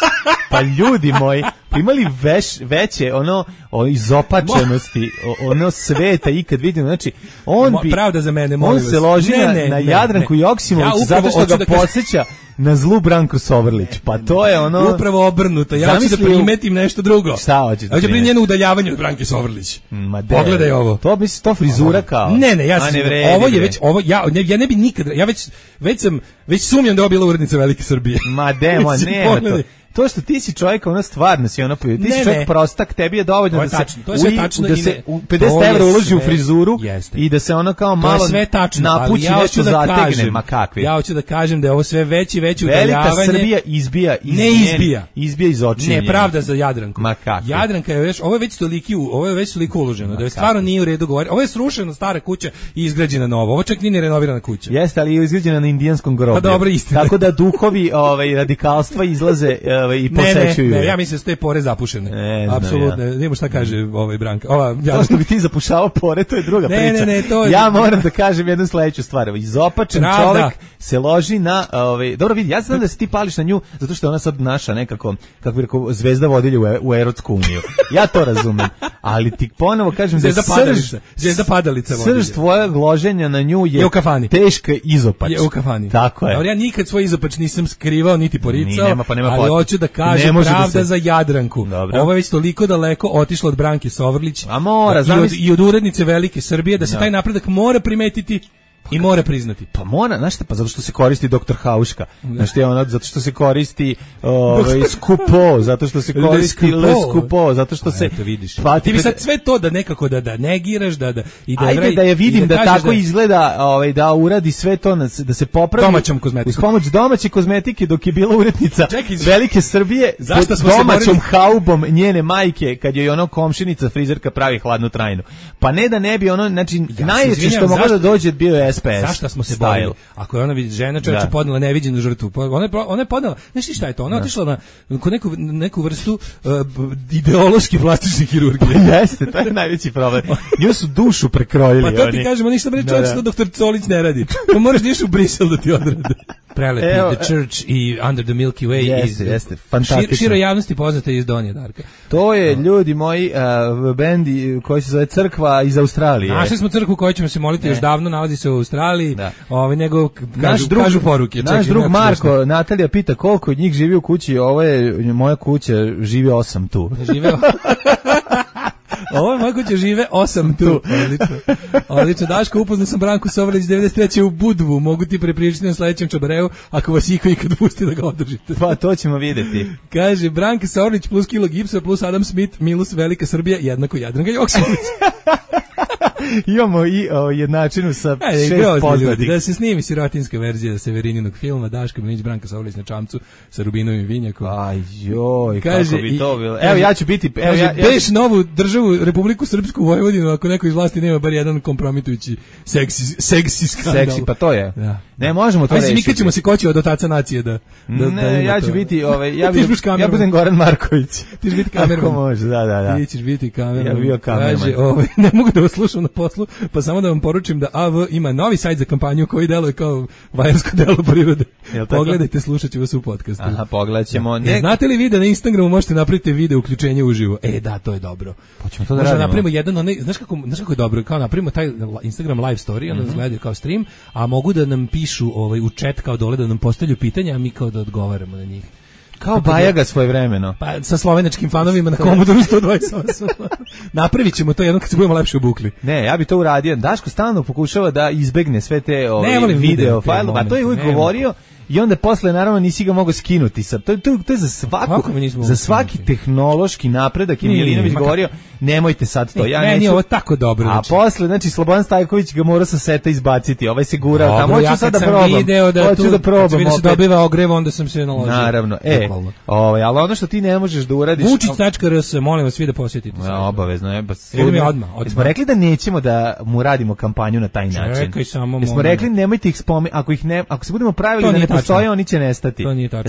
Pa ljudi moji, imali veš, veće ono o izopačenosti, o, ono sveta ikad vidimo, znači on bi
pravda za mene, molim
on
vas.
se loži
ne,
na,
ne,
na
ne,
Jadranku
ne.
Joksimović
ja
zato što ga da podsjeća na zlu Branko Sovrlić. Pa to je ono...
Upravo obrnuto. Ja hoću da primetim nešto drugo.
Šta hoćeš da
primetim? Hoću njeno udaljavanje od Branke Sovrlić.
Ma
pogledaj ovo.
To misli to frizura kao.
Ne, ne, ja sam, ne ovo je već ovo ja ne, ja ne bi nikad ja već već sam već sumnjam da je bila urednica Velike Srbije.
Ma demo, ne. To. To što ti si čovjek, ono stvarno si ono, ti ne, si čovjek ne. prostak, tebi je dovoljno
to je
da
tačno,
se,
to je sve tačno
da se pedeset evra uloži u frizuru
jeste.
I da se ono kao malo napući
ja
nešto
da
zategne,
kažem,
ma kakvi.
Ja hoću da kažem da je ovo sve veći veći
udaljavanje.
Velika
Srbija izbija iz
ne izbija.
Izbija iz očiju.
Nepravda za Jadranku.
Ma kakvi.
Jadranka je već, ovo je već toliki, ovo je već toliko uloženo, da je stvarno nije u redu govoriti. Ovo je srušena stara kuća i izgrađena nova. Ovo čak nije renovirana kuća.
Jeste, ali je izgrađena na indijanskom groblju.
Pa dobro, istina.
Tako da duhovi, ovaj radikalstva izlaze, ovaj i posećuju.
Ne, ja mislim da su te pore zapušene. Apsolutno. Ja. Nemo šta kaže ovaj Branka. Ova
ja što bi ti zapušavao pore, to je druga
ne,
priča.
Ne, ne, to je...
Ja moram da kažem jednu sledeću stvar. Izopačen čovjek se loži na ovaj dobro vidi, ja znam da se ti pališ na nju zato što je ona sad naša nekako kako bi rekao zvezda vodilja u, u erotsku uniju. Ja to razumem. Ali ti ponovo kažem
zvezda da padalica, zvezda padalica vodilja.
Srž tvojeg loženja na nju je,
je u kafani.
Teška izopač.
Je u kafani.
Tako je.
Ali ja nikad svoj izopač nisam skrivao niti poricao.
Nema, pa nema
ali hoću da kažem pravda da se... za Jadranku.
Dobro.
Ovo je već toliko daleko otišlo od Branke Sovrlić.
A mora,
i, od, i od urednice Velike Srbije da se no. taj napredak mora primetiti. I mora priznati.
Pa mora, znaš šta, pa zato što se koristi doktor Hauška. Znaš šta je ono, zato što se koristi ovaj Skupo, zato što se koristi Le Skupo, zato što se
eto vidiš. Pa ti bi sad sve to da nekako da da negiraš, da da
i da ajde da je vidim da, da tako da... izgleda, ovaj da uradi sve to da se popravi
domaćom kozmetikom.
Uz pomoć domaće kozmetike dok je bila urednica Čekaj, Velike Srbije,
zašto smo
domaćom haubom njene majke kad je ono komšinica frizerka pravi hladnu trajnu. Pa ne da ne bi ono, znači ja najveće što moglo da dođe bio je S P S.
Zašto smo se borili? Ako je ona vidi žena, čovjek je podnela neviđenu žrtvu. Ona je ona je podnela, znaš šta je to? Ona je otišla na neku neku vrstu uh, ideološki plastične hirurgije.
Jeste, to je najveći problem. Nju su dušu prekrojili oni.
Pa to ti kažemo, ništa bre čovjek što doktor Colić ne radi. Pa moraš niš u Brisel da ti odrade. Prelepi Evo, The Church i Under the Milky Way
jeste,
iz
jeste, fantastično.
Širo javnosti poznate iz Donje Darka.
To je no. ljudi moji uh, bendi koji se zove Crkva iz Australije.
Našli smo crkvu koju ćemo se moliti ne. još davno, nalazi se u Australiji. Da. Ovaj nego kažu,
naš drug,
kažu poruke.
Naš drug Marko, Natalija pita koliko od njih živi u kući, ovo je moja kuća, živi osam tu.
Žive Ovo je moja kuća, žive osam tu. Odlično. Odlično. Daško, upoznao sam Branku Sovrlić devedeset treće u Budvu. Mogu ti prepričati na sledećem čabareu ako vas iko ikad pusti da ga održite.
Pa to ćemo vidjeti.
Kaže, Branka Sovrlić plus kilo gipsa plus Adam Smith minus Velika Srbija jednako Jadranka Joksimović.
Imamo i o, jednačinu sa
Ajde,
šest poznatih.
Da se snimi sirotinska verzija Severininog filma Daško Milinić, Branka Sovrlić na čamcu sa Rubinovim vinjakom.
Aj joj, kaže, kako bi to bilo. Evo ja ću biti... Evo,
kaže,
ja, ja
beš novu državu, Republiku Srpsku Vojvodinu, ako neko iz vlasti nema bar jedan kompromitujući seksi, seksi skandal.
Seksi, pa to je.
Da.
Ne, možemo to reći.
Mi kad ćemo se koći od otaca nacije da... da
ne,
da
ja ću
to.
biti... Ove, ja, bi, ja budem Goran Marković.
Ti ćeš biti kamerman.
Ako može, da, da, da.
Ti ćeš biti kamerman.
Ja bi bio kamerman.
Kaže, ove, ne mogu da vas slušam na poslu, pa samo da vam poručim da A V ima novi sajt za kampanju koji deluje kao vajarsko delo prirode. Pogledajte, slušat ću vas u podcastu.
Aha, pogledat ćemo.
Ne... Znate li vi da na Instagramu možete napraviti video uključenje uživo? E, da, to je dobro.
Pa ćemo to da radimo.
Napravimo jedan, onaj, znaš, kako, znaš kako je dobro? Kao napravimo taj Instagram live story, onda mm-hmm. gledaju kao stream, a mogu da nam pišu ovaj, u chat kao dole da nam postavljaju pitanja, a mi kao da odgovaramo na njih.
Kao Bajaga svojevremeno.
Pa sa slovenačkim fanovima na Commodore sto dvadeset osam. Napravit ćemo to jednom kad se budemo lepše obukli.
Ne, ja bi to uradio. Daško stalno pokušava da izbegne sve te ove, video, video fajlove, a to je uvijek govorio. I onda posle naravno nisi ga mogao skinuti sa. To, to, to je za svaku za svaki skinuti. Tehnološki napredak i Milinović govorio nemojte sad to.
Ne,
ja
ne,
neću.
Nije ovo tako dobro.
A
znači.
Posle znači Slobodan Stajković ga mora sa seta izbaciti. Ovaj se gura tamo. Hoću
ja
sad da probam.
Da
Hoću
tu,
da probam.
Kad se dobiva ogrev, onda sam se naložio.
Naravno. E, ovaj, al ono što ti ne možeš da uradiš.
vučić tačka r s, molim vas svi da posjetite.
Ja, obavezno je.
Idemo mi odmah.
Smo rekli da nećemo da mu radimo kampanju na taj način.
Čekaj samo.
Smo rekli nemojte ih spomenuti. Ako ih ne, ako se budemo pravili da ne postoje, oni će nestati.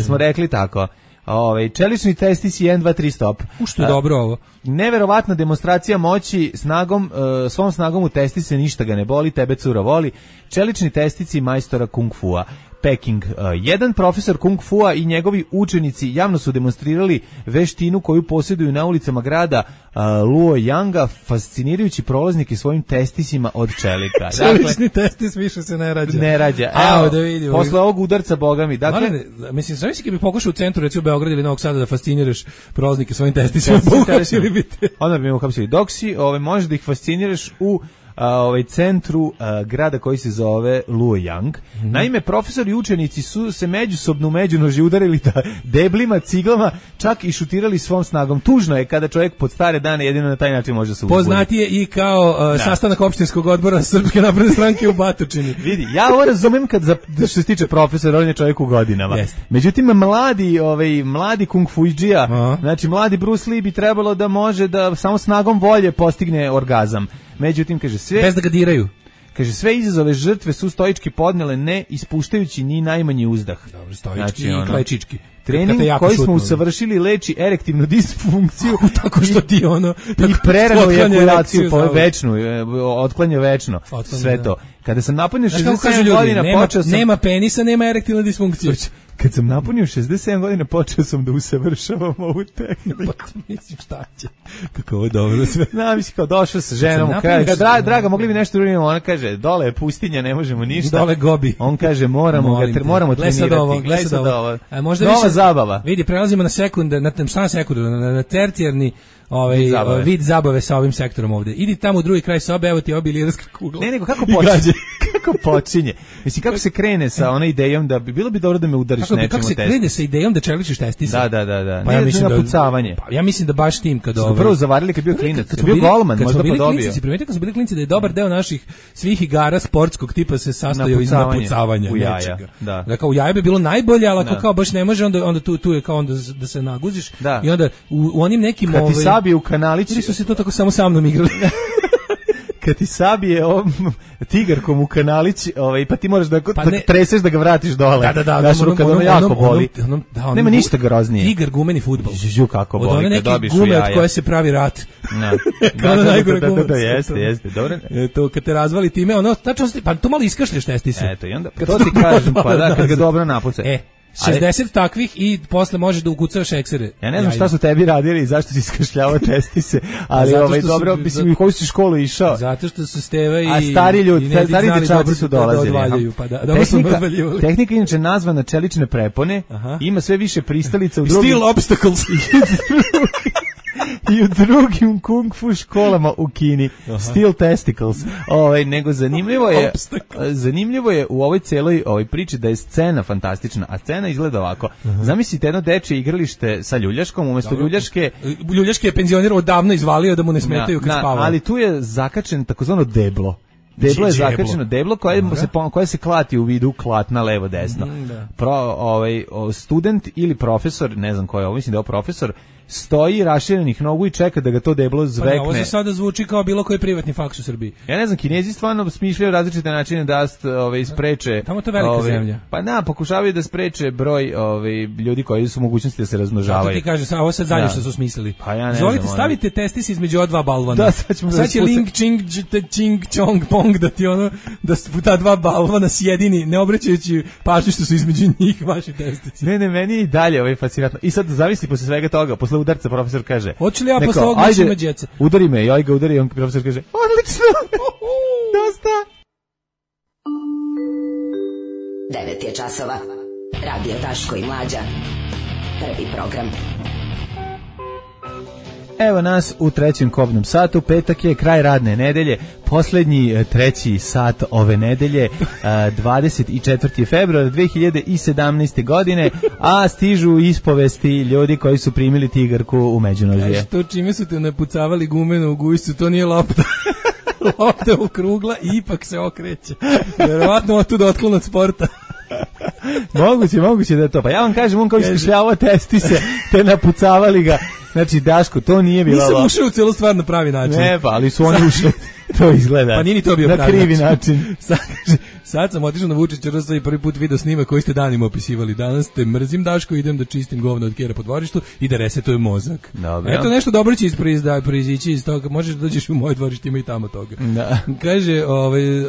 Smo rekli tako. Ovaj čelični testisi jedan dva tri stop.
U što je dobro ovo.
Neverovatna demonstracija moći snagom, uh, svom snagom u testi se ništa ga ne boli, tebe cura voli. Čelični testici majstora kung fua. Peking. Uh, jedan profesor kung fua i njegovi učenici javno su demonstrirali veštinu koju posjeduju na ulicama grada uh, Luoyanga, fascinirajući prolaznike svojim testisima od čelika.
Čelični testis više se ne rađa.
Ne rađa.
Evo, da vidimo.
Posle ovog udarca, boga mi. Dakle,
Malene, mislim, znaš si kad bi pokušao u centru, recimo Beograd ili Novog Sada, da fasciniraš prolaznike svojim testisima, uhapsili bi te.
Onda bi me uhapsili. Dok si, ove, možeš da ih fasciniraš u a, ovaj centru a, grada koji se zove Luoyang. Mm-hmm. Naime, profesori i učenici su se međusobno u međunoži udarili da deblima, ciglama, čak i šutirali svom snagom. Tužno je kada čovjek pod stare dane jedino na taj način može se uzbuditi.
Poznatije i kao uh, sastanak opštinskog odbora Srpske napredne stranke u Batočini.
Vidi, ja ovo razumem kad za, što se tiče profesora, on je čovjek u godinama. Yes. Međutim, mladi, ovaj, mladi kung fuidžija, uh-huh. znači mladi Bruce Lee bi trebalo da može da samo snagom volje postigne orgazam. Međutim, kaže, sve...
Bez da ga diraju.
Kaže, sve izazove žrtve su stoički podnele, ne ispuštajući ni najmanji uzdah.
Dobro, stoički znači, i klečički.
Trening koji smo usavršili leči erektivnu disfunkciju
tako što ti ono
i preranu ejakulaciju po večnu, otklanja večno, otklanja, sve to. Kada sam napunio šezdeset sedam godina,
nema,
počeo sam...
Nema penisa, nema erektivna disfunkcija.
Kad sam napunio šezdeset sedam godina, počeo sam da usavršavam ovu tehniku.
Pa mislim, šta će? Kako ovo dobro sve.
Na, mislim, kao došao sa ženom, kaže, draga, draga, mogli bi nešto uraditi? Ona kaže, dole je pustinja, ne možemo ništa.
Dole gobi.
On kaže, moramo ga, tre, moramo trenirati.
Gle sad ovo. Možda
nova zabava.
Vidi, prelazimo na sekunde, na, šta na sekundu, na, na tercijarni ovaj vid zabave. vid zabave sa ovim sektorom ovde. Idi tamo u drugi kraj sobe, evo ti obilirska kugla.
Ne, nego kako počinje? Kako počinje? Mislim, kako se krene sa onom idejom da bi bilo bi dobro da me udariš
kako,
nečim
kako se krene sa idejom da čeličiš testise?
Da, da, da, da.
Pa ja mislim da
pucavanje.
Pa ja mislim da baš tim kad ovaj
prvo zavarili kad bio klinac, kad bio golman, možda pa dobio.
Kad primetite kad su bili klinci da je dobar deo naših svih igara sportskog tipa se sastojao iz napucavanja nečega.
Da.
Da kao u jaje bi bilo najbolje, ali ako kao baš ne može, onda onda tu tu je kao onda da se naguziš i onda u onim nekim
ovaj Sabi u kanalić
su se to tako samo sa mnom igrali.
Kad ti sabije ovom tigarkom u kanalić, ovaj, pa ti moraš da, pa da treseš da ga vratiš dole.
Da, da, da.
Daš ruka da ono jako boli.
Onom, onom, da, onom,
nema ništa groznije.
Tigar gumeni fudbal.
Žu kako boli.
Od one neke gume od koje se pravi rat.
Da.
Kao da, najgore
da, da,
gume.
Da, da, jeste, jeste. Dobro.
E, to kad te razvali time, ono, tačno, pa to malo iskašlješ testise.
Eto, i onda, to ti kažem, pa da, kad ga dobro napuca.
E, šezdeset takvih i posle možeš da ukucavaš eksere.
Ja ne znam šta su tebi radili i zašto si iskašljavao testise, ali ovaj dobro, mislim, u koju si školu išao?
Zato što su Steva i
a stari ljudi, stari dečaci su dolazili.
Pa da,
tehnika, tehnika inače nazvana čelične prepone, aha. Ima sve više pristalica u drugim...
Still obstacles.
I u drugim kung fu školama u Kini. Aha. Still testicles. Ovaj nego zanimljivo je zanimljivo je u ovoj celoj ovoj priči da je scena fantastična, a scena izgleda ovako. Aha. Zamislite jedno dečije igralište sa ljuljaškom, umesto ljuljaške
ljuljaške je penzioner odavno izvalio da mu ne smetaju kad spava.
Ali tu je zakačen takozvano deblo. Deblo je zakačeno, deblo koje se koje se klati u vidu klatna levo desno. Mm, da. Pro, ovaj student ili profesor, ne znam ko je, ovo mislim da je profesor, stoji raširenih nogu i čeka da ga to deblo zvekne. Pa ne,
ovo se sada zvuči kao bilo koji privatni faks u Srbiji.
Ja ne znam, Kinezi stvarno smišljaju različite načine da ovaj spreče.
Tamo to je velika
ovaj,
zemlja.
Pa da, pokušavaju da spreče broj ovaj ljudi koji su u mogućnosti da se razmnožavaju.
Zato ti kažeš, a ovo sad zadnje što su smislili.
Pa ja ne
Zvolite,
znam,
stavite ono. Testis između ova dva balvana.
Da, sad ćemo
sad će link ching ching chong pong da ti ono da su ta dva balvana sjedini, ne obraćajući pažnju što su između njih vaši testisi.
Ne, ne, meni i dalje ovaj fascinantno. I sad zamisli posle svega toga, posle udarca profesor kaže:
hoće li ja posle ovoga ići na djece?
Udari me, ja ga udari, on profesor kaže: odlično, dosta.
Devet je časova, radio Daško i Mlađa, prvi program.
Evo nas u trećem kobnom satu, petak je kraj radne nedelje, poslednji treći sat ove nedelje, dvadeset četvrti februar dve hiljade sedamnaeste. godine, a stižu ispovesti ljudi koji su primili tigarku u međunožje.
E što čime su te napucavali gumenu u gujsu, to nije lopta. Lopta okrugla i ipak se okreće. Verovatno otuda otklon od sporta.
moguće, moguće da je to. Pa ja vam kažem, on kao iskašljavao testise, te napucavali ga. Znači, Daško, to nije bilo...
Nisam ušao u celu stvar na pravi način.
Ne, pa, ali su oni ušli. To izgleda.
Pa nije ni to bio
na
pravi
krivi
način.
način.
Sad, sad sam otišao na Vučić R S i prvi put video snima koji ste danima opisivali. Danas te mrzim, Daško, idem da čistim govno od kjera po dvorištu i da resetujem mozak.
Dobro.
Eto nešto dobro će proizići iz toga. Možeš da dođeš u moje dvorište, ima i tamo toga.
Da.
Kaže, ovaj,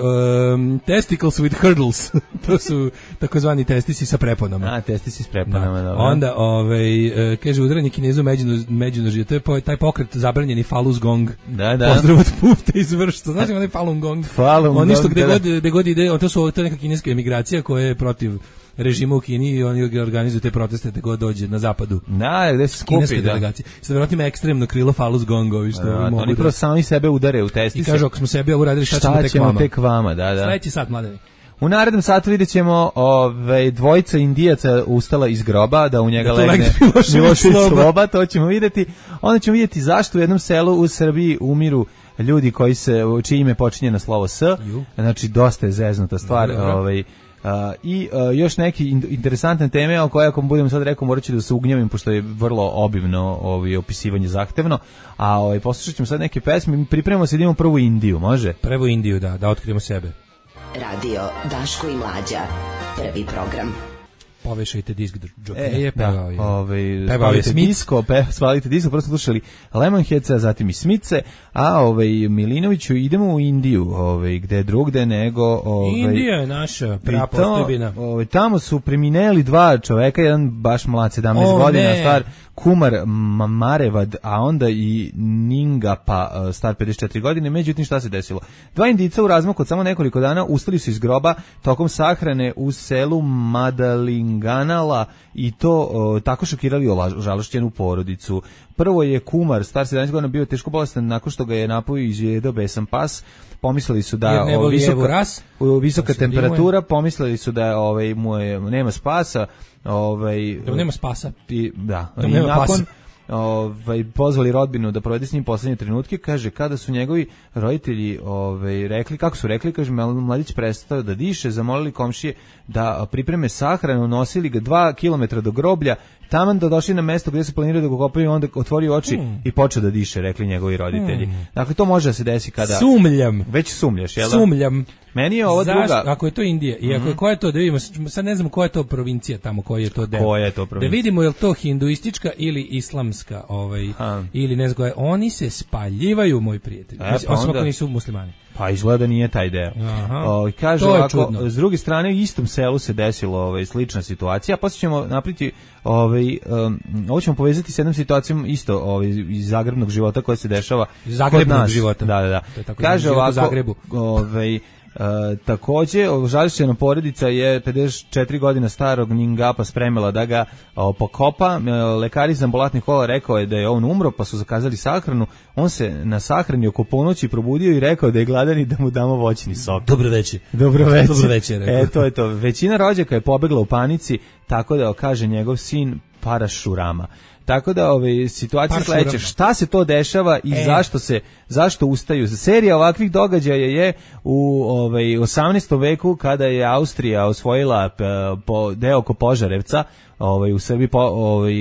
um, testicles with hurdles. To su takozvani testisi sa preponama.
A, testisi s preponama,
da.
dobro.
Onda, ovaj, e, kaže, udaranje Kinezu međunož, međunožje, to je po, taj pokret zabranjeni Falun Gong.
Da, da.
Pozdrav od Pufta iz Vršca. Znaš ima onaj Falun Gong?
Falun
Oni što
Gong,
gde
da,
god, gde god ide, to su to je neka kineska emigracija koja je protiv režima u Kini i oni organizuju te proteste gde god dođe na zapadu.
Da, gde se skupi,
kineske
da.
delegacije. Sad verovatno ima ekstremno krilo Falun Gongovi što
Da,
mogu
oni
da...
prvo sami sebe udare u testise.
I kažu, ako smo sebi ovo uradili, šta,
šta
ćemo tek
ćemo
vama?
tek vama, da, da.
Sledeći sat, mladeni.
U narednom satu vidjet ćemo ove, dvojica Indijaca ustala iz groba, da u njega
da
legne
Milošević
Milošević
Sloba.
Sloba, to ćemo vidjeti. Onda ćemo vidjeti zašto u jednom selu u Srbiji umiru ljudi koji se, čije ime počinje na slovo S.
Ju.
Znači, dosta je zeznuta stvar.
Dobro.
Ovaj, a, I a, još neki in, interesantne teme, o koje ako budem sad rekao, morat ću da se ugnjavim, pošto je vrlo obimno ovaj, opisivanje zahtevno. A ovaj, poslušat ćemo sad neke pesme. Mi pripremamo se da imamo prvu Indiju, može?
Prvo Indiju, da, da otkrijemo sebe.
Radio Daško i Mlađa. Prvi program.
Povešajte disk džokeje,
E,
pevao
da,
je.
ovaj,
Pevao je
spalite
Smith.
disko, pe, spalite disko, prvo smo slušali Lemonheadsa, zatim i Smice, a ovaj, Milinoviću idemo u Indiju, ovaj, gde drugde nego... Ovaj,
Indija je naša
i
prapostojbina.
to, ovaj, tamo su premineli dva čoveka, jedan baš mlad, sedamnaest
O,
godina,
ne.
star Kumar Marevad, a onda i Ningapa, star pedeset četiri godine. Međutim, šta se desilo? Dva Indica u razmaku od samo nekoliko dana ustali su iz groba tokom sahrane u selu Madalinganala i to o, tako šokirali ožalošćenu porodicu. Prvo je Kumar, star sedamnaest godina, bio teško bolestan nakon što ga je napojio i izjedao besan pas. Pomislili su da
Jer ne
o,
voli
visoka,
Evu Ras.
o, visoka
Da se
temperatura, pomislili su da ovaj mu je, nema spasa, ovaj
Da nema spasa.
i da,
Da
i
nema
nakon
pasa.
ovaj pozvali rodbinu da provede s njim poslednje trenutke, kaže kada su njegovi roditelji ovaj rekli kako su rekli, kaže mladić prestao da diše, zamolili komšije da pripreme sahranu, nosili ga dva kilometra do groblja, taman da došli na mesto gdje se planiraju da ga kopaju, onda otvorio oči mm. i počeo da diše, rekli njegovi roditelji. Mm. Dakle, to može da se desi kada...
Sumljam.
Već sumljaš, jel da?
Sumljam.
Meni je ovo
Zašto?
druga...
Ako je to Indija, i ako je, koja je to, da vidimo, sad ne znam koja je to provincija tamo, koji je to deo.
Koja je to provincija?
Da vidimo je li to hinduistička ili islamska, ovaj,
Ha.
ili ne znam koja je. Oni se spaljivaju, moj prijatelj.
E,
Mislim,
pa
osim
onda-
ako nisu muslimani.
Pa izgleda nije taj deo.
Aha.
O, kaže
To je
ovako,
čudno.
s druge strane u istom selu se desilo ovaj slična situacija, pa ćemo napriti ovaj um, ovo ćemo povezati s jednom situacijom isto ovaj iz zagrebnog života koja se dešava
Iz zagrebnog
kod nas.
života.
Da, da, da.
To je tako
Kaže
život u
ovako,
Zagrebu.
ovaj Uh, takođe, žališćena porodica je pedeset četiri godina starog Ningapa spremila da ga o, pokopa. Uh, lekari iz ambulatnih kola rekao je da je on umro, pa su zakazali sahranu. On se na sahrani oko ponoći probudio i rekao da je gladan i da mu damo voćni sok.
Dobro veći.
Dobro večer.
Dobro večer, rekao.
E, to je to. Većina rođaka je pobegla u panici, tako da kaže njegov sin Parašurama. Tako da ove situacije
Parašurama.
sledeće, šta se to dešava i
E.
zašto se zašto ustaju? Serija ovakvih događaja je u ovaj osamnaestom veku kada je Austrija osvojila p, po deo oko Požarevca, ovaj u Srbiji po, ovaj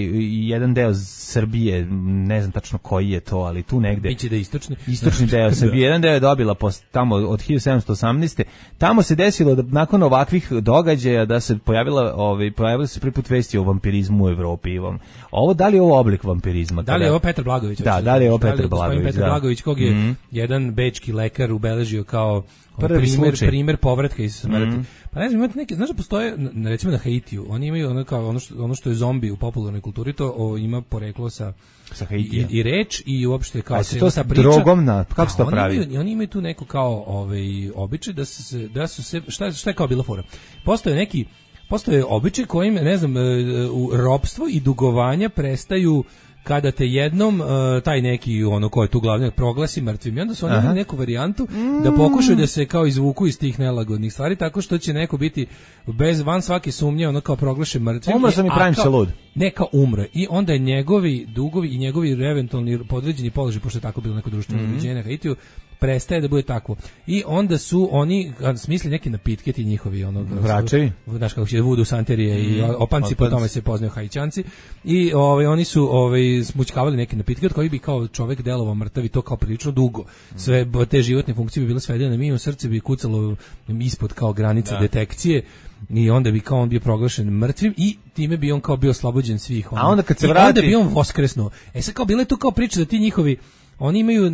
jedan deo Srbije, ne znam tačno koji je to, ali tu negde.
Biće da je istočni.
Istočni deo Srbije, jedan deo je dobila pos, tamo od hiljadu sedamsto osamnaeste. Tamo se desilo da nakon ovakvih događaja da se pojavila, ovaj pojavile se prvi put vesti o vampirizmu u Evropi. i ovom. Ovo da li je ovo oblik vampirizma?
Da li je ovo Petar Blagović?
Da,
hoćeš
da li je ovo
kažeš?
Petar
gospodin
Blagović,
Petar
da.
Blagović, kog je
Mhm.
jedan bečki lekar ubeležio kao
Prvi
primer,
slučaj.
primer povratka iz smrti.
Mhm.
Pa ne znam, imate neke, znaš da postoje, na- recimo na Haitiju, oni imaju ono, kao, ono, što, ono što je zombi u popularnoj kulturi, to o, ima poreklo sa
Sa
i,
Haitija.
i reč i uopšte kao
A se
cijela
to
ta
s
priča.
drogom na- kako se to
A oni
pravi?
imaju- oni imaju tu neku kao ovaj običaj da su se da su se šta šta je kao bila fora. Postoje neki postoje običaj kojim ne znam e, u ropstvo i dugovanja prestaju kada te jednom e, taj neki ono ko je tu glavni proglasi mrtvim. I onda su oni
Aha.
imali neku varijantu da pokušaju da se kao izvuku iz tih nelagodnih stvari tako što će neko biti bez van svake sumnje ono kao proglašen mrtvim.
Umro sam i
a
pravim
kao-
se lud.
Ne kao umre. I onda je njegovi dugovi i njegovi eventualni podređeni položaj, pošto je tako bilo neko društveno
Mhm.
uređenje na Haitiju, prestaje da bude takvo. I onda su oni a, smisli neke napitke ti njihovi onog
Vračevi?
znaš kako će vudu santerije i
Mhm.
opanci, po
Opanci.
tome se poznaju Haićanci. I ovaj oni su ovaj smućkavali neke napitke od kojih bi kao čovjek delovao mrtav i to kao prilično dugo. Sve b- te životne funkcije bi bile svedene na minimum, srce bi kucalo ispod kao granice detekcije. I onda bi kao on bio proglašen mrtvim i time bi on kao bio oslobođen svih.
A onda kad se
I
vrati-
onda bi on voskresnuo. E sad kao bilo je tu kao priča da ti njihovi oni imaju uh,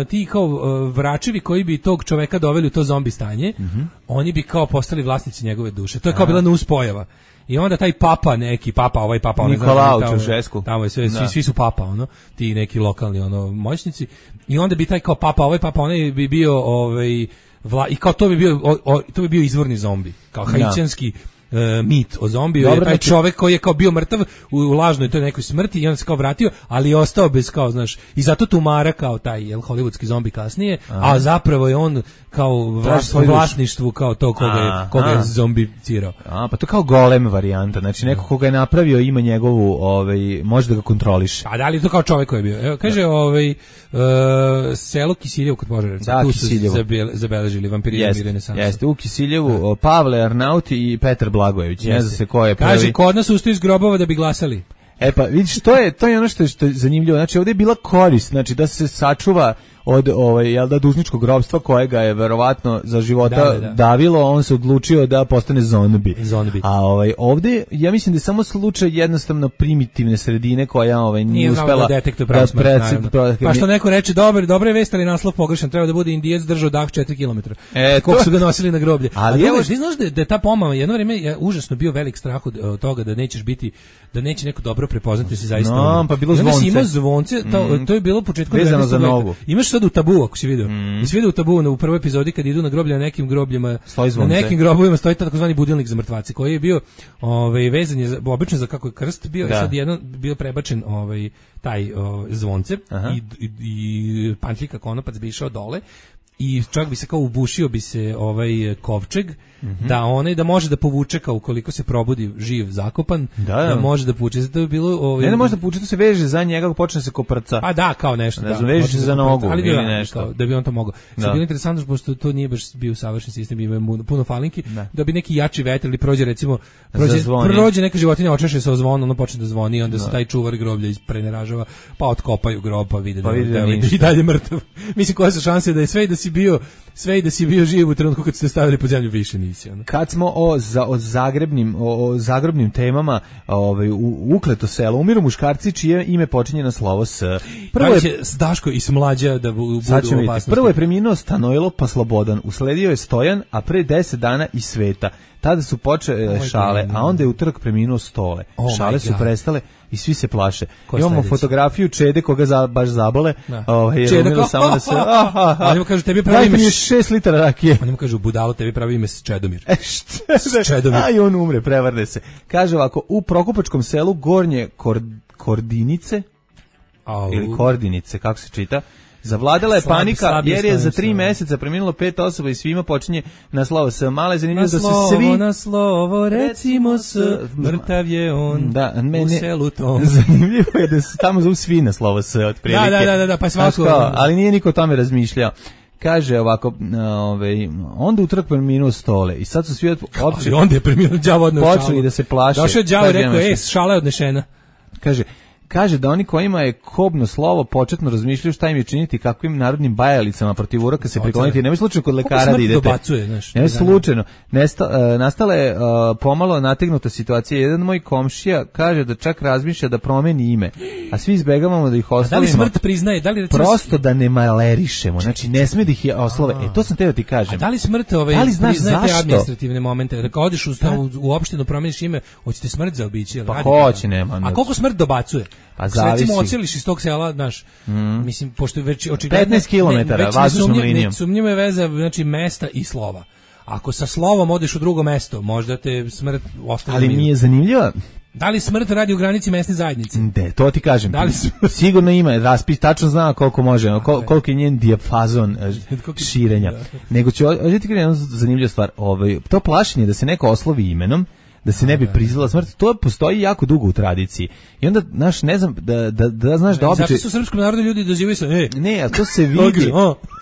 ti kao uh, vračevi koji bi tog čoveka doveli u to zombi stanje, mm-hmm. oni bi kao postali vlasnici njegove duše. To je kao bila nuspojava. I onda taj papa neki, papa, ovaj papa, onaj
Nikolao Čaušesku.
Tamo je sve, svi, svi su papa, ono, ti neki lokalni ono moćnici. I onda bi taj kao papa, ovaj papa, onaj bi bio ovaj vla, i kao to bi bio o, o, to bi bio izvorni zombi, kao haitijanski uh, mit o zombiju. Dobro, je taj čovjek koji je kao bio mrtav u, u lažnoj toj nekoj smrti i on se kao vratio, ali je ostao bez kao, znaš, i zato tumara kao taj jel hollywoodski zombi kasnije, aha. a zapravo je on kao vlas, vlasništvu kao to koga je, koga je zombicirao.
A, pa to kao golem varijanta, znači neko koga je napravio ima njegovu, ovaj, može da ga kontroliše.
A da li to kao čovjek koji je bio? Evo, kaže, ovaj, uh, selo Kisiljevo kod Požarevca,
da,
tu
Kisiljevo.
su zabeležili vampirizam i renesansu.
Jeste, u Kisiljevu, o, Pavle Arnauti i Petar Blagojević, ne zna se ko je prvi.
Kaže, kod nas ustaju iz grobova da bi glasali.
E pa, vidiš, to je, to je ono što je, što je zanimljivo, znači ovdje je bila korist, znači da se sačuva od ovaj jel da dužničkog ropstva kojega je verovatno za života da, da, da. davilo, on se odlučio da postane zombi.
Zombi.
A ovaj ovdje ja mislim da je samo slučaj jednostavno primitivne sredine koja ovaj nije, nije uspela
da detektuje pravu smrt. Pre, pa što neko reče dobro, dobro je vest, ali naslov pogrešan, treba da bude Indijac držao dah četiri kilometra. E, koliko su ga nosili na groblje. Ali evo, ti znaš da, da je ta pomama jedno vrijeme je užasno bio velik strah od, od toga da nećeš biti, da neće neko dobro prepoznati se zaista.
No, pa bilo zvonce.
Ima zvonce, to, mm. to je bilo početkom
vezano za nogu.
Imaš sad u Tabu, ako si vidio. Mm. I si vidio u Tabu u prvoj epizodi kad idu na groblje, na nekim grobljima, na nekim grobovima stoji takozvani budilnik za mrtvace koji je bio ovaj vezan je za, obično za kako je krst bio da. I sad jedan bio prebačen ovaj taj o, zvonce i, i, i pantljika konopac bi išao dole i čak bi se kao ubušio bi se ovaj kovčeg mm-hmm. da onaj da može da povuče kao ukoliko se probudi živ zakopan da, da. da može da povuče. Zato je bilo ovaj
ne, ne može da povuče, to se veže za njega kako počne se koprca.
Pa da, kao nešto
ne znam, da, veže se za nogu ali ili nešto
kao, da bi on to mogao. Sad bilo interesantno pošto to nije baš bio savršen sistem, ima puno falinki ne. Da bi neki jači vetar ili prođe recimo prođe, prođe neka životinja očeše se o zvon, ono počne da zvoni i onda se taj čuvar groblja ispreneražava pa otkopaju grob pa vide pa da, da, da i dalje mrtav. Mislim koje su šanse da je sve da si bio sve i da si bio živ u trenutku kad ste stavili pod zemlju više nisi. Ono.
Kad smo o, za, o, zagrebnim, o, o zagrobnim temama ovaj, u ukleto selo umiru muškarci čije ime počinje na slovo S.
Prvo je će Daško i Smlađa da bu, budu u opasnosti.
Prvo je preminuo Stanojlo pa Slobodan, usledio je Stojan, a pre deset dana i Sveta. Tada su počele oh šale, a onda je utorak preminuo Stole. Oh šale su prestale i svi se plaše. Ko imamo sledić? Fotografiju Čede koga za, baš zabole. Ovaj Čede ko? Samo da se
oni mu kažu tebi pravi ime
šest litara rakije.
Oni mu kažu budalo tebi pravi ime Čedomir.
E šta? Čedomir. Aj on umre, prevrne se. Kaže ovako, u Prokopačkom selu Gornje Kord, Kordinice Au. ili Kordinice, kako se čita? Zavladala je slab, panika jer je za tri mjeseca preminulo pet osoba i svima počinje na slovo S. Male zanimljivo da su svi
na slovo recimo S, mrtav je on da, mene, u selu tom.
Zanimljivo je da su tamo zovu svi na slovo S otprilike.
Da, da, da, da, pa svako.
Ali nije niko o tome razmišljao. Kaže ovako, ovaj onda utorak preminuo Stole i sad su svi
opće onda je preminuo đavo odneo šalu.
Počeli da se plaše.
Došao je đavo i rekao, ej, šala je odnešena.
Kaže Kaže da oni kojima je kobno slovo početno razmišljaju šta im je činiti, kakvim narodnim bajalicama protiv uroka se prikloniti. Nemoj slučajno kod lekara da idete.
Dobacuje, znaš,
Nemoj slučajno. Nesta, uh, nastala je uh, pomalo nategnuta situacija. Jedan moj komšija kaže da čak razmišlja da promeni ime, a svi izbegavamo da ih oslovimo.
Da li smrt priznaje? Da li recimo
prosto da ne malerišemo. Znači ne sme da ih oslove. E to sam teo ti kažem.
A da li smrt ovaj da li znaš priznaje te administrativne momente? Da kao odeš u, u, u opštinu promeniš ime, hoćete smrt zaobići?
Pa hoće, nema.
A koliko smrt dobacuje?
Pa zavisi.
Recimo ocijeliš iz tog sela, znaš, mm. mislim, pošto je već očigledno
petnaest kilometara vazdušnom linijom.
Sumnjiva je veza, znači, mesta i slova. Ako sa slovom odeš u drugo mesto, možda te smrt ostane.
Ali mi je zanimljivo.
Da li smrt radi u granici mesne zajednice?
Ne, to ti kažem.
Da li
sigurno ima, raspis tačno zna koliko može, kol, koliko je njen dijapazon širenja. Nego ću, ovdje ti kažem jednu zanimljivu stvar, ovaj, to plašenje da se neko oslovi imenom, da se ne bi priznala smrt, to postoji jako dugo u tradiciji. I onda, znaš, ne znam, da, da, da znaš da običaj...
Zato su srpskom narodu ljudi dozivaju se, e.
Ne, ali to se vidi,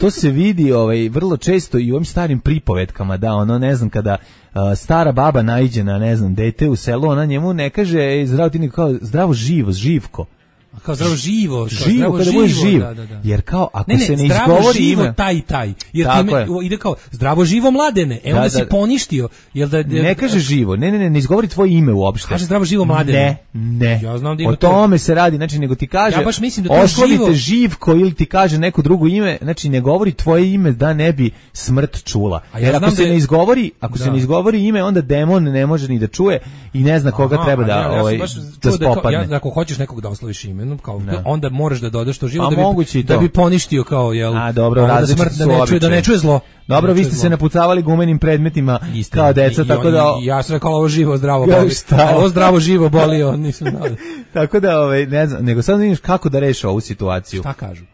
to se vidi ovaj, vrlo često i u ovim starim pripovetkama, da, ono, ne znam, kada uh, stara baba naiđe na, ne znam, dete u selu, ona njemu ne kaže, ej, zdravo ti, kao, zdravo živo, živko.
Kao zdravo živo, kao
živo,
zdravo
kada
živo,
bude živ.
da, da, da.
Jer kao ako
ne, ne,
se ne
zdravo
izgovori
živo
ime,
taj taj. Jer
tako
time,
je.
ide kao zdravo živo mladene. E onda
Da,
si
da.
poništio. Jel da, da
ne kaže živo, ne, ne, ne, ne izgovori tvoje ime uopšte.
Kaže zdravo živo mladene.
Ne, ne.
Ja znam da ima
o tome se radi, znači nego ti kaže.
Ja baš mislim da to
oslovite
živo...
živko ili ti kaže neko drugo ime, znači ne govori tvoje ime da ne bi smrt čula.
A ja
Jer ako
znam
se
da je-
ne izgovori, ako
Da.
se ne izgovori ime, onda demon ne može ni da čuje i ne zna koga
Aha,
treba da
ja, ja sam
ovaj
baš
da
čuo da, kao,
spopadne.
ja, ako hoćeš nekog da osloviš imenom, kao
Da.
onda moraš da dodaš to živo
A
da bi
moguće i to.
da bi poništio kao jel.
A dobro,
ovo da
različiti
smrt da
su
ne čuje, da ne
običaji.
čuje zlo.
Dobro,
Da ne
vi
čuje
ste
zlo.
se napucavali gumenim predmetima
Istina.
kao deca,
I- i
tako
on-
da
i ja sam rekao ovo živo zdravo
Ja,
boli.
šta?
A ovo zdravo živo boli, on nisam znao.
tako da ovaj ne znam, nego sad vidiš kako da reše ovu situaciju.
Šta kažu?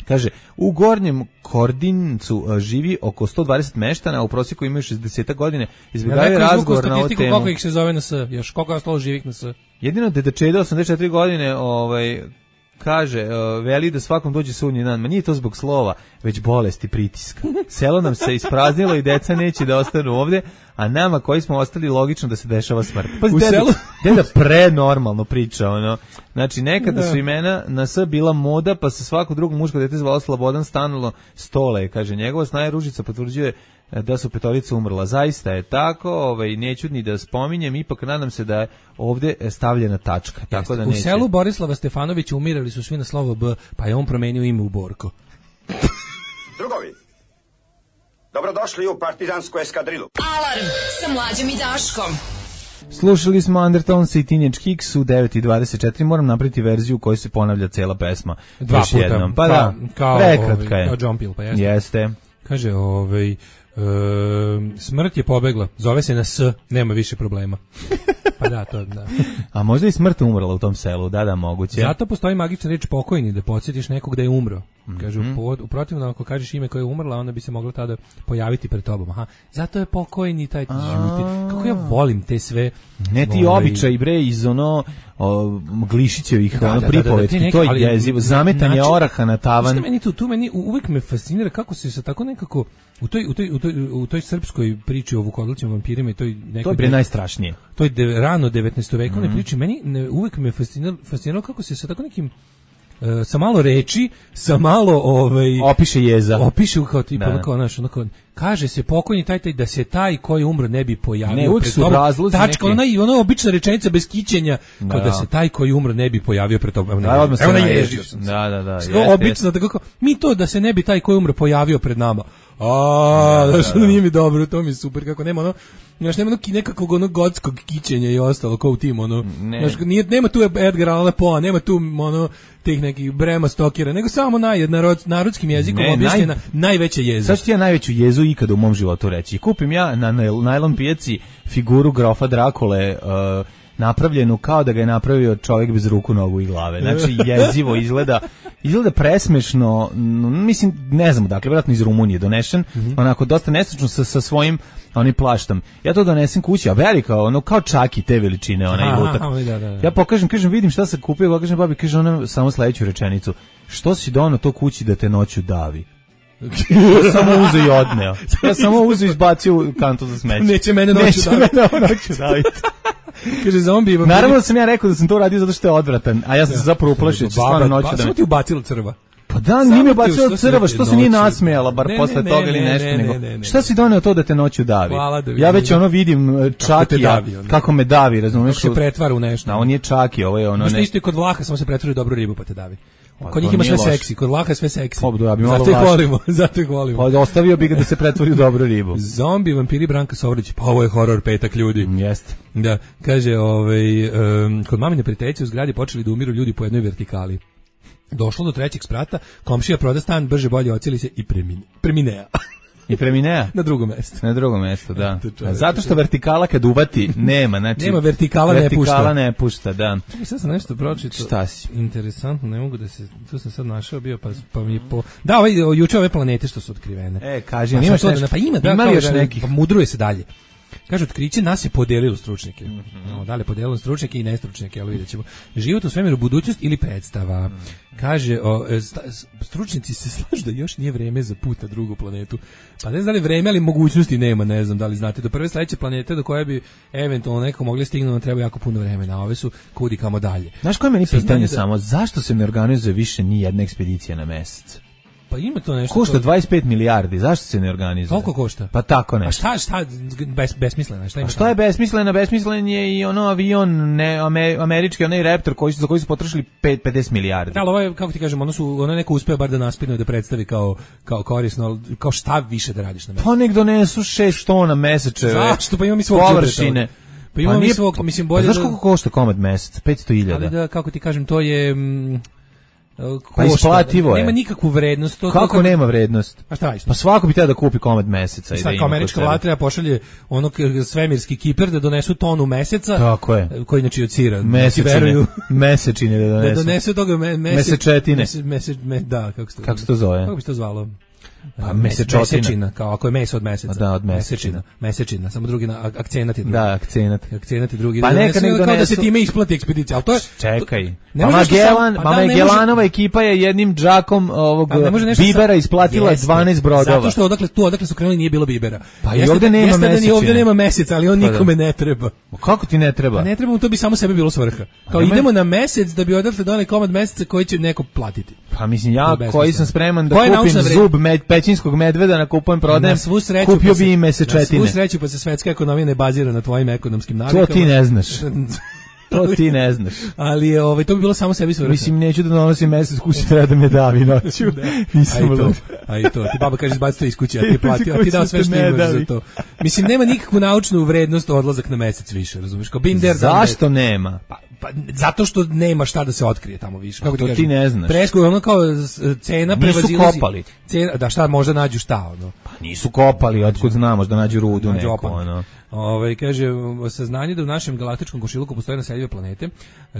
Kaže, u Gornjem Kordincu a, živi oko sto dvadeset meštana, a u prosjeku imaju šezdeset godine. Izbjegavaju
Ja
razgovor na ovu
statistiku
temu.
koliko ih se zove na S, još koliko je ostalo živih na S.
Jedino deda Čeda, osamdeset četiri godine, ovaj, kaže, uh, veli da svakom dođe sudnji dan. Ma nije to zbog slova, već bolesti pritiska. Selo nam se ispraznilo i deca neće da ostanu ovde, a nama koji smo ostali logično da se dešava smrt. Pa
U
deda,
selu?
deda prenormalno priča, ono. Znači, nekada
Da.
su imena na S bila moda, pa se svako drugo muško dete zvalo Slobodan Stanilo Stole, kaže. Njegova snaja Ružica potvrđuje e, da su petorica umrla. Zaista je tako, ovaj, neću ni da spominjem, ipak nadam se da je ovde stavljena tačka. Tako da
U
neće.
selu Borislava Stefanovića umirali su svi na slovo B, pa je on promenio ime u Borko.
Drugovi, dobrodošli u partizansku eskadrilu.
Alarm sa Mlađom i Daškom.
Slušali smo Undertones i Teenage Kicks u devet i dvadeset četiri. Moram napraviti verziju u kojoj se ponavlja cela pesma.
Dva
Još
puta.
jednom. Pa
kao,
da,
kao,
prekratka
ovaj,
je.
kao John Peel, pa jeste.
Jeste.
Kaže, ovaj, e, smrt je pobegla, zove se na S, nema više problema. Pa da, to da.
A možda i smrt umrla u tom selu, da, da, moguće.
Zato postoji magična reč pokojni, da podsjetiš nekog da je umro. Kaže, u, pod, u protivnom, ako kažeš ime koje je umrla, onda bi se moglo tada pojaviti pred tobom. Aha, zato je pokojni taj žuti. Kako ja volim te sve...
Ne ti
ovaj,
običaj, bre, iz ono o, Glišićevih
Da,
ono
da, da, da,
pripovetki,
te neke-
to je
ali
jezivo. Zametanje
način-
oraha na tavan.
Šta meni tu, tu meni u- uvek me fascinira kako se sa tako nekako u toj u toj u toj, u toj srpskoj priči o Vukodlićima vampirima i toj nekoj
To je bre najstrašnije.
to je de, rano devetnaestovekovne
Mhm.
priči, meni ne, uvek me fasciniralo, fasciniralo kako se sa tako nekim e, sa malo reči, sa malo ovaj
Opiše jeza.
opiše kao tipa
Da.
onako, znaš, onako, kaže se pokojni taj taj da se taj koji umro ne bi pojavio.
Ne, uvek
pred
su
tobom.
razlozi
Tačka,
neki.
ona i ona obična rečenica bez kićenja, kao
Da.
da se taj koji umro ne bi pojavio pred tobom. Evo,
Da, odmah se
evo
naježio.
naježio sam se.
Da, da, da.
Što
jeste,
obično tako kao, mi to da se ne bi taj koji umro pojavio pred nama. A,
Da,
znaš,
da, da.
nije mi dobro, to mi je super, kako nema ono, znaš, nema ono ki- nekakvog ono gotskog kićenja i ostalo, kao u tim, ono,
Ne.
znaš, nije, nema tu Edgar Allan Poe, nema tu, ono, tih nekih Brema Stokera, nego samo naj, narod, narodskim jezikom
Ne,
objašnjena
naj-
najveća jeza.
Sad ću ti ja najveću jezu ikada u mom životu reći. Kupim ja na najl- najlon pijaci figuru grofa Drakule, uh, napravljenu kao da ga je napravio čovjek bez ruku, nogu i glave. Znači, jezivo izgleda, izgleda presmešno, n- mislim, ne znam, dakle, vjerojatno iz Rumunije donešen, onako, dosta nestručno sa, sa svojim onim plaštom. Ja to donesem kući, a velika, ono, kao čaki te veličine, onaj
Aha,
lutak.
aha, da, da, da.
Ja pokažem, kažem, vidim šta sam kupio, pokažem babi, kaže ona samo sledeću rečenicu. Što si donao to kući da te noću davi? Ja samo uzeo i odneo. Ja samo uzeo i izbacio u kantu za smeće.
Neće mene noću
Neće
daviti.
mene ovo noću daviti.
Kaže zombi.
Naravno da sam ja rekao da sam to radio zato što je odvratan, a ja sam se zapravo uplašio da će stvarno noću da
Samo
me...
ti ubacilo crva.
Pa da,
Samo
nije mi
ti
ubacilo
što si
crva,
rekao
što se nije
noću.
nasmejala, bar
Ne, ne,
posle
ne,
toga ili
ne,
nešto,
ne,
nego
ne, ne, ne.
šta si doneo to da te noću davi?
Hvala da
Ja
vidim.
već ono vidim e,
te
Čakija,
davi, ono.
kako me davi, razumeš?
Kako se pretvara u nešto.
Da, on je Čaki, ovo je ono
Možda
ne...
isto i kod Vlaha, samo se pretvori u dobru ribu pa te davi.
Pa
Kod njih
to
ima
nije
sve
loše.
seksi, kod Vlaha je sve seksi.
Pa, ja bi malo
Zato ih
važno.
volimo, zato ih volimo.
Pa ostavio bi ga da se pretvori u dobru ribu.
Zombi, vampiri, Branka Sovrlić, pa ovo je horor petak ljudi.
Jeste.
Da, kaže, ovaj, um, kod mamine prijateljice u zgradi počeli da umiru ljudi po jednoj vertikali. Došlo do trećeg sprata, komšija proda stan, brže bolje ocili se i premine, preminea.
I preminea?
Na drugom mjestu.
Na drugom mjestu, da.
To čovječe.
Zato što vertikala kad uvati, nema, znači...
Nema, vertikala ne pušta.
Vertikala ne pušta, da.
Čekaj, sad sam nešto pročitao.
Šta si?
Interesantno, ne mogu da se, tu sam sad našao bio, pa, pa mi je po... Da, ovaj, juče ove planete što su otkrivene.
E, kaži,
Pa
imaš
sam to
nešto?
da- Pa ima, da,
Ima li
kao
još
da-
nekih?
Pa mudruje se dalje. Kaže, otkriće nas je podelilo stručnjake.
Mm-hmm.
No, da li je podelilo stručnjake i nestručnjake, ali vidjet ćemo. Život u svemiru, budućnost ili predstava. Mm. Kaže, o, sta, stručnjaci se slažu da još nije vreme za put na drugu planetu. Pa ne znam da li vreme, ali mogućnosti nema, ne znam da li znate. Do prve sledeće planete do koje bi eventualno neko mogli stignuti, nam treba jako puno vremena, a ove su kudi kamo dalje.
Znaš koje meni pitanje da... samo, zašto se ne organizuje više ni jedna ekspedicija na mesec?
Pa ima to nešto.
Košta dvadeset pet milijardi, zašto se ne organizuje?
Koliko košta?
Pa tako nešto.
A šta, šta, bes, besmisleno, šta ima?
A šta je besmisleno? Besmislen je i ono avion, ne, američki, onaj Raptor koji su, za koji su potrošili pedeset milijardi.
Da, ali ovo je, kako ti kažem, ono su, ono neko uspeo bar da naspinuje, da predstavi kao, kao korisno, kao šta više da radiš na mesecu.
Pa nek donesu šest tona mesečeve.
Zašto? Pa imam i svog
površine.
Pa imam pa i svog, mislim, bolje...
Pa znaš koliko košta komad mesec? petsto hiljada.
Ali da, kako ti kažem, to je... Mm,
pa isplativo je.
Nema nikakvu vrednost. To,
kako
to,
nema vrednost?
A šta radiš?
Pa svako bi teo da kupi komad meseca.
I da ima američka vlada treba pošalje onog svemirski kiper da donesu tonu meseca.
Tako je.
Koji znači od sira.
Mesečine. Mesečine da donesu.
Da donesu toga me, mese,
mesečetine.
Mese, mese, me, da, kako se to,
kako se to zove?
Kako bi se to zvalo?
Pa mesečotina.
Mesečina, kao ako je meso od meseca.
Da, od
mesečina. Mesečina, samo drugi na akcenat je drugi.
Da, akcenat.
Akcenat je drugi.
Pa neka nek donesu.
Kao da se time isplati ekspedicija, al to je
čekaj. Pa Magellan, pa Magellanova ekipa je jednim džakom ovog bibera isplatila dvanaest brodova.
Zato što odakle tu, odakle su krenuli nije bilo bibera.
Pa i ovde nema meseca.
Ovde nema meseca, ali on nikome ne treba.
Kako ti ne treba?
Ne treba mu, to bi samo sebi bilo svrha. Kao idemo na mesec da bi odatle doneli komad meseca koji će neko platiti.
Pa mislim ja koji sam spreman da kupim zub pećinskog medveda na kupujem prodajem, kupio bi i mesečetine.
Na svu sreću pa se svetska ekonomija ne bazira na tvojim ekonomskim navikama.
To ti ne znaš. To ti ne znaš.
Ali je, ovaj, to bi bilo samo sebi svrha.
Mislim, neću da donosim mesec kući, treba da me davi noću.
A i to, a i to. Ti baba kaže, izbaci to iz kuće, a ti plati, a ti dao sve što imaš za to. Mislim, nema nikakvu naučnu vrednost odlazak na mesec više, razumiješ? Kao been there,
zašto nema?
Pa, pa, zato što nema šta da se otkrije tamo više. Kako
to
ti,
ti ne znaš.
Presko je ono kao cena prevazilazi.
Nisu kopali.
Cena, da šta, možda nađu šta, ono.
Pa nisu kopali, otkud znamo, da nađu rudu nađu neko, ono.
Ovaj kaže saznanje da u našem galaktičkom košiluku postoje naseljive planete,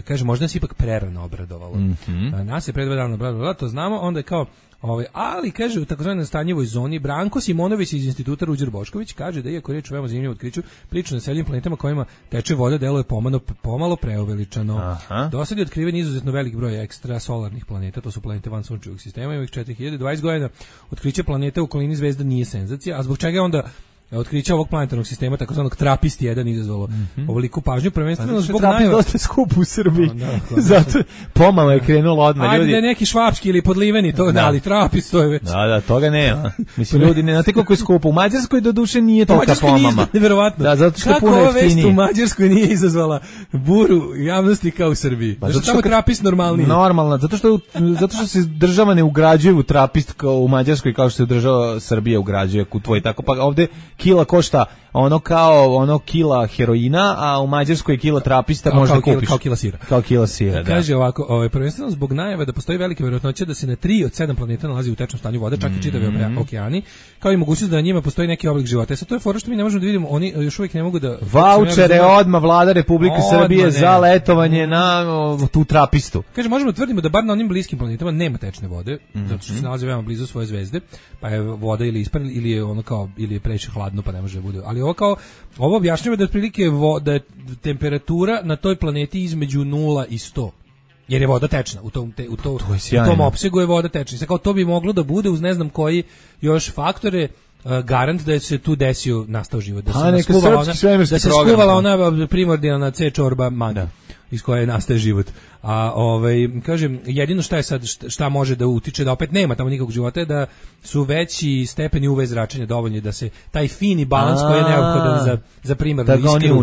kaže možda nas ipak prerano obradovalo.
Mm-hmm.
Nas je pre dva dana obradovalo, to znamo, onda je kao ovaj ali kaže u takozvanoj stanjevoj zoni Branko Simonović iz Instituta Ruđer Bošković kaže da iako riječ o veoma zanimljivom otkriću, priča o naseljivim planetama kojima teče voda deluje pomalo pomalo preuveličano. Do sad je otkriven izuzetno velik broj ekstrasolarnih planeta, to su planete van sunčevog sistema, ima ih četiri hiljade dvadeset godina. Otkriće planeta u okolini zvezda nije senzacija, a zbog čega je onda otkriće ovog planetarnog sistema, takozvanog Trapist jedan izazvalo mm-hmm. ovoliku pažnju, prvenstveno zbog
najava. Trapist dosta skup u Srbiji, no, da, zato pomalo je krenulo odmah.
Ajde
ljudi.
Da je neki švapski ili podliveni, to da, ali Trapist to je već.
Da, da, toga nema. Mislim, ljudi, ne znate koliko je skupo. U Mađarskoj do duše nije tolika pomama.
Nevjerovatno.
Da, zato što je puno jeftinije.
Kako ova vest u Mađarskoj nije izazvala buru javnosti kao u Srbiji? Pa, zato što tamo Trapist normalniji.
Normalno, zato što, zato što se država ne ugrađuje u Trapist kao u Mađarskoj kao što se država Srbija ugrađuje u tvoj tako. Pa ovde kila košta ono kao ono kila heroina, a u Mađarskoj je kila Trapista
kao,
možda
kao
kupiš.
Kila, kao kila sira.
Kao kila sira, da.
Kaže ovako, ovaj, prvenstveno zbog najave da postoji velika vjerojatnoća da se na tri od sedam planeta nalazi u tečnom stanju vode, čak i čitavi mm-hmm. okeani, kao i mogućnost da na njima postoji neki oblik života. E sad to je fora što mi ne možemo da vidimo, oni još uvijek ne mogu da...
Vaučere odma vlada Republike odma Srbije ne. Za letovanje na o, tu Trapistu.
Kaže, možemo tvrdimo da bar na onim bliskim planetama nema tečne vode, mm-hmm. zato što se nalaze veoma blizu svoje zvezde, pa je voda ili isparila ili je ono kao ili je previše hladno pa ne može da bude. Ali ovo kao ovo objašnjava da je otprilike da je temperatura na toj planeti između nula i sto. Jer je voda tečna, u tom te, u to, to u tom opsegu je voda tečna. Sad kao to bi moglo da bude uz ne znam koji još faktore uh, garant da se tu desio nastao život, da se skuvala ona, da se skuvala ona primordijalna C čorba magda iz koje nastaje život. A ovaj kažem jedino šta je sad šta može da utiče da opet nema tamo nikakvog života je da su veći stepeni U V zračenja dovoljni da se taj fini balans koji je neophodan za za primarnu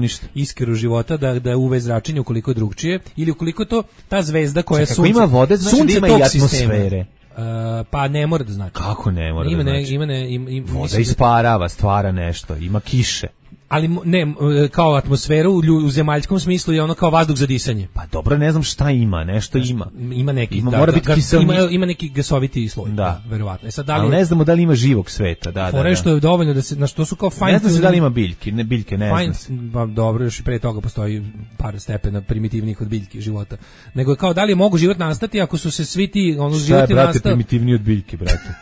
iskru, iskru života da da U V zračenje ukoliko je drugčije ili ukoliko to ta zvezda koja je sunce
ima vode znači da ima i atmosfere.
Uh, pa ne mora da znači.
Kako ne mora
ima
da
ne,
znači?
Ima ne, ima, ima,
voda isparava, stvara nešto, ima kiše.
Ali ne, kao atmosferu u, u zemaljskom smislu je ono kao vazduh za disanje.
Pa dobro, ne znam šta ima, nešto ima.
Ima neki,
ima,
da,
mora
da,
biti kiselni...
ima, ima neki gasoviti sloj,
da,
da verovatno. E sad da li
ali ne znamo da li ima živog sveta, da, da.
Fore što je dovoljno da se, na što su kao fine.
Ne znam se da li ima biljke, ne biljke, ne
fine,
znam.
Pa dobro, još i pre toga postoji par stepena primitivnijih od biljke života. Nego je kao da li mogu život nastati ako su se svi ti ono životi nastali. Šta je, brate,
primitivniji od biljke, brate?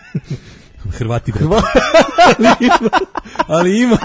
Hrvati, brate. ali ima, ali ima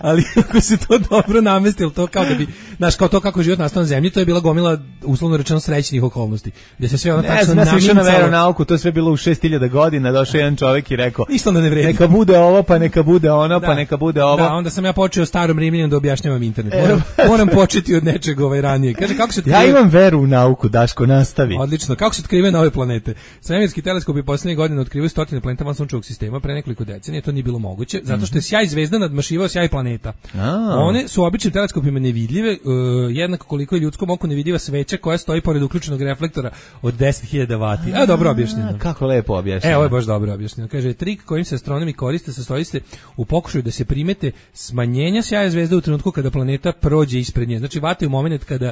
ali ako se to dobro namestilo, to kao da bi, znaš, kao to kako život nastao na zemlji, to je bila gomila, uslovno rečeno, srećnih okolnosti. Gde se sve ono tačno
namicalo. Ne znam, na veronauku, to je sve bilo u šest hiljada godina, došao jedan čovjek i rekao,
ništa da ne vredi.
Neka bude ovo, pa neka bude ono,
da.
pa neka bude ovo.
Da, onda sam ja počeo starom Rimljaninu da objašnjavam internet. Moram, moram početi od nečeg ovaj ranije. Kaže, kako se
otkriva... Ja imam veru u nauku, Daško, nastavi.
Odlično. Kako se otkrivaju nove planete? Svemirski teleskopi poslednje godine otkrivaju stotine planeta van sunčevog sistema, pre nekoliko decenija to nije bilo moguće, zato što je sjaj zvezda nadmašivao sjaj planeta.
A.
One su običnim teleskopima nevidljive, uh, jednako koliko je ljudskom oku nevidljiva sveća koja stoji pored uključenog reflektora od deset hiljada vati. A, dobro objašnjeno.
Kako lepo objašnjeno.
E, ovo je baš dobro objašnjeno. Kaže, trik kojim se astronomi koriste sastoji se u pokušaju da se primete smanjenja sjaja zvezde u trenutku kada planeta prođe ispred nje. Znači, vate u moment kada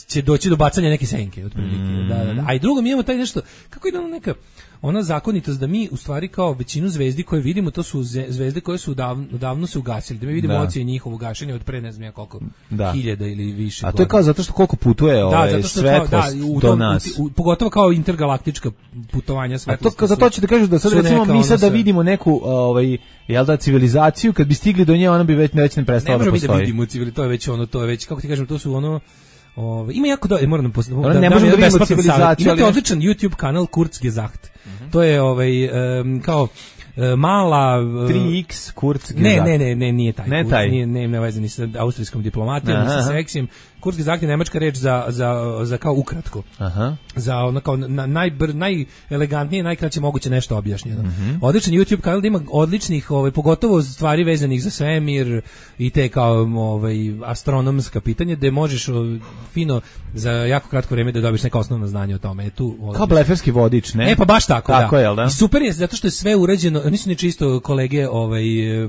će doći do bacanja neke senke, otprilike. Mm. Da, da, da. A i drugo, mi imamo taj nešto, kako ide ono neka, ona zakonitost da mi u stvari kao većinu zvezdi koje vidimo, to su zvezde koje su davno, davno se ugasili, da mi vidimo ocije njihovo gašenje od pre ne znam ja koliko da. hiljada ili više.
A to je kao zato što koliko putuje ovaj da, svetlost kao, da, u do tom, nas.
U, u, pogotovo kao intergalaktička putovanja svetlosti.
A to, za to ću da kažu da sad recimo mi sad da vidimo neku ovaj, jel da, civilizaciju, kad bi stigli do nje, ona bi već, već ne prestala da postoji.
Ne možemo da vidimo civilizaciju, to je već ono, to je već, kako ti kažem, to su ono, Ove, ima jako da moram da postavim.
Da, ne možemo da vidimo civilizaciju.
Imate odličan YouTube kanal Kurzgesagt. Mm-hmm. To je ovaj um, kao uh, mala uh,
tri iks Kurzgesagt.
Ne, ne, ne, ne, nije taj.
Ne
Kurz,
taj.
Nije, ne, ne veze ni sa austrijskom diplomatijom, ni sa seksijem. Kurzgesagt je nemačka reč za, za, za kao ukratko.
Aha.
Za ono kao na, najbr, najelegantnije, najkraće moguće nešto objašnjeno. Mm-hmm. Odličan YouTube kanal da ima odličnih, ovaj, pogotovo stvari vezanih za svemir i te kao ovaj, astronomska pitanja, gde možeš fino za jako kratko vreme da dobiš neka osnovna znanja o tome. E, tu,
kao bleferski vodič, ne?
E, pa baš tako,
tako
da.
Je, da.
I super je, zato što je sve urađeno, nisu ni čisto kolege ovaj,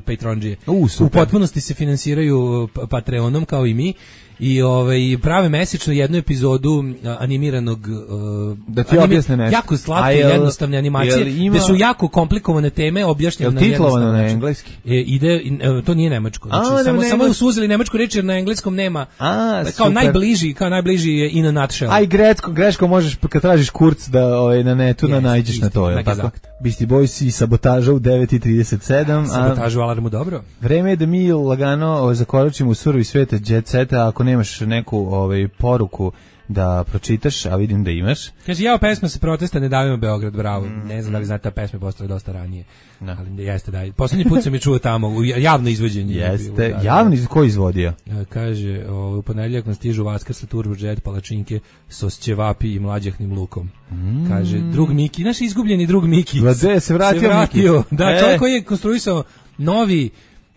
Patreonđije.
U,
u potpunosti se finansiraju Patreonom kao i mi. I ovaj prave mesečno jednu epizodu uh, animiranog uh,
da ti objasne nešto.
Jako slatke i jednostavne animacije, ima... gde su jako komplikovane teme objašnjene na jednostavan
način. Na engleski?
E, ide, e, to nije nemačko. Znači, A, samo, samo je usuzili nemačku reč jer na engleskom nema.
A,
kao super. najbliži, kao najbliži je in a nutshell.
Aj greško, greško možeš kad tražiš kurc da ovaj na netu yes, da nađeš isti, na to, je tako? Beastie Boys i Sabotaža u devet i trideset sedam.
Sabotažu alarmu dobro.
Vreme je da mi lagano zakoračimo u surovi sveta jet seta, ako nemaš neku ovaj poruku da pročitaš, a vidim da imaš.
Kaže, jao, pesma se protesta, ne davimo Beograd, bravo. Mm. Ne znam da li znate, ta pesma je postala dosta ranije. No. Ali jeste, da. Posljednji put sam je čuo tamo, u javno izvođenje.
Jeste,
bilo, da,
javno izvođenje, ko izvodio?
Kaže, o, u ponedjeljak nam stižu Vaskrs, turbojet, palačinke, sos ćevapi i mlađahnim lukom. Mm. Kaže, drug Miki, naš izgubljeni drug Miki.
Vlade, se vratio, se vratio.
Miki. Da, čovjek koji je konstruisao novi,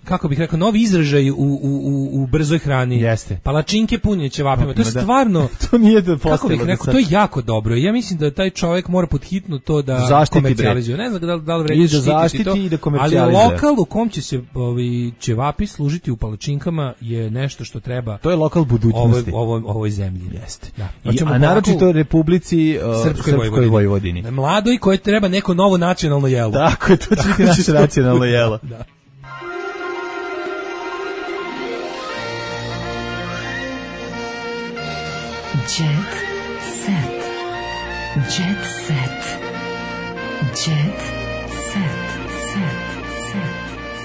kako bih rekao, novi izražaj u, u, u, u brzoj hrani.
Jeste.
Palačinke punjene ćevapima. To je stvarno...
to nije da postalo.
Kako bih rekao, to je jako dobro. Ja mislim da taj čovjek mora podhitno to da
zaštiti
komercijalizuje. Ne znam da, da li vredi
da zaštiti to, i da komercijalizuje.
Ali lokal u kom će se ovi ćevapi služiti u palačinkama je nešto što treba...
To je lokal budućnosti.
Ovoj, ovoj, ovoj zemlji.
Jeste. Da. I, a naročito Republici uh, Srpskoj, Srpskoj Vojvodini. Vojvodini.
Mladoj koje treba neko novo nacionalno jelo.
Tako je, to će biti naše nacionalno jelo.
Da.
Jet set. Jet set. Jet set. Set. Set.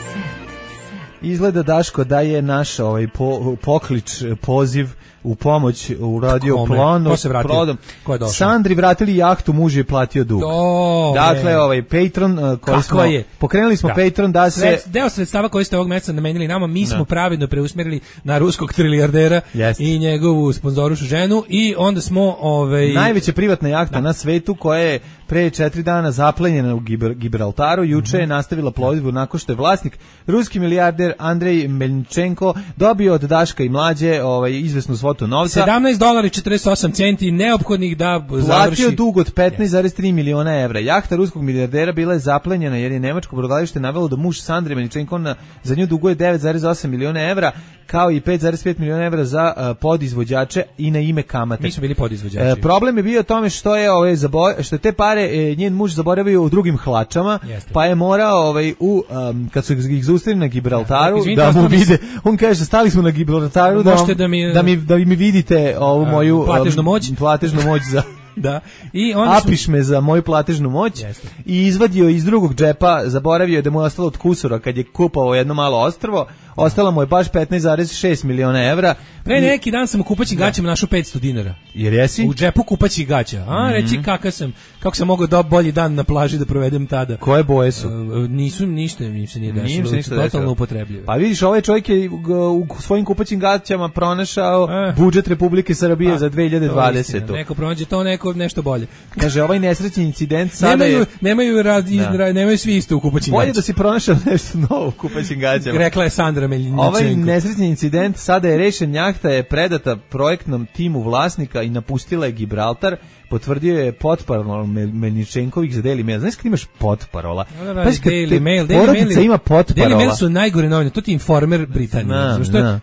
Set.
Izgleda, Daško, da je naš ovaj po, poklič, poziv u pomoć u radio planu.
Ko se vratio? Ko je došao?
Sandri vratili jahtu, muž je platio dug.
Do,
dakle, ne. ovaj Patreon uh, koji smo je? pokrenuli smo da. Patreon da se
Sred, deo sredstava koji ste ovog meseca namenili nama, mi smo no. pravedno preusmerili na ruskog trilijardera yes. i njegovu sponzorušu ženu i onda smo ovaj
najveća privatna jahta da. na svetu koja je pre četiri dana zaplenjena u Gibraltaru, juče mm-hmm. je nastavila plovidbu nakon što je vlasnik ruski milijarder Andrej Melničenko dobio od Daška i Mlađe ovaj izvesnu svotu novca.
sedamnaest dolara i četrdeset osam centi neophodnih da
platio
završi.
Platio dug od petnaest zarez tri miliona evra. Jahta ruskog milijardera bila je zaplenjena jer je nemačko brodogradilište navelo da muž Sandre Melničenko na, za nju duguje devet zarez osam miliona evra kao i pet zarez pet miliona evra za uh, podizvođače i na ime kamate.
Mi smo bili podizvođači.
E, problem je bio u tome što je ovaj zabo, što je te pare e, njen muž zaboravio u drugim hlačama, Jeste. pa je morao ovaj u um, kad su ih zaustavili na Gibraltaru ja, izvinite, da mu vide. On kaže stali smo na Gibraltaru da, vam, da, mi, da mi da mi vidite ovu moju
platežnu moć,
um, platežnu moć za
da. I onda
apiš smo... me za moju platežnu moć. Jeste. I izvadio iz drugog džepa, zaboravio je da mu je ostalo od kusura kad je kupovao jedno malo ostrvo, ostala mu je baš petnaest zarez šest miliona evra.
Pre neki dan sam u kupaćim gaćama našao petsto dinara.
Jer jesi?
U džepu kupaćih gaća. A, reci kakav sam, kako sam mogao da bolji dan na plaži da provedem tada.
Koje boje su?
Uh, nisu, ništa im se nije desilo.
Nije se
totalno upotrebljivo.
Pa vidiš, ovaj čovjek je u svojim kupaćim gaćama pronašao eh. budžet Republike Srbije pa, za dve hiljade dvadesetu.
Neko pronađe to, neko nešto bolje.
Kaže, ovaj nesrećni incident sada
nemaju,
je...
Nemaju, rad, da. nemaju svi isto u kupaćim gaćama.
Bolje da si pronašao nešto novo u kupaćim gaćama.
Rekla je Sandra Meljničenko.
Ovaj nesrećni incident sada je rešen, jahta je predata projektnom timu vlasnika i napustila je Gibraltar. Potvrdio je potparol Meljničenkovih za Daily Mail. Znaš kad imaš potparola?
Da, da, Daily Mail, Daily Mail
ima potparola.
Daily Mail su najgore novine, to ti Informer Britanije.
Na,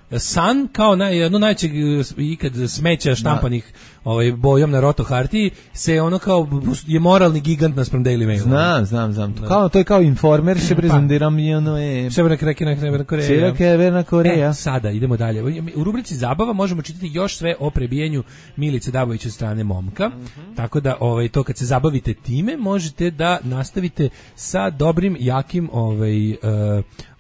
na.
Sun kao naj, jedno najčeg ikad smeća štampanih ovaj, bojom na roto hartiji se ono kao je moralni gigant naspram Daily Mail.
Znam, znam, znam. To, kao, to je kao Informer, še prezendiram i ono je...
Severna Koreja.
Severna Koreja.
E, sada, idemo dalje. U rubrici Zabava možemo čitati još sve o prebijenju Milice Dabović od strane momka. Mm-hmm. Tako da ovaj, to kad se zabavite time, možete da nastavite sa dobrim, jakim ovaj, uh,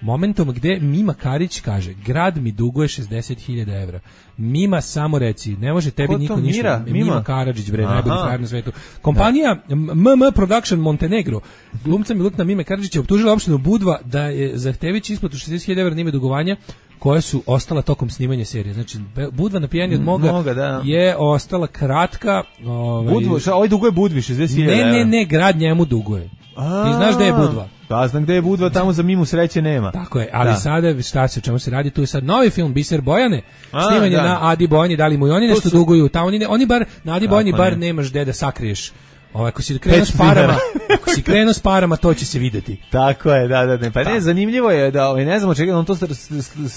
momentom gde Mima Karić kaže, grad mi duguje šezdeset hiljada evra. Mima, samo reci, ne može tebi niko ništa.
Mira?
Mima, Mima Karadžić, bre, najbolji frajer na svetu. Kompanija M M Production Montenegro, glumca Milutna Mime Karadžić je optužila opštinu Budva da je zahtevajući isplatu šezdeset hiljada evra na ime dugovanja koje su ostala tokom snimanja serije. Znači, Budva na pijani od moga,
moga da.
je ostala kratka. Ovaj,
Budvo, šta, ovaj duguje Budvi šezdeset hiljada evra?
Ne, ne, ne, grad njemu duguje. Ti znaš gde je Budva?
Pa znam gde je Budva, tamo za Mimu sreće nema.
Tako je, ali
da.
sada šta se, o čemu se radi, tu je sad novi film Biser Bojane,
A,
snimanje
da.
na Adi Bojani, da li mu i oni nešto su... duguju, tamo oni, oni bar, na Adi Bojani bar
ne.
nemaš gde da sakriješ. Ovaj, ako si krenuo s parama, ako si krenuo s parama, to će se videti.
Tako je, da, da, ne. Pa ne, zanimljivo je da, ovaj, ne znamo čega, on to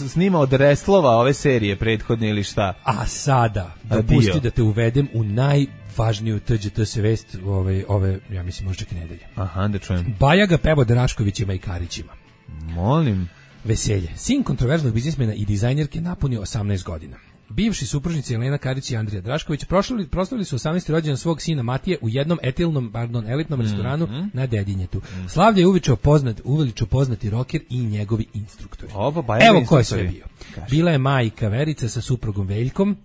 snima od reslova ove serije prethodne ili šta.
A sada, dopusti da te uvedem u najvažniju T G T S vest ove, ove, ja mislim, možda čak i nedelje.
Aha, da čujem.
Bajaga peva Draškovićima i Karićima.
Molim.
Veselje. Sin kontroverznog biznismena i dizajnerke napunio osamnaest godina. Bivši supružnici Elena Karić i Andrija Drašković proslavili, proslavili su osamnaesti rođendan svog sina Matije u jednom etilnom, pardon, elitnom restoranu mm-hmm. na Dedinjetu. Mm-hmm. Slavlje je uveličao poznat, uveličao poznati roker i njegovi instruktori.
Oba,
evo ko je sve bio. Kaži. Bila je majka Verica sa suprugom Veljkom,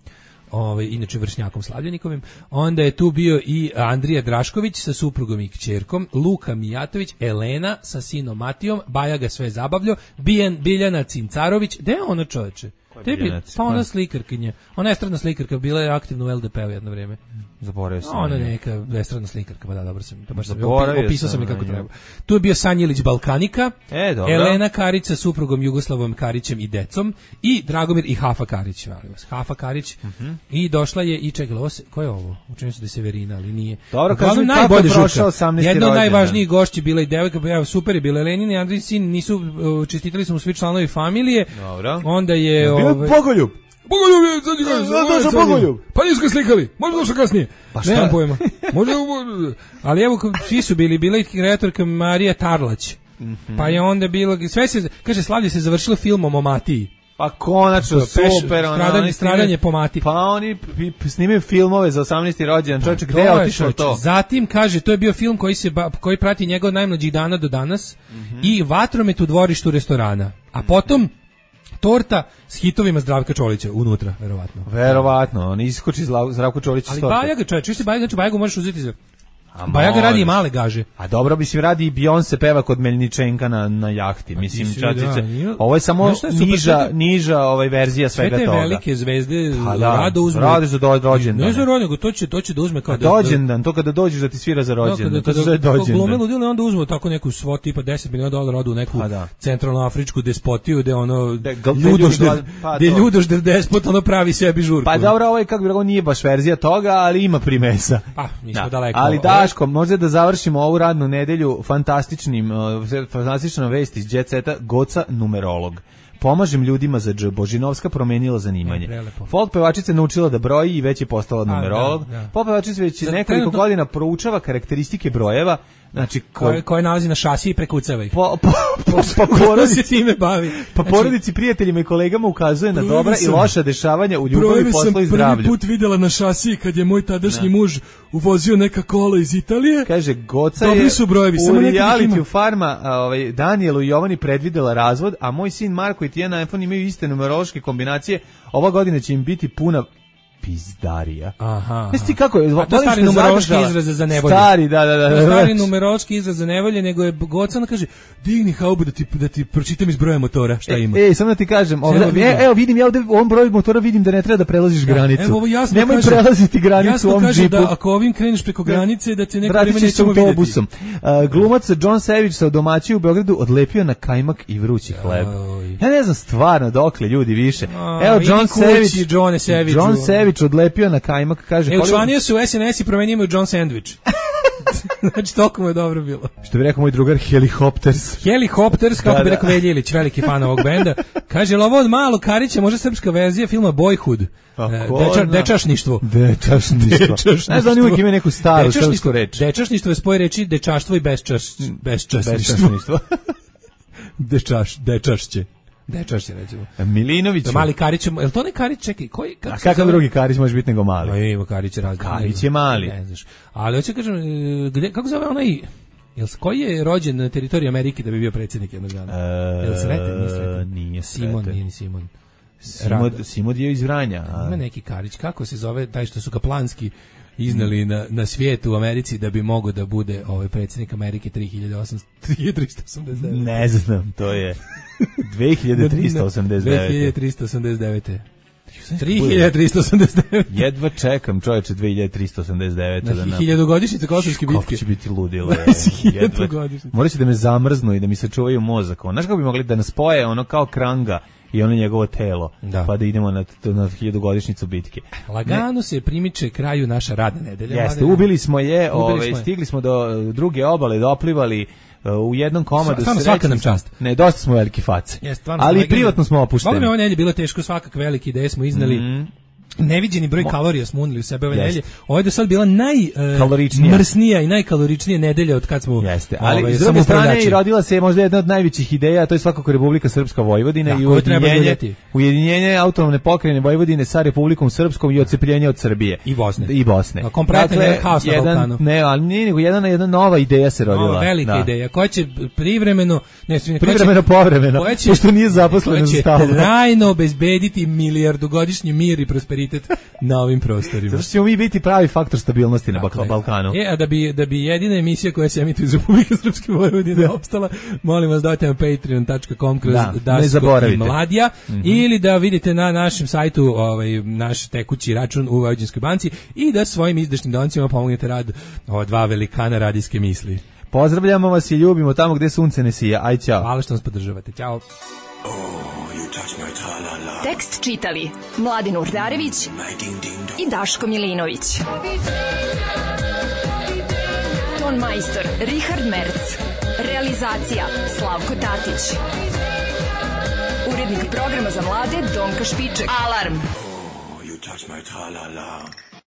ovaj, inače vršnjakom Slavljenikovim. Onda je tu bio i Andrija Drašković sa suprugom i kćerkom, Luka Mijatović, Elena sa sinom Matijom, Baja ga sve zabavljao, Bijan, Biljana Cincarović. Gde je ona, čoveče? Tebi, pa ona slikarkinja. Ona je estradna slikarka, bila je aktivna u L D P-u jedno vrijeme.
Zaboravio sam.
Ona je neka estradna slikarka, pa da, dobro sam. Pa baš sam opisao sam je kako treba. Tu je bio Sanjilić Balkanika,
e,
Elena Karić sa suprugom Jugoslavom Karićem i decom i Dragomir i Hafa Karić. Hafa Karić. Uh-huh. I došla je i čekala, ovo se, ko je ovo? Učinio se da se Severina, ali nije.
Dobro, kažem, kako je prošao osamnaesti
Jedna od
rođendan.
najvažnijih gošći bila i devojka, pa ja, super je bila Elenina i Andrijin sin, nisu, čestitali su mu svi članovi familije.
Dobro.
Onda je...
Ovaj, Bogoljub.
Bogoljub je, sad ću
kažem, došao Bogoljub.
Pa nisu ga slikali, možda došao kasnije.
Pa šta?
Nemam pojma. Možda, ali evo, svi su bili, bila i kreatorka Marija Tarlać. Mm-hmm. Pa je onda bilo, sve se, kaže, slavlje se završilo filmom o Matiji.
Pa konačno, super.
Stradanje, stradanje po Mati.
Pa oni snimaju filmove za osamnaesti rođendan. Čovječe, gde je otišao to?
Zatim, kaže, to je bio film koji se koji prati njegov najmlađih dana do danas mm-hmm. i Vatromet u dvorištu restorana. A potom torta s hitovima Zdravka Čolića unutra, verovatno.
Verovatno, on iskoči Zdravko Čolić
ali Bajaga, čovječ, vi se Bajaga, znači Bajagu možeš uzeti za... Bajaga radi i male gaže.
A dobro, mislim, radi i Beyoncé peva kod Meljničenka na, na jahti. Mislim, čačice, da, ovo je samo je niža, sve te, niža ovaj verzija svega toga.
Sve te velike zvezde
pa da,
rado uzme.
Rade za do, rođendan.
Ne za rođendan, to će, to će da uzme kao da...
Dođendan, to kada dođeš da ti svira za rođendan. No, kada, to kada, kada
glume ludili, onda uzmu tako neku svot tipa deset miliona dolara, odu u neku da. centralnoafričku despotiju, gde ono... De, ljudožder, pa, gde ljudožder despot, ono pravi sebi žurku.
Pa dobro, ovo je, kako bi rekao, nije baš verzija toga, ali ima primesa.
Pa, nismo daleko.
Ali Daško, možda da završimo ovu radnu nedelju fantastičnim, uh, fantastičnom vesti iz Jet Seta, Goca numerolog. Pomažem ljudima za dž. Božinovska promenila zanimanje.
E,
folk pevačica naučila da broji i već je postala numerolog. Da, da. Folk pevačica već za nekoliko trenutno... godina proučava karakteristike brojeva, Znači, ko...
koje, koje nalazi na šasiji i prekucava ih.
Po, po, po, po porodici,
se time bavi.
Pa znači, porodici, prijateljima i kolegama ukazuje na dobra sam, i loša dešavanja u ljubavi, poslu i zdravlju.
Prvi put videla na šasiji kad je moj tadašnji ne. muž uvozio neka kola iz Italije.
Kaže, Goca
Dobri
je
su brojevi,
u realitiju Farma a, ovaj, Danielu i Jovani predvidela razvod, a moj sin Marko i Tijana iPhone imaju iste numerološke kombinacije. Ova godina će im biti puna pizdarija.
Aha.
Jesi ti kako je?
A to stari numerološki izraz za nevolje.
Stari, da, da, da.
To stari numerološki izraz za nevolje, nego je Gocana kaže, digni haubu da ti, da ti pročitam iz broja motora, šta ima.
Ej, samo da ti kažem, ovdje, vidim. E, evo vidim, ja ovdje u ovom broju motora vidim da ne treba da prelaziš granicu.
Evo, ovo jasno
Nemoj
kaže,
prelaziti granicu u ovom
kaže
džipu.
Da ako ovim kreneš preko granice, da te neko
vreme
nećemo vidjeti.
Autobusom. Uh, glumac John Savage sa domaćiju u Beogradu odlepio na kajmak i vrući hleb. Ja ne znam stvarno dokle ljudi više. Evo John Savage, John Savage odlepio na kajmak, kaže...
E, učlanio se u S N S i promenio mu John Sandwich. Znači, toliko mu je dobro bilo.
Što bi rekao moj drugar, Helicopters.
Helicopters, kako da, bi rekao Velja Ilić, veliki fan ovog benda. Kaže, ovo od malo Karića, možda srpska verzija filma Boyhood. Deča, dečašništvo.
Dečašništvo. Ne znam, oni uvijek imaju neku staru srpsku reč.
Dečašništvo je spoj reči dečaštvo i besčaš, besčasništvo. Dečaš, dečašće. Dečašće, recimo.
Milinović.
Mali Karić, je li to ne Karić, čekaj, koji...
A kakav drugi Karić može biti nego mali?
No, ima Karić razli.
Karić je mali.
Ne znaš. Ali hoće kažem, gde, kako zove onaj... Jel, koji je rođen na teritoriji Amerike da bi bio predsjednik jednog dana?
E,
Jel Sreten? Nije Sreten.
Nije Sreten.
Simon, nije ni Simon.
Simod, Simod je iz Vranja. A...
Ima neki Karić, kako se zove, taj što su ga planski iznali na, na svijetu u Americi da bi mogao da bude ovaj predsjednik Amerike tri hiljade trista osamdeset devet.
Ne znam, to je dve hiljade trista osamdeset devet.
dve hiljade trista osamdeset devet. tri hiljade trista osamdeset devet.
Jedva čekam, čoveče, dve hiljade trista osamdeset devet.
Na da hiljadugodišnjice Kosovske bitke.
Kako će biti ludilo. Morat će da me zamrznu i da mi se čuvaju mozak. Znaš kako bi mogli da nas spoje ono kao kranga i ono njegovo telo, da. Pa da idemo na, na hiljadugodišnjicu bitke.
Lagano ne. se primiče kraju naša radna nedelja.
Jeste, ubili smo je, ubili ove, smo je. Stigli smo do druge obale, doplivali u jednom komadu.
Stvarno svaka nam čast.
Ne, dosta smo veliki face.
Jest,
ali i privatno smo opušteni.
Ovo mi ovo nedelje bilo teško, svakak veliki ideje smo iznali. Mm. Neviđeni broj kalorija smo unili u sebe ove nedelje. Ovo je do sad bila najmrsnija uh, i najkaloričnija nedelja od kad smo...
Jeste, ali ovaj, s druge strane i rodila se možda jedna od najvećih ideja, a to je svakako Republika Srpska Vojvodina da, i ujedinjenje, ujedinjenje autonomne pokrajine Vojvodine sa Republikom Srpskom i odcepljenje od Srbije.
I Bosne.
I Bosne.
Kompletno dakle, haos na Balkanu.
Ne, ali nije nego jedna, jedna nova ideja se rodila.
Nova velika da. ideja, koja će privremeno... Ne,
privremeno će, povremeno, će, pošto nije zaposleno za stalno.
Koja će trajno obezbediti milijardugodišnji mir i prosperitet na ovim prostorima.
Zato ćemo mi biti pravi faktor stabilnosti na dakle, Balkanu.
E, a da bi, da bi jedina emisija koja se emituje iz Republike Srpske Vojvodine opstala, molim vas dajte na patreon dot com kroz da, Daško i Mladija mm-hmm. ili da vidite na našem sajtu ovaj, naš tekući račun u Vojvođanskoj banci i da svojim izdašnim donacijama pomognete rad ova dva velikana radijske misli.
Pozdravljamo vas i ljubimo tamo gde sunce ne sija. Aj, ćao.
Hvala što nas podržavate. Ćao.
Tekst čitali Mladin Urdarević i Daško Milinović. Ton majstor Richard Merc. Realizacija Slavko Tatić. Urednik programa za mlade Donka Špiček. Alarm! Oh, you touch my tra-la-la.